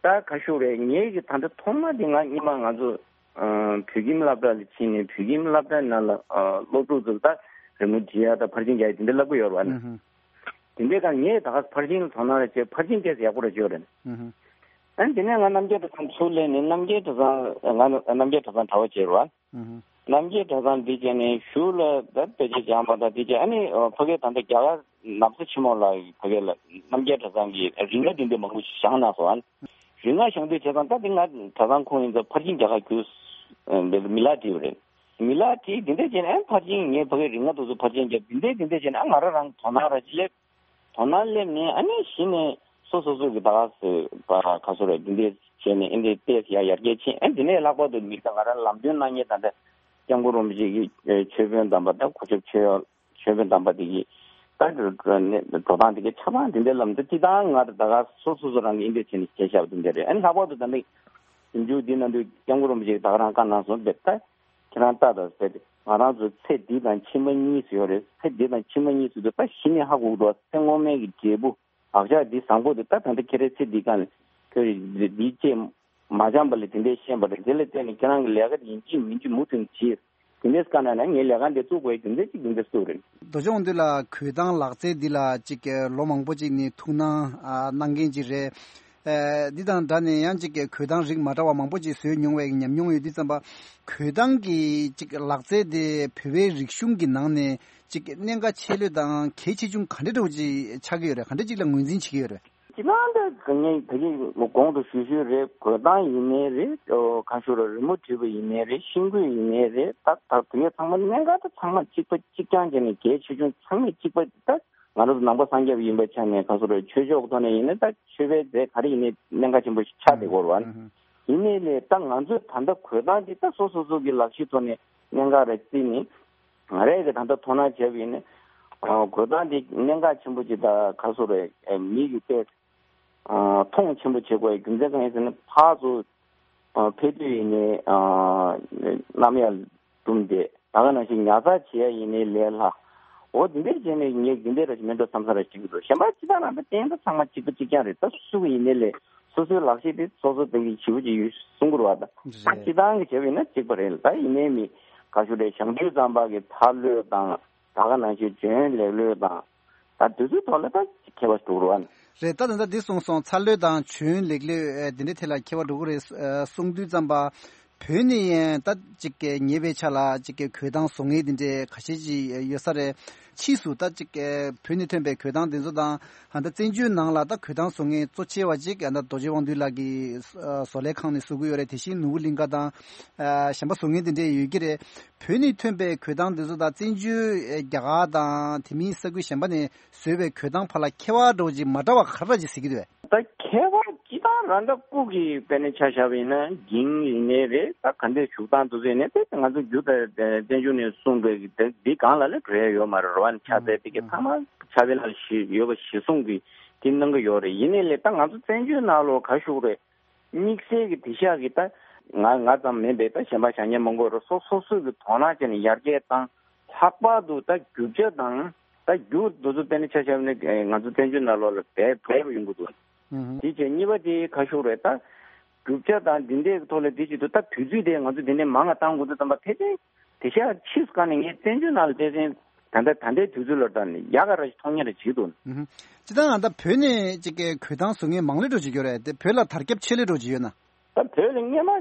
ད་ག་ཞུ་རེད། ངེད་ཀྱི་ད་ལྟ་ཐོག་མ་དེ་ང་སྔོན་མ་ང་ཚོ་ཨ་བོད་ཁྱིམ་སློབ་གྲྭ་ལ་ཕྱིན་ནས་བོད་ཁྱིམ་སློབ་གྲྭ་ནང་ལ་ཨ་སློབ་ཕྲུག་ཚོ་ལ་ད་རི་མོ་འབྲི་ཡ་ད་ཕར་ཕྱིན་རྒྱག་ཡ་དེ་འདྲ་བསླབ་ཀྱི་ཡོད་རེད་བ། ཨུ་ཧུ། དེ་འདྲའི་སྒང་ངས་ད་ག་ཕར་ཕྱིན་ལ་དོ་སྣང་རེ་བྱས། ཕར་ཕྱིན་སྐད་ཆ་ཡག་པོ་རེ་བརྗོད་རེད། ཨུ་ཧུ། ཨ་ནི་དེ་ནས་ང་རྣམ་རྒྱལ་གྲྭ་ཚང་ཚུར་སླེབས་ནས་རྣམ་རྒྱལ་གྲྭ་ཚང་ང་རྣམ་རྒྱལ་གྲྭ་ཚང་གྲྭ་པ་བྱས་རེད་བ། ཨུ་ཧུ། རྣམ་རྒྱལ་གྲྭ་ཚང་འདི་བྱས་ནས་གཞུག་ལ་ད་དཔེ་ཆ་སྦྱངས་པ་དང་དེ་བྱས་ཨ་ནི་ཕ་གིར་ད་ལྟ་རྒྱ་གར་ན་བཟའ་ཆེན་མོ་ལ་ཕ་གིར་ལ་རྣམ་རྒྱལ་གྲྭ་ཚང་གི་རིགས་ལྔ་འདི་འདྲ་མང་པོ་ཞིག་བཞེངས་གནང་སོང་། རིགས་ལྔ་བཞེངས་དུས་བྱས་ཙང་ད་འདི་ང་གྲྭ་ཚང་ཁོངས་ཡིན་ཙང་ཕར་ཕྱིན་རྒྱག་ག་རྒྱུ་འདི་མི་ལ་བྲིས་པ་རེད། མི་ལ་བྲིས་འདི་འདྲ་བྱས་ནས་ཨ་ཕར་ཕྱིན་ངས་ཕ་གིར་རིགས་ལྔ་དེ་ཚོ་ཕར་ཕྱིན་རྒྱབ་འདི་འདྲ་འདི་འདྲ་བྱས་ནས་ཨ་ང་རང་རང་དོ་སྣང་ར་ཅིག་སླེབས། དོ་སྣང་སླེབས་ནས་ཨ་ནི་གཞི་ནས་སོ་སོ་སོ་གི་ད་ག་ཟེར་བ་ག་ཚོད་རེད་འདི་འདྲས་བྱས་ནས་ཨེ་འདྲས་བལྟས་ཡ་ཡར་རྒྱས་ཕྱིན། ཨ་འདི་ནས་ལྷག་པར་དུ་མི་ད་ང་རང་ལམ་སྟོན་གནང་མཁན་ད་ལྟ་སྐྱབས་མགོན་རིན་པོ་ཆེ་གི་ཆོས་དཔོན་དམ་པ་ད་གོ་ཆོད་ཆོས་ཡོད་ ཆོས་དཔོན་དམ་པ་དེ་གི་ད་འགྲོ་སྟངས་དེ་གི་ཆ་ཚང་དེ་འདྲའི་ལམ་དུ་སྤྱི་བཏང་ང་ད་ག་སོ་སོ་སོ་རང་གི་ཨིན་འདྲ་བྱས་ནས་བྱས་བཞག་པ་དེ་འདྲ་རེད། ཨ་ནི་ལྷག་པར་དུ་ད་ནི་ཞིབ་འཇུག་འདི་ནང་དུ་སྐྱབས་མགོན་རིན་པོ་ཆེ་གི་ད་ག་རང་བཀའ་གནང་སོང་བས་ད་ཁྱེད་རང་ལྟ་དང་ཟེར་ཏེ་ང་རང་ཚོ་ཚེ་འདི་དང་ཕྱི་མ་གཉིས་སུ་ཡོད་རེད། ཚེ་འདི་དང་ཕྱི་མ་གཉིས་སུ་དུ་ད་གཞི་ནས་ཧ་གོ་གི་འདུག་ཚེ་སྔོན་མའི་གི་འབྲས་བུ། བག་ཆགས་འདི་བཟང་པོ་འདི་ད་ད་ལྟ་ཁྱེད་རའི་ཚེ་འདི་གང་ཁྱོད་འདི་ཅེས་མ་སྦྱངས་པ་ལས་དེ་འདྲའི་ཤེས་པ་རེད། དེ་ལ་བརྟེན་ནས་ཁྱེད་རང་གི་ལས་ཀ་འདི་ཡིན་གཅིག་མིན་གཅིག་མུ་མཐུད་ནས་བྱེད། དེ་འདྲའི་དཀའ་གནད་ན་ངའི་ལས་ཀ་འདི་བཙུགས་དགོས་དེ་འདྲའི་ཅིག་དེ་འདྲ་སུ་རེད། རྡོ་རྗེ་དབང་འདུས་ལགས་གོས་ཐང་ལག་རྩལ་འདི་ལ་ཅིག་ལོ་མང་པོ་ཅིག་ནས་ཐུགས་སྣང་གནང་མཁན་ཅིག་རེད། འདི་དང་འདྲ་ནས་ཡང་ཅིག་གོས་ཐང་རིགས་མ་འདྲ་བ་མང་པོ་ཅིག་བཟོས་མྱོང་བའི་ཉམས་མྱོང་ཡོད་དུས་ཙམ་པ་གོས་ཐང་གི་ཅིག་ལག་རྩལ་དེ་བོད་པའི་རིག་གཞུང་གི་ནང་ནས། ཅིག་གནད་འགག་ཆེ་ལོས་དང་གལ་ཆེ་ཆུང་ག་འདྲ་འདྲ་བོ་ཅིག་ཆགས་ཀྱི་ཡོད་རེད། ག་འདྲ་ཅིག་ལ་ངོས་འཛིན་བྱེད་ཀྱི་ཡོད་རེད། སྤྱིར་བཏང་ད་ངས་ད་གིན་གོང་དུ་ཞུས་ཞུས་རེད། གོས་ཐང་ཡིན་ནའི་རེད། ཨོ་གང་ཞུ་ར་རི་མོ་བྲིས་པ་ཡིན་ནའི་རེད། ཤིང་བརྐོས་ཡིན་ནའི་རེད། ད་ད་དེ་གས་ཚང་མ་གནད་འགག་ད་ཚང་མ་གཅིག་པ་གཅིག་རྐྱང་བྱས་ནས་གལ་ཆེ་ཆུང་ཚང་མ་གཅིག་པ་ད་ང་རང་ཚོ་ནང་པ་སངས་རྒྱས་པ་ཡིན་པའི་ཆ་ནས་གང་ཞུ་ར་ཆོས་ཕྱོགས་ཐོག་ནས་ཡིན་ན་ད་ཆོས་པའི་རྫས་ག་རེ་ཡིན་ནའི་གནད་འགག་ཆེན་པོ་ཞིག་ཆགས་བསྡད་ཀྱི་ཡོད་རེད་བ། ཡིན་ནའི་ལས་ད་ང་ཚོས་ད་ལྟ་གོས་ཐང་འདི་ད་སོ་སོ་སོ་གི་ལག་ཤེས་ཐོག་ནས་གནད་འགག་རེ་བརྩིས་ནས། ང་རས་ཀྱི་ད་ལྟ་དོ་སྣང་བྱས་པ་ཡིན་ན། གོས་ཐང་འདི་གནད་འགག་ཆེན་པོ་ཅིག་ད་ག་སོ་རེད། མི་གི་ལྟས་མཐོང་ཆེན་པོ་བྱེད་དགོས་རྒྱུ་མཚན་གང་ཡིན་ཟེར་ན་ཕར་ཚུར་ཕེབས་དུས་ཡིན་ནའི་གནམ་ཡར་བཏུམས་ཏེ་ད་ག་ནང་བཞིན་ཉར་ཚགས་བྱེད་ཡ་ཡིན་ནའི་ལས་སླ། འོ་འདི་འདྲས་བྱས་ནས་ངས་འདི་འདྲས་ར་ཞིག་མེད་འགྲོ་བསམ་ས་ར་ཞིག་འདུག་གཞན་པ་སྤྱི་བཏང་རང་ད་བསྟན་ད་ཚང་མ་གཅིག་པ་གཅིག་རྐྱང་རེད། ད་སུ་གི་ཡིན་ནའི་ལས་སོ་སོའི་ལག་ཤེས་དེ་སོ་སོ་དེ་གི་ཞེ་པོ་ཅིག་ཡོད་གསུང་གི་རེད་བ། ད་ད་སྤྱི་བཏང་གི་བྱས་པ་ཡིན་ན་གཅིག་པ་རེད་ལ། ད་ཡིན་ནའི་མི་ག་ཞུ་རེད། ཞང་དུས་ཙམ་པ་གི་མཐའ་ལྷོད་དང་ད་ག་ནང་བཞིན་བྱོན་ལེགས་ལྷོད་དང་ད་དུས་ཚོད་ཐོག་ལ་ད་ཁྱད་པར་འགྲོ་གི་རེད་བ། རེད། ད་ད་ལྟ་འདི་གསུངས་སོང་། མཐའ་ལྷོད་དང་བྱོན་ལེགས་ལྷོད་འདི་འདྲའི་ཐད་ལ་ཁྱད་པར་འགྲོ་གི་རེད་གསུང་དུས་ཙམ་པ། བོད་ནས་ཡང་ད་ཅིག་གི་ཉེ་བའི་ཆ་ལ་ཅིག་གི་གོས་ཐང་བཟོ་མཁན་དེ་འདྲའི་ཁ་ཤས་ཅིག་ཡོད་ས་རེད། ཕྱིས་སུ་ད་ཅིག་གི་བོད་ནས་ཐོན་པའི་གོས་ཐང་དེ་ཚོ་དང་ཧ་ད་བཙན་བྱོལ་ནང་ལ་ད་གོས་ཐང་བཟོ་མཁན་གཙོ་ཆེ་བ་ཅིག་ད་རྡོ་རྗེ་དབང་འདུས་ལགས་ཀྱི་བཟོ་ལས་ཁང་ནས་བཟོ་གི་ཡོད་རེད། དེ་བཞིན་ནོར་བུ་གླིང་ཁ་དང་གཞན་པ་བཟོ་མཁན་དེ་འདྲའི་ཡོད་ཀྱི་རེད། བོད་ནས་ཐོན་པའི་གོས་ཐང་དེ་ཚོ་དང་བཙན་བྱོལ་རྒྱ་གར་དང་དེ་མིན་ས་ཁུལ་གཞན་པ་ནས་བཟོས་པའི་གོས་ཐང་བར་ལ་ཁྱད་པར་འདྲ་བོ་ཅིག་མ་འདྲ་བ་ག་རེ་ཅིག་གཟིགས་ཀྱི་འདུག་གས། ད་ཁྱད་པར་སྤྱི་བཏང་རང་ད་སྐུ་གི་དཔེར་ན་ཆ་བཞག་པ་ཡིན་ན་འགྱིང་ཡིན་ནའི་རེད། ད་ག་འདྲའི་བཞུགས་སྟངས་དེ་ཚོ་ཡིན་ནའི་དེ་ང་ཚོ་རྒྱུ་ད་བཙན་བྱོལ་ནས་གསུངས་པའི་དེ་འདི་སྒང་ལ་ལ་འགྲོ་ཡ་ཡོད་མ་རེད་རོ། ཨ་ནི་ཕྱག་འཚལ་དེ་གི་ཚང་མ་ཕྱག་དཔེ་ནང་ལ་ཡོད་པ་གཞི་བཟུང་གི་དེ་གནང་གི་ཡོད་རེད། ཡིན་ནའི་ལས་ད་ང་ཚོ་བཙན་བྱོལ་ནང་ལོགས་ག་ཞུ་རེད། དམིགས་བསལ་གྱི་དེང་སང་གི་ད་ང་ང་ཙམ་མིན་པའི་ད་གཞན་པ་བྱ་ངན་མང་པོ་རེད། སོ་སོ་སོ་གི་དོ་སྣང་བྱས་ནས་ཡར་རྒྱས་བཏང་། ལྷག་པར་དུ་ད་རྒྱུ་ཆ་དང་ད་རྒྱུ་དེ་ཚོ་དཔེར་ན་ཆ་བཞག་ན་ང་ཚོ་བཙན་བྱོལ་ནང་ལོགས་ལ་འབེལ་འབེལ་བ་ཡོང་གི་འདུག་དེ་བྱས་གཉིས་པ་དེ་ག་ཞུ་རེད། ད་རྒྱུ་ཆ་དང་འདི་འདྲའི་ཐོག་ལ་དེ་བྱེད་དུས་ད་དུས་ཚོད་དེ་ང་ཚོ་འདི་ནས་མང་ང་བཏང་དགོས་འདུག་བསམ་པ་ཕལ་ཆེར། དེང་སང་ཕྱིས་སུ་ག་ནས་ངས་བཙན་བྱོལ་ནང་ལ་བལྟས་ཚེ་ད་ལྟ་ད་ལྟའི་དུས་ཚོད་ལ་ལྟ་ནས་ཡག་ག་ར་ཞིག་མཐོང་ཉེ་ར་བྱེད་འདུག་ཨུ་ཧུ། སྤྱིར་བཏང་ང་ད་བོད་ནས་ཅིག་གི་གོས་ཐང་བཟོ་མཁན་མང་ལོས་འགྲོ་བྱེད་ཀྱི་ཡོད་རེད་དེ། བོད་ལ་དར་ཁྱབ་ཆེ་ལོས་འགྲོ་བྱེད་ཡོད་ན། ད་བོད་ལ་སྔས་མ་ཨ་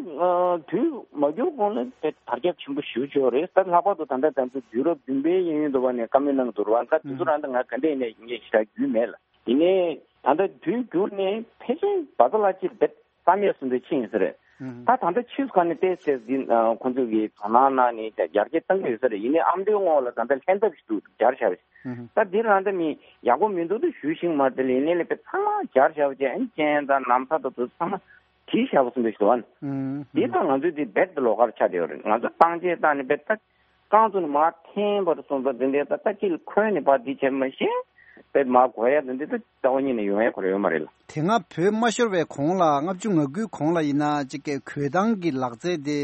དུས་མ་འགྱུར་གོང་ལ་དེ་དར་ཁྱབ་ཆེན་པོ་ཞེ་པོ་ཅིག་ཡོད་རེད། ད་ལྷག་པར་དུ་ད་ལྟ་ད་ཚོ་དུས་རབས་བདུན་པའི་གཡས་གཡོན་དུ་བ་ནས་བཀའ་མོལ་གནང་གི་འདུག་ར་བ། ད་དུས་ཚོད་རང་ད་ང་ག་འདྲ་ཡིན་ནའི་ངས་ཞེ་དྲག་རྒྱུས་མེད་ལ། ཡིན་ནའི་ད་ལྟ་དུས་འགྱུར་ནས་ཕལ་ཆེར་བ་ཚ་ལ་ཅིག་རྦད་རྩ་མེད་སོང་དུས་ཕྱིན་ཡོད་ས་རེད། ཨུ་ཧུ། ད་ད་ལྟ་ཕྱིས་སུ་ག་ནས་བལྟས་ཚེ་འདི་ཁོང་ཚོས་ཀྱི་དོ་སྣང་གནང་ནས་ཡར་རྒྱས་གཏང་གི་ཡོད་ས་རེད། ཡིན་ནའི་ཨ་མདོའི་ངོས་ལ་ད་ལྟ་ལྷན་ཐབས་ཤིག་འདུག་སྦྱར་བཞག་པ་ཞིག་ཨུ་ཧུ། ད་འདི་རང་ད་མི་ཡག་པོ་མི་འདུག་ད་ཞུ་ཤེས་མ་རེད་དེ། ཡིན་ནའི་ལས་པའི་ཚང་མ་སྦྱར་བཞག་པ་བྱས། ཨ་ནི་སྤྱན་དང་ན་བཟའ་དང་དེ་ཚང་མ་བྲིས་བཞག་པ་སོང་དུས་ཤིག་འདུག་ཨ་ནི། ཨུ་ཧུ། འདི་ད་ང་ཚོས་འདི་རྦད་དེ་ལོགས་ཀར་ཆགས་བསྡད་ཡོད་རེད། ང་ཚོ་བཏང་ཆས་བཏང་ནས་རྦད་ད། རྐང་བཙུགས་ནས་མར་འཐེན་པར་སོང་ཙང་འདི་འདྲའི་ད་ལྟ་དཀྱིལ་ཁོལ་ནས་ཕར་འདི་བྱས་མ་ཤེས་པས་མར་གོ་ཡ་འདི་འདྲའི་ད་རྩ་བ་ཉིད་ནས་ཡོང་ཡ་ཁོ་ར་ཡོད་མ་རེད་ལ། དེ་སྔ་བོད་མ་ཤོར་བའི་གོང་ལ་ལྔ་བཅུ་ང་དགུའི་གོང་ལ་ཡིན་ན་ཅིག་གི་གོས་ཐང་གི་ལག་རྩལ་དེ་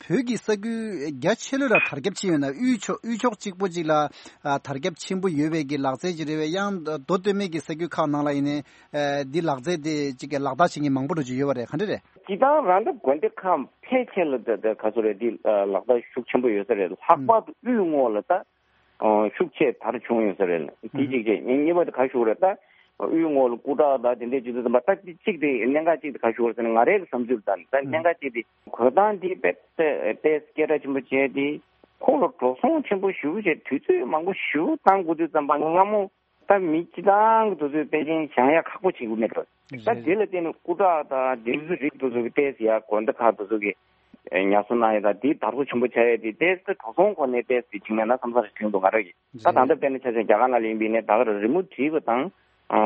བོད་ཀྱི་ས་ཁུལ་རྒྱ་ཆེ་ལོས་ལ་དར་ཁྱབ་ཕྱིན་ཡོད་ན། དབུས་ཕྱོགས་དབུས་ཕྱོགས་གཅིག་པོ་གཅིག་ལ་ཨ་དར་ཁྱབ་ཆེན་པོ་ཡོད་པའི་གི་ལག་རྩལ་ཅིག་རེད་པས། ཡང་མདོ་སྟོད་སྨད་ཀྱི་ས་ཁུལ་ཁག་ནང་ལ་ཡིན་ནའི་ཨ་འདི་ལག་རྩལ་དེ་ཅིག་གི་ལག་བསྟར་བྱེད་མཁན་མང་པོ་འགྲོ་གི་ཡོད་པ་རེད། ག་འདྲ་རེད། སྤྱིར་བཏང་རང་ད་དགོན་སྡེ་ཁག་ཕལ་ཆེར་ལ་ད་ད་ག་ཚོད་རེད། འདི་ལག་བསྟར་ཤུགས་ཆེན་པོ་ཡོད་ས་རེད། ལྷག་པར་དུ་དབུས་ངོས་ལ་ད་ཤུགས་ཆེ་དར་བྱུང་ཡོད་ས་རེད། དེ་གཅིག་བྱས། གཉིས་པ་དེ་ག་ཞུ་རེད། ད་དབུས་ངོས་ལ་སྐུ་དྲག་ད་དེ་འདྲས་བྱེད་དུས་ཙམ་པ་ད་གཅིག་དེ་གནད་འགག་གཅིག་དེ་ག་ཞུ་རེད་ཟེར་ན། ང་རའི་བསམ་ཚུལ་ལ་ད་ད་གནད་འགག་གཅིག་དེ་གོས་ཐང་འདི་དཔེ་དཔེ་སྐད་གྲགས་ཆེན་པོ་བྱས་ཏེ་ཁོ་ལ་འགྲོ་སོང་ཆེན་པོ་ཞེ་པོ་བྱས། དུས་ཚོད་མང་པོ་ཞེ་པོ་བཏང་དགོས་དུས་ཙམ་པ་སྔ་མོ། ད་མི་སྤྱི་བཏང་གི་དུས་ཚོད་དཔེ་ཅན་བཞེངས་ཡ་ཁག་པོ་བྱེད་དགོས་མེད་འགྲོ། ད་རེད། དེ་ལ་བརྟེན་ནས་སྐུ་དྲག་དང་དེ་ཚོ་རིགས་དེ་ཚོ་གི་ཏོག་ཙམ་ཡ་དགོན་སྡེ་ཁག་དེ་ཚོ་གི་ཉར་ཚགས་གནང་ཡ་དང་དེ་དར་སོ་ཆེན་པོ་ཆགས་ཡ་དེ་ཏོག་ཙམ་འགྲོ་སོང་སྒོ་ནས་ཏོག་ཙམ་བྱུང་ཡ་ན་བསམ་ས་རེ་བྱུང་འདུག་ང་རང་གི། ད་ད་རེད། ལྟ་དཔེར་ན་ཆ་བཞག་རྒྱ་གར་ནང་ལ་ཡིན་པ་ཡིན་ནའི་ད་ག་རེ་རི་མོ་བྲིས་པ་དང་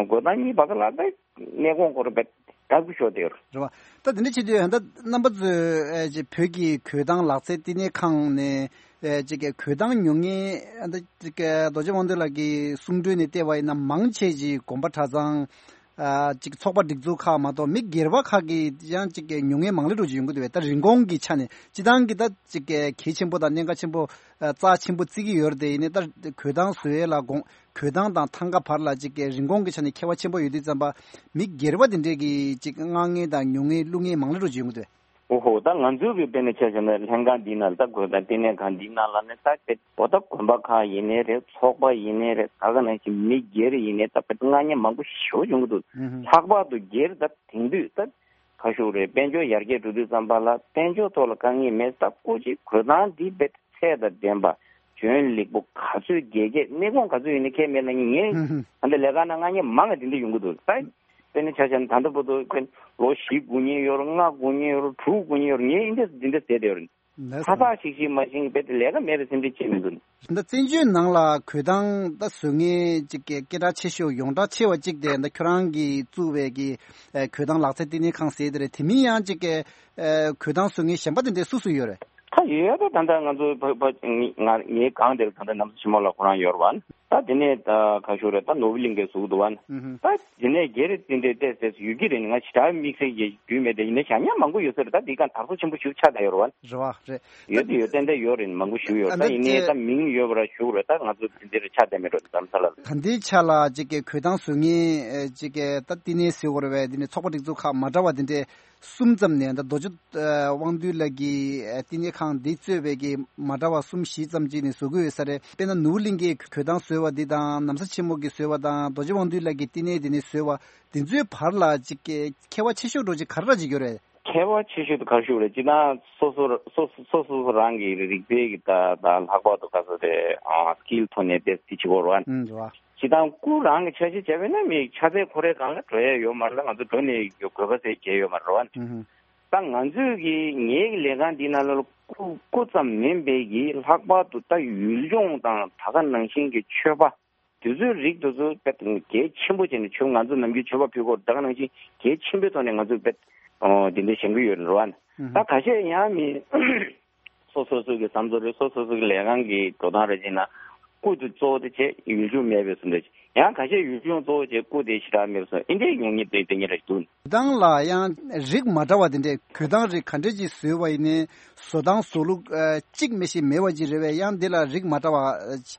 གོས་ཐང་གཉིས་བར་དུ་ལ་ད་གནས་གོང་སྐོར་བས་དགའ་སྐྱོ་ཤོར་བསྡད་ཡོད་རེད། རེད་བ། ད་དེ་འདྲ་བྱེད་དུས་ད་རྣམ་པ་ཚོས་ཨེ་ཅེ་བོད་ཀྱི་གོས་ཐང་ལག་རྩལ་བསྟི་གནས་ཁང་ནས་ ཨེ་ཅིག་གི་གོས་ཐང་ཉོ་མཁན་ཨ་ད་ཅིག་གི་རྡོ་རྗེ་དབང་འདུས་ལགས་ཀྱི་གསུང་སྒྲོས་ནས་བལྟས་པ་ཡིན་ན་མང་ཆེ་ཅིག་དགོན་པ་གྲྭ་ཚང་ཨ་ཅིག་ཚོགས་པ་སྒྲིག་འཛུགས་ཁག་མ་གཏོགས་མི་སྒེར་པ་ཁག་གིས་ཡང་ཅིག་གི་ཉོ་མཁན་མང་ལེ་འགྲོ་ཅིག་ཡོང་གི་འདུག་པས། ད་རིན་གོང་གི་ཆ་ནས་སྤྱི་བཏང་གི་ད་ཅིག་གི་གལ་ཆེན་པོ་དང་གནད་འགག་ཆེན་པོ་ཨ་རྩ་ཆེན་པོ་བརྩི་གི་ཡོད་རེད་དེ། ཡིན་ནའི་ད་གོས་ཐང་བཟོ་ཡས་ལ་དགོངས་གོས་ཐང་དང་ཐང་ག་བར་ལ་ཅིག་གི་རིན་གོང་གི་ཆ་ནས་ཁྱད་པར་ཆེན་པོ་ཡོད་དུས་ཙམ་པ་མི་སྒེར་པ་དེ་འདྲས་ཀྱིས་ཅིག་མངགས་མཁན་དང་ཉོ་མཁན་བླུག་མཁན་མང་ལེ་འགྲོ་ཅིག་ཡོང་གི་འདུག་པས། འོ་ཧོ། ད་ང་ཚོའི་གི་དཔེར་ན་ཆ་བཞག་ན་ལྷན་ཁང་འདི་ནང་ལ་ད་གོས་ཐང་ལྟེ་གནས་ཁང་འདི་ནང་ལ་ནི་ད་དཔེ་འོ་ད་དགོན་པ་ཁག་ཡིན་ནའི་རེད། ཚོགས་པ་ཡིན་ནའི་རེད། ད་ག་ནང་བཞིན་མི་སྒེར་ཡིན་ནའི་ད་དཔེ་མངགས་མཁན་མང་པོ་ཞེ་པོ་བྱུང་གི་འདུག་ཨུ་ཧུ། ལྷག་པར་དུ་སྒེར་ད་དེང་དུས་ད་ཁ་ཤུགས་རེད། དཔལ་འབྱོར་ཡར་རྒྱས་འགྲོ་དུས་ཙམ་པ་ལ་དཔལ་འབྱོར་ཐོག་ལ་དཀའ་ངལ་མེད། ད་སྐུ་མཁྱེན་གོས་ཐང་འདི་དཔེ་ཚད་དང་ལྡན་པ། འཇོན་ལེགས་པོ་ག་ཚོད་རྒྱས་རྒྱས། གནས་ཁུངས་ག་ཚོད་ཡིན་ནའི་ཁྱད་མེད་ན་ངས་ཨུ་ཧུ། ད་ལྟ་ལས་ཀ་ནང་མངགས་མཁན་མང་ང་དེ་འདྲ་ཡོང་གི་འདུག་ད་དཔེར་ན་ཆ་བཞག་ན་ད་ལྟ་བར་དུ་ཁོས་ལོ་བཞི་སྒུག་མཁན་ཡོད་རེད། ལྔ་སྒུག་མཁན་ཡོད་རེད། དྲུག་སྒུག་མཁན་ཡོད་རེད། ངས་འདི་འདྲ་འདི་འདྲ་ཟེར་བསྡད་ཡོད་རེད། ལགས་སོ། ཚ་ཚ་ཤིག་ཤིག་མ་ཤེས་པའི་ལས་ཀ་མེད་པའི་སེམས་ཁྲལ་བྱེད་མི་འདུག་ད་བཙན་བྱོལ་ནང་ལ་གོས་ཐང་ད་བཟོ་མཁན་ཅིག་གི་སྐད་གྲགས་ཆེ་ཤོས་ཡོངས་གྲགས་ཆེ་བ་ཅིག་དེ་ད་ཁྱོད་རང་གིས་བཙུགས་པའི་གི་ཨེ་གོས་ཐང་ལག་རྩལ་བསྟི་གནས་ཁང་ཟེར་དེ་རེད། དེ་མིན་ཡང་ཅིག་གི་ཨེ་གོས་ཐང་བཟོ་མཁན་གཞན་པ་དེ་འདྲ་སུ་སུ་ཡོད་རེད། ད་ཡོད་པ་ད་ལྟ་ང་ཚོ་ཕ་ཕ་ང་ངའི་སྒང་དེར་ད་ལྟ་ནམ་མཁའ་ཆེན་མོ་ལགས་ཁོ་རང་ཡོད་རེད་པ། ད་དེ་ནས་ད་ག་ཞུ་རེད། ད་ནོར་བུ་གླིང་གས་བཟོ་གི་འདུག་པ། ཨུ་ཧུ། ད་དེ་ནས་སྒེར་དེ་འདྲའི་ཏོག་ཙམ་ཡོད་ཀྱི་རེད། ང་ཞེ་དྲག་དམིགས་བསལ་གྱི་རྒྱུས་མེད་དེ། ཡིན་ན་བཞག་ཉག་མང་པོ་ཡོད་ས་རེད། ད་འདི་ག་དར་སོ་ཆེན་པོ་ཞིག་ཆགས་བསྡད་ཡོད་རེད་པ། རེད་པ། རེད། ཡོད་དེ་ཡོད། ཏན་ཏན་ཡོད་རེད། མང་པོ་ཞིག་ཡོད། ད་ད་ཡིན་ནའི་ད་མིང་ཡོད་པ་ར་ཞུ་རེད། ད་ང་ཚོ་དེ་འདིར་ཆགས་བསྡད་མེད་འགྲོ། དེ་ཙམ་ས་ལ། ད་འདིའི་ཆ་ལ་ཅིག་གི་གོས་ཐང་བཟོ་མཁན་ཅིག་གི་ད་བསྟི་གནས་ཟེར་དགོས་རེད་པས། འདི་ནས་ཚོགས་པ་སྒྲིག་འཛུགས་ཁག་མ་འདྲ་བ་དེ་འདྲས་གསུམ་ཙམ་ནས། ད་རྡོ་རྗེ་ཨ་དབང་འདུས་ལགས་ཀྱིས་ཨ་བསྟི་གནས་ཁང་འདི་གཙོས་པའི་གི་མ་འདྲ་བ་གསུམ་བཞི་ཙམ་ཅིག་ནས་བཟོ་གི་ཡོད་ས་རེད། དཔེར་ན་ནོར་བུ་གླིང་གས་གོས་ཐང་བཟོས་པ་འདི་དང་། ནམ་མཁའ་ཆེན་མོ་གིས་བཟོས་པ་དང་། རྡོ་རྗེ་དབང་འདུས་ལགས་ཀྱིས་བསྟི་གནས་འདི་ནས་བཟོས་པ་འདི་ཚོའི་བར་ལ་ཅིག་གི་ཁྱད་པར་ཆེ་ཤོས་འདྲ་ཅིག་ག་རེ་འདྲ་ཅིག་ཡོད་རེད། ཁྱད་པར་ཆེ་ཤོས་དེ་ག་རེ་ཞུ་རེད། སྤྱིར་བཏང་སོ་སོ་སོ་སོ་སོ་སོ་རང་གི་རིག་རྩལ་གྱི་ད་ད་ལྷག་པར་དུ་ག་ཚོད་རེད། ཨ་སི་ཀིལ་ཐོག་ནས་དེ་དེ་བྱེད་དགོས་རེད་པ། ཨུམ། རེད་པ། སྤྱིར་བཏང་སྐུ་རང་གི་ཆ་ཤས་བྱས་པས་ན་མི་ཆ་ཚད་ཁོ་རའི་སྒང་ལ་འགྲོ་ཡས་ཡོད་མ་རེད་ལ། ང་ཚོ་འགྲོ་ནས་གོས་ཁ་ཟས་བརྗེ་ཡོད་མ་རེད་པ། ཨུམ། ད་ང་ཚོས་ཀྱི་ངའི་གི་ལས་ཁང་འདི་ནང་ལ་སྐུ་སྐུ་ཙམ་མིན་པའི་གི་ལྷག་པར་དུ་ད་ཡུལ་ལྗོངས་དང་ད་ག་ནང་བཞིན་གྱི་མཆོད་པ་དེ་ཚོའི་རིགས་དེ་ཚོ་དཔེ་གལ་ཆེན་པོ་བྱས་ནས་མཆོད། ང་ཚོ་ནམ་རྒྱུན་མཆོད་པ་ཕུལ་སྐོར་ད་ག་ནང་བཞིན་གལ་ཆེན་པོའི་ཐོག་ནས་ང་ཚོས་དཔེ་ཨོ་དེ་འདྲ་བཞེངས་ཀྱི་ཡོད་རེད་པ། ཨུམ། ད་ཁ་ཤས་ཡང་མི་སོ་སོ་སོ་གི་བསམ་ཚུལ་རེད། སོ་སོ་སོ་གི་ལས་ཁང་གི་འགྲོ་སྟངས་རེད། བྱས་ན་སྐུ་དེ་གཙོ་བོ་དེ་བྱས། ཡུལ་ལྗོངས་མེད་པའི་བཟོ་འདྲ་ཅིག་ཡང་ཁ་ཤས་ཡུལ་ལྗོངས་གཙོ་བོ་བྱས། སྐུ་དེ་ཞེ་དྲག་མེད་པའི་བཟོ། འདི་འདྲའི་ཉོ་མཁན་དེ་དེ་ཉིད་རེད་འདུག་དང་ལ་ཡང་རིགས་མ་འདྲ་བ་དེ་འདྲས་གོས་ཐང་རིགས་ག་འདྲས་ཅིག་བཟོས་པ་ཡིན་ནའི་བཟོ་སྟངས་བཟོ་ལུགས་ཨ་གཅིག་མི་ཤེས་མེད་པ་ཅིག་རེད་པས། ཡང་འདི་ལ་རིགས་མ་འདྲ་བ་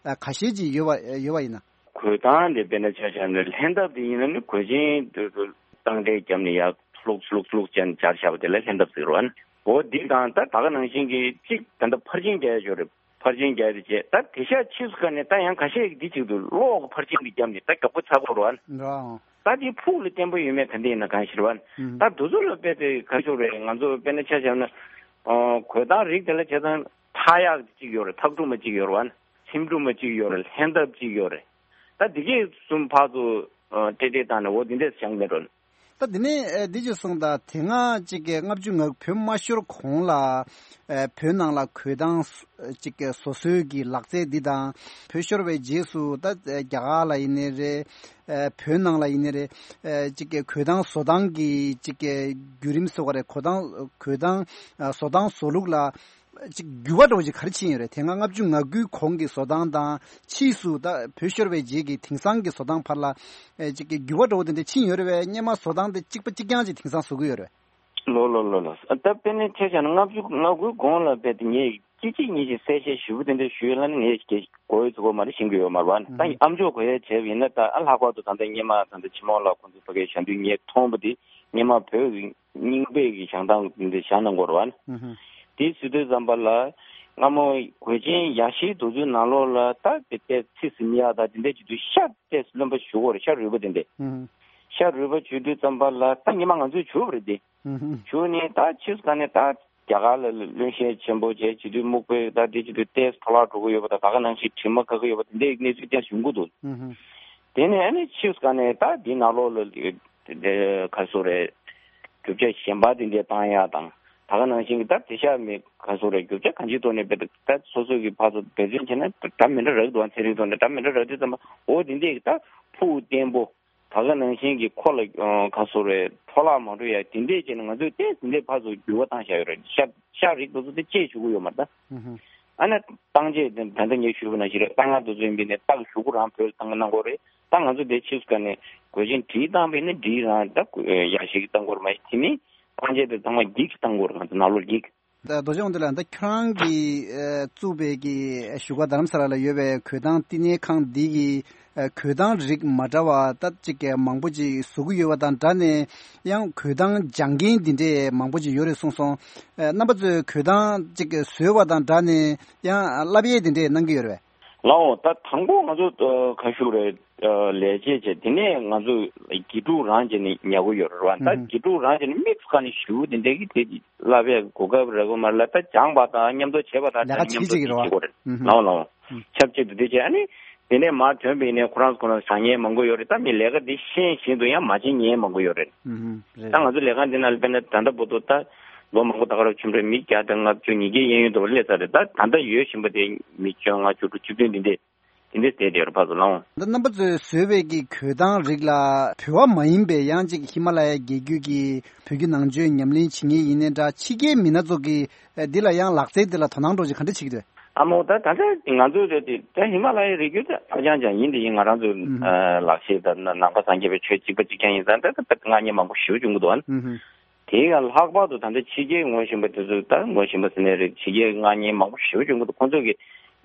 ཨ་ཁ་ཤས་ཅིག་ཡོད་པ་ཡོད་པ་ཡིན་ན། གོས་ཐང་དེ་དཔེར་ན་ཆ་བཞག་ན་ལྷན་ཐབས་དེ་ཡིན་ན་ནི་གོས་ཆེན་དེ་ཚོ་བཏང་འདྲེན་བརྒྱབ་ནས་ཡར་ལྷུག་ལྷུག་ལྷུག་ཅན་སྦྱར་བཞག་པ་དེ་ལ་ལྷན་ཐབས་ཟེར་བ་ནི། འོ་འདི་དང་ད་ད་ག་ནང་བཞིན་གྱི་གཅིག་ད་ལྟ་ཕར་ཕྱིན་རྒྱག་ཡ་ཅིག་ཡོད་རེད། ཕར་ཕྱིན་རྒྱག་ཡ་དེ་བྱས། ད་དེ་ཤག་ཕྱིས་སུ་ག་ནས་ད་ཡང་ཁ་ཤས་ཀྱིས་འདི་བྱེད་ཀྱི་འདུག་གློག་གི་ཕར་ཕྱིན་གྱི་བརྒྱབ་ནས་ད་མགྱོགས་པོ་ཚར་དགོས་རེད་པ། འདྲ། ད་དེ་ཕུགས་ལ་བརྟན་པོ་ཡོད་མེད་ག་འདྲ་ཡིན་ན་གང་ཤེས་རེད་པ། ཨུམ། ད་དེ་ཚོ་ལ་དཔེ་དེ་ག་ཞོག་རེད། ང་ཚོ་དཔེར་ན་ཆ་བཞག་ན་ཨ་གོས་ཐང་རིགས་དེ་ལ་བྱས་ཙང་ཐག་ཡག་གཅིག་ཡོད་རེད། ཐག་གྲུ་མ་གཅིག་ཡོད་རེད་པ། ཚེམ་དྲུབ་མ་གཅིག་ཡོད་རེད། ལྷན་ཐབས་གཅིག་ཡོད་རེད། ད་དེ་གས་གསུམ་ཕར་ཚུར་ཨ་སྤྲད་སྤྲད་བཏང་ནས་འོ་དེ་འདྲས་བཞག་མེད་འགྲོ། ད་དེ་ནས་ཨ་འདི་ཅིག་གསུངས་དང་། དེ་སྔ་ཅིག་གི་ལྔ་བཅུ་ང་བོད་མ་ཤོར་གོང་ལ་ཨ་བོད་ནང་ལ་གོས་ཐང་ཅིག་གི་བཟོ་སྲོལ་གྱི་ལག་རྩལ་འདི་དང་། བོད་ཤོར་བའི་རྗེས་སུ་ད་རྒྱ་གར་ལ་ཡིན་ནའི་རེད། ཨ་བོད་ནང་ལ་ཡིན་ནའི་རེད། ཨ་ཅིག་གི་གོས་ཐང་བཟོ་སྟངས་ཀྱི་ཅིག་གི་བརྒྱུད་རིམ་ཟེར་བ་རེད། གོས་ཐང་གོས་ཐང་ཨ་བཟོ་སྟངས་བཟོ་ལུགས་ལ་ཅིག་འགྱུར་བ་འདྲ་བོ་ཅིག་ག་རེ་ཕྱིན་ཡོད་རེད། དེ་སྔ་ལྔ་བཅུ་ང་དགུའི་གོང་གི་བཟོ་སྟངས་དང་། ཕྱིས་སུ་ད་བོད་ཤོར་བའི་རྗེས་ཀྱི་དེང་སང་གི་བཟོ་སྟངས་བར་ལ་ཨེ་ཅིག་གི་འགྱུར་བ་འདྲ་བོ་དེ་འདྲ་ཕྱིན་ཡོད་རེད་པས། སྔོན་མ་བཟོ་སྟངས་དེ་གཅིག་པ་གཅིག་རྐྱང་ཅིག་དེང་སང་བཟོ་གི་ཡོད་རེད། ལོ་ལོ་ལོ་ལོ། ད་དཔེར་ན་ཆ་བཞག་ན་ལྔ་བཅུ་ང་དགུའི་གོང་ལ་དཔེ་དེ་ངས་གཅིག་གཅིག་གཉིས་གཅིག་གསལ་བཤད་ཞིབ་པོ་དེ་འདྲ་ཞུས་ཡོད་ལ་ནི་ངས་གོ་ཡོད་ཚོད་མ་རེད། ཤེས་ཀྱི་ཡོད་མ་རེད་པ། ད་ཨ་མཆོག་གོ་ཡས་བྱས་པ་ཡིན་ན། ད་ཨ་ལྷག་པར་དུ་ད་ལྟ་སྔོན་མ་ད་ལྟ་ཆེན་མོ་ལགས་ཁོང་ཚོ་ཕ་གིར་ཞལ་འདོན་ངས་མཐོང་བ་དེ་སྔོན་མ་བོད་ཀྱི་རྙིང་པའི་གི་བཞེངས་སྟངས་འདི་བཞེངས་གནང་དགོས་རེད་པ། ཨུ་ཧུ། དེ་ཟེར་དུས་ཙམ་པ་ལ་སྔ་མོ་གོས་ཆེན་ཡ་ཤིའི་རྡོ་རྫིའི་ནང་ལོགས་ལ་ད་དེ་ཏོག་ཙམ་ཚིག་ཟིན་ཡག་དང་དེ་འདྲ་བྱེད་དུས་ཤ་ཏོག་ཙམ་རློན་པ་བྱུག་དགོས་རེད། ཤ་རུལ་པ་དེ་འདྲ། ཨུ་ཧུ། ཤ་རུལ་པ་བྱུག་དུས་ཙམ་པ་ལ་ད་སྔོན་མ་ང་ཚོས་བྱུག་པ་རེད་དེ། ཨུ་ཧུ། བྱུག་ནས་ད་ཕྱིས་སུ་ག་ནས་ད་རྒྱ་གར་ལ་རློན་ཤས་ཆེན་པོ་བྱས་བྱེད་དུས་སྨུག་པའི་ད་དེ་བྱེད་དུས་ཏོག་ཙམ་འཕྲོ་བརླག་འགྲོ་གི་ཡོད་པ་དང་། ད་ག་ནང་བཞིན་དྲི་མ་ཁ་གི་ཡོད་པ་དེ་འདྲའི་གནས་ཚུལ་ཏོག་ཙམ་བྱུང་གི་འདུག། ཨུ་ཧུ། དེ་ནས་ཨ་ནི་ཕྱིས་སུ་ག་ནས་ད་འདི་ནང་ལོགས་ལ་དེ་ག་སོ་རེད། རྒྱུ་ཆ་གཞན་པ་དེ་འདྲས་བཏང་ཡག་དང་། ད་ག་ནང་བཞིན་གྱི་ད་དེ་ཤ་མི་ག་སོ་རེད། རྒྱུ་ཆ་གང་ཅིའི་ཐོག་ནས་དཔེ་ད་སོ་སོ་གི་ཕར་ཚུར་འབད་བརྩོན་བྱས་ན་འདྲ་མི་འདྲ་རག་འདུག་ཨ། ཚན་རིག་ཐོག་ནས་འདྲ་མི་འདྲ་རག་དུས་ཙམ་པ་འོ་དེ་འདྲས་ཀྱི་ད་ཕུགས་བརྟན་པོ། ད་ག་ནང་བཞིན་གྱི་ཁོ་ལ་ག་སོ་རེད། འཕྲོ་བརླག་མ་འགྲོ་ཡག་དེ་འདྲས་བྱས་ནས་ང་ཚོས་ཏོག་ཙམ་འདི་ཕར་ཚུར་འགྱུར་བ་བཏང་བཞག་ཡོད་རེད། ཤ་ཤ་རིགས་དེ་ཚོ་དེ་བཅད་བཅུག་གི་ཡོད་མ་རེད་ད། ཨུ་ཧུ། ཨ་ནི་བཏང་བྱས་དེ་ད་ལྟ་ངས་ཞུས་པ་ནང་བཞིན་རེད། ད་ང་དེ་ཚོ་ཡིན་པས་ནས་ད་གཞུག་གུ་རང་བོད་ལ་བཏང་གི་གནང་དགོས་རེད། ད་ང་ཚོ་དེ་ཕྱིས་སུ་ག་ནས་གོས་ཆེན་བྲིས་བཏང་བས་ནས་བྲིས་རང་ད་ཡག་ཤོས་ཀྱི་བཏང་དགོས་རེད། མ་གཞི་དེ་མིན་བཏང་བྱས་དེ་ཚང་མ་འགྱིག་བཏང་དགོས་རེད། ང་ཚོ་ནང་ལོགས་འགྱིག་རྡོ་རྗེ་དབང་འདུས་ལགས། ད་ཁྱོད་རང་གིས་ཨ་བཙུགས་པའི་གི་བཞུགས་སྒར་རྡ་རམ་ས་ལ་ལ་ཡོད་པའི་གོས་ཐང་བསྟི་གནས་ཁང་འདི་གི་ཨ་གོས་ཐང་རིགས་མ་འདྲ་བ་ད་ཅིག་གི་མང་པོ་ཅིག་བཟོ་གི་ཡོད་པ་དང་སྦྲགས་ནས། ཡང་གོས་ཐང་སྦྱང་མཁན་འདི་འདྲས་མང་པོ་ཅིག་ཡོད་རེད་གསུངས་སོང་། ཨ་རྣམ་པ་ཚོས་གོས་ཐང་ཅིག་བཟོས་པ་དང་སྦྲགས་ནས་ཡང་བསླབ་ཡས་འདི་འདྲས་གནང་གི་ཡོད་རེད་པས། ལའོ། ད་དང་པོ་ང་ཚོ་ཨ་ག་ཞུ་རེད། ཨ་ལས་བྱེད་བྱས། དེ་ནས་ང་ཚོ་དགེ་ཕྲུག་རང་བྱས་ནས་ཉར་གི་ཡོད་རེད་བ། ད་ཨུ་ཧུམ། དགེ་ཕྲུག་རང་བྱས་ནས་དམིགས་སུ་བཀར་ནས་ཞུ་དེ་འདྲས་ཀྱི་དེ་བསླབ་ཡས་གོ་སྐབས་རག་གི་མ་རེད་ལ། ད་སྦྱངས་པ་དང་མཉམ་དུ་བྱས་པ་དང་ལས་ཀ་ཆིག་མཉམ་དུ་གཅིག་གི་དེ་རེད་བྱེད་དགོས་རེད། ཨུ་ཧུམ། ལའོ་ལའོ། ཨུ། ཆབས་ཅིག་ཏུ་དེ་བྱས། ཨ་ནི་དེ་ནས་མར་ཐོན་པ་ཡིན་ནའི་ཁོ་རང་ཁོ་རང་ཟ་མཁན་མང་པོ་ཡོད་རེད། ད་མི་ལས་ཀ་འདི་ཤེས་བཞིན་དུ་ཡང་མ་བྱེད་མཁན་མང་པོ་ཡོད་རེད། ཨུ་ཧུམ། རེད། ད་ང་ཚོ་ལས་ཁང་འདི་ནང་ལ་དཔེར་ན་ད་ལྟ་བར་དུ་ད་ལོ་མང་པོ་ད་ག་རང་ཕྱིན་པ་རེད། མི་བརྒྱ་དང་ལྔ་བཅུ་ཉིས་བརྒྱ་གཡས་གཡོན་དུ་སླེབས་ཚར་རེད། ད་ད་ལྟ་ཡོད་བཞིན་པ་དེ་མི་བཅོ་ལྔ་བཅུ་དྲུག་བཅུ་བདུན་འདི་འདྲས་དེ་འདྲས་བསྡད་བསྡད་ཡོད་རེད། ཕར་ཚུར་ལའོ། ད་རྣམ་པ་ཚོས་བཟོས་པའི་གི་གོས་ཐང་རིགས་ལ་བོད་པ་མ་ཡིན་པའི་ཡང་ཅིག་ཧི་མ་ལ་ཡའི་རྒྱལ་རྒྱུད་ཀྱི་བོད་བརྒྱུད་ནང་ཆོས་ཉམས་ལེན་བྱེད་མཁན་ཡིན་ནའི་འདྲ། ཕྱི་རྒྱལ་མི་སྣ་ཚོ་གིས་ཨ་འདི་ལ་ཡང་ལག་རྩལ་འདི་ལ་དོ་སྣང་འདྲ་ཅིག་ག་འདྲ་བྱེད་ཀྱི་འདུག་ཨ་མོ། ད་ད་ལྟ་ང་ཚོ་དེ་དེ་ད་ཧི་མ་ལ་ཡའི་རི་རྒྱུད་དེ་ཧ་ཅང་ཅང་ཡིན། དེ་ཡིན་ང་རང་ཚོ་ཨུ་ཧུམ། ཨ་ལག་ཤེས་དང་ནང་པ་སངས་རྒྱས་པའི་ཆོས་གཅིག་པ་གཅིག་རྐྱང་ཡིན་ཙང་ད་ད་ད་ང་ཉེ་མང་པོ་ཞེ་པོ་བྱུང་གི་འདུག་ཨ། ཨུ་ཧུམ། དེའི་ཡང་ལྷག་པར་དུ་ད་ལྟ་ཕྱི་རྒྱལ་ངོ་ཤེས་པ་དེ་ཚོ། ད་ངོ་ཤེས་པ་ཟེར་ནའི་རེད། ཕྱི་རྒྱལ་ང་ཉེ་མང་པོ་ཞེ་པོ་བྱུང་གི་འདུག་ཁོང་ཚོ་གི་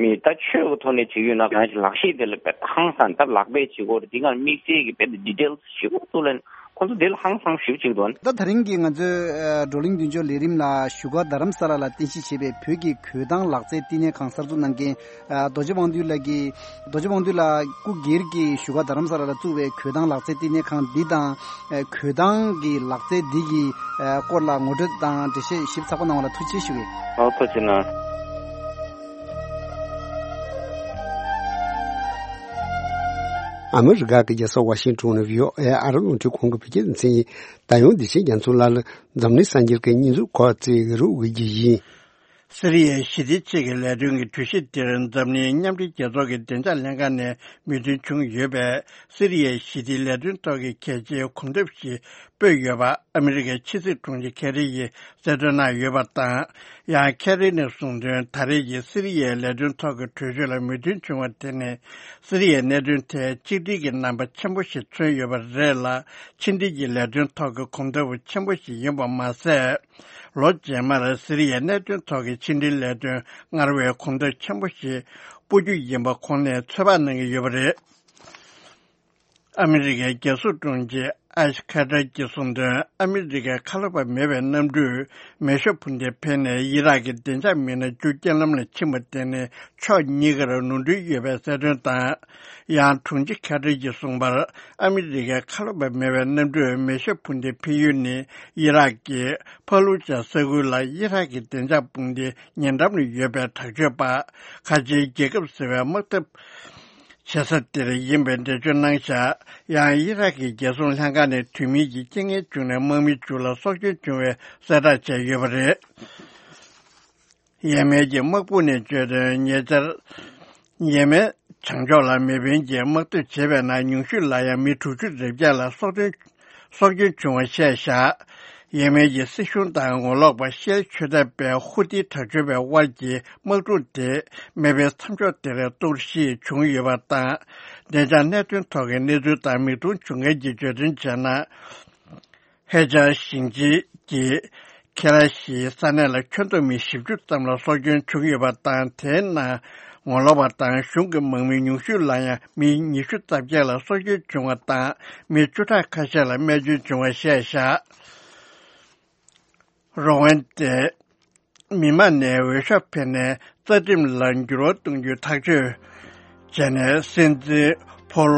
མི་ད་ཆོས་ཀྱི་ཐོག་ནས་བྱེད་ཀྱི་ཡོད་ན་གང་ཞིག་ལག་ཤེས་དེ་ལ་དཔེ་ཧང་སང་ད་ལག་པས་བྱེད་དགོས་རེད། དེ་ག་དམིགས་བསལ་གྱི་དཔེ་ཌི་ཊེལ་ཞེ་པོ་བཙུགས་ལེན། ཁོང་ཚོ་དེ་ལ་ཧང་སང་ཞེ་པོ་བྱེད་ཀྱི་འདུག་ད་དེ་རིང་གི་ང་ཚོའི་ཨ་བགྲོ་གླེང་མདུན་ལྕོག་ལས་རིམ་ལ་བཞུགས་སྒར་རྡ་རམ་ས་ལ་ལ་རྟེན་གཞི་བྱས་པའི་བོད་ཀྱི་གོས་ཐང་ལག་རྩལ་བསྟི་གནས་ཁང་གསར་འཛུགས་གནང་མཁན་ཨ་རྡོ་རྗེ་དབང་འདུས་ལགས་ཀྱིས། རྡོ་རྗེ་དབང་འདུས་ལགས་སྐུ་སྒེར་གྱི་བཞུགས་སྒར་རྡ་རམ་ས་ལ་ལ་བཙུགས་པའི་གོས་ཐང་ལག་རྩལ་བསྟི་གནས་ཁང་འདི་དང་། ཨ་གོས་ཐང་གི་ལག་རྩལ་འདི་གི་ཨ་སྐོར་ལ་ངོ་སྤྲོད་དང་འགྲེལ་བཤད་ཞིབ་ཚགས་པོ་གནང་བ་ལ་ཐུགས་རྗེ་ཆེ་ཞུ་གི། ཨོ། ཐུགས་རྗེ་གནང་། ཨ་མི་རི་ཀ་གི་རྒྱལ་ས་ཝ་ཤིང་ཊོན་ནས་བྷི་ཨོ་ཨེ་ཨ་རི་རླུང་འཕྲིན་ཁང་གི་བོད་སྐད་སྡེ་ཚན་ཡིན། ད་ཡང་བདེ་ཆེན་རྒྱ་མཚོ་ལགས་ལ་འཛམ་གླིང་གསར་འགྱུར་གྱི་སྙན་ཚིག་སྐོར་བཅས་རོགས་དགོས་ཀྱི་ཡིན། སི་རི་ཡའི་ཞི་བདེ་ཆེད་ཀྱི་ལས་དོན་གྱི་གྲོས་གཞི་དེར་འཛམ་གླིང་མཉམ་འབྲེལ་རྒྱལ་ཚོགས་ཀྱི་བདེ་འཇགས་ལྷན་ཁང་ནས་མོས་མཐུན་བྱུང་ཡོད་པས། སི་རི་ཡའི་ཞི་བདེའི་ལས་དོན་ཐོག་གི་གལ་ཆེའི་གོམ་སྟབས་ཤིག་སྤོས་ཡོད་པ་ཨ་མི་རི་ཀའི་ཕྱི་སྲིད་དྲུང་ཆེ་ཁེ་རི་ཡིས་གསལ་སྟོན་གནང་ཡོད་པ་དང་། ཡང་ཁེ་རི་ནས་གསུངས་དོན། ད་རེས་ཀྱི་སི་རི་ཡའི་ལས་དོན་ཐོག་གི་གྲོས་ཆོད་ལ་མོས་མཐུན་བྱུང་བ་དེ་ནི་སི་རི་ཡའི་གནད་དོན་ཐད་གཅིག་སྒྲིལ་གྱི་རྣམ་པ་ཆེན་པོ་ཞིག་མཚོན་ཡོད་པ་རེད་ལ། ཕྱི་འབྲེལ་གྱི་ལས་དོན་ཐོག་གི་གོམ་སྟབས་ཆེན་པོ་ཞིག་ཡིན་པ་མ་ཟད། ལོ་རྗེས་མར་སི་རི་ཡའི་གནད་དོན་ཐོག་གི་ཕྱི་འབྲེལ་ལས་དོན་སྔར་བས་གོམ་སྟབས་ཆེན་པོ་ཞིག་སྤོ་རྒྱུ་ཡིན་པ་ཁོང་ནས་ཚོད་དཔག་གནང་གི་ཡོད་པ་རེད། ཨ་མི་རི་ཀའི་རྒྱལ་སྲུང་དྲུང་ཆེ་ཨེཤ་ཁ་ཏར་གྱིས་གསུངས་དོན། ཨ་མི་རི་ཀའི་ཁ་ལོ་བ་མེད་པའི་གནམ་གྲུས་མེ་ཤོག་འཕུར་མདེལ་འཕེན་ནས་ཨི་རག་གི་བདེ་འཇགས་མི་སྣ་བཅུ་རྐྱེན་ལམ་ལ་ཕྱིན་པ་དེ་ནི་ཕྱོགས་གཉིས་ཀར་ནོར་འཁྲུལ་ཡོད་པའི་གསལ་སྟོན་དང་། ཡང་དྲུང་ཆེ་ཁ་ཏར་གྱིས་གསུངས་པར། ཨ་མི་རི་ཀའི་ཁ་ལོ་བ་མེད་པའི་གནམ་གྲུས་མེ་ཤོག་འཕུར་མདེལ་འཕེན་ཡུལ་ནི་ཨི་རག་གི་ཕ་ལུ་ཇ་ས་ཁུལ་ལ་ཨི་རག་གི་བདེ་འཇགས་དཔུང་སྡེའི་ཉེ་འགྲམ་ལ་ཡོད་པའི་དྲག་སྤྱོད་པ། ཁ་ཆེའི་རྒྱལ་ཁབ་ཟེར་བའི་དམག་འཐབ་བྱེད་ས་དེར་ཡིན་པའི་འགྲེལ་བརྗོད་གནང་བཞག་ཡང་ཨི་རག་གི་རྒྱལ་སྲུང་ལྷན་ཁང་ནས་དུས་མིན་གྱི་རྐྱེན་ངན་བྱུང་ནས་དམག་མི་བཅུ་ལ་སྲོག་སྐྱོན་བྱུང་བའི་གསལ་བསྒྲགས་བྱས་ཡོད་པ་རེད། ཡེ་མེན་གྱི་དམག་དཔུང་ནས་བརྗོད་དོན། ཉེ་ཆར་ཡེ་མེན་བྱང་ཕྱོགས་ལ་མེ་འཕེན་གྱིས་དམག་འཐབ་བྱས་པའི་ནང་ཉུང་ཤོས་ལ་ཡང་མི་དྲུག་ཅུ་རེ་བརྒྱད་ལ་སྲོག་སྐྱོན་སྲོག་སྐྱོན་བྱུང་བ་བཤད་བཞག་ཡེ་མེན་གྱི་སྲིད་གཞུང་དང་ངོ་ལོག་པ་ཤེ་ཆོས་དད་པའི་ཧུ་ཏི་དྲག་སྤྱོད་པའི་དབར་གྱི་དམག་འཁྲུག་དེ་མེ་འཕེན་མཚམས་འཇོག་དེར་གཏོར་བཤིག་བྱུང་ཡོད་པ་དང་། བདེ་འཇགས་གནད་དོན་ཐོག་གི་གནས་ཚུལ་དང་མིག་མཐོང་བྱུང་མཁན་གྱིས་བརྗོད་དོན་བྱས་ན། ཧེ་ཅང་ཞིང་ཆེན་གྱི་ཁེ་ར་ཤིའི་ས་གནས་ལ་ཁྱོན་བསྡོམས་མི་བཞི་བཅུ་ཙམ་ལ་སྲོག་སྐྱོན་བྱུང་ཡོད་པ་དང་། དེའི་ནང་ངོ་ལོག་པ་དང་གཞུང་གི་དམག་མི་ཉུང་ཤོས་ལ་ཡང་མི་ཉི་ཤུ་རྩ་བརྒྱད་ལ་སྲོག་སྐྱོན་བྱུང་བ་དང་། མི་བཅུ་ཕྲག་ཁ་ཤས་ལ་རྨས་སྐྱོན་བྱུང་བ་བཤད་བཞག་རོ་ཝན་ཏེ་མི་མང་ནས་འོས་ཤོག་འཕེན་ནས་རྩ་ཁྲིམས་ལ་འགྱུར་བ་གཏོང་རྒྱུའི་ཐག་གཅོད་བྱས་ནས་སྲིད་འཛིན་ཕོལ་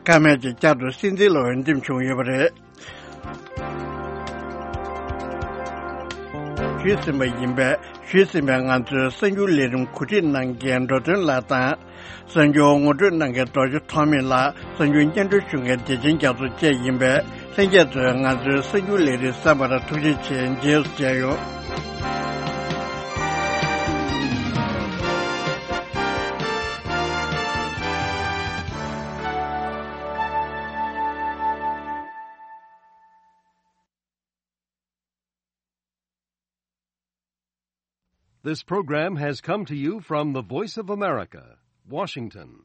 ཀ་མེད་ཀྱིས་བསྐྱར་དུ་སྲིད་འཛིན་ལ་འོས་འདེམས་བྱུང་ཡོད་པ་རེད། ཞུས་ཟིན་པ་ཡིན་པས། ཞུས་ཟིན་པའི་ང་ཚོའི་གསར་འགྱུར་ལས་རིམ་གོ་སྒྲིག་གནང་མཁན་འགྲོ་དོན་ལགས་དང་། གསར་འགྱུར་ངོ་སྤྲོད་གནང་མཁན་རྡོ་རྗེ་ཐོགས་མེད་ལགས། གསར་འགྱུར་སྙན་སྒྲོན་ཞུ་མཁན་བདེ་ཆེན་རྒྱ་མཚོ་བཅས་ཡིན་པས། ལྷན་རྒྱས་ཚོས་ང་ཚོའི་གསར་འགྱུར་ལས་རིམ་གསན་པར་ཐུགས་རྗེ་ཆེ། རྗེས་སུ་མཇལ་ཡོང་། This program has come to you from the Voice of America, Washington.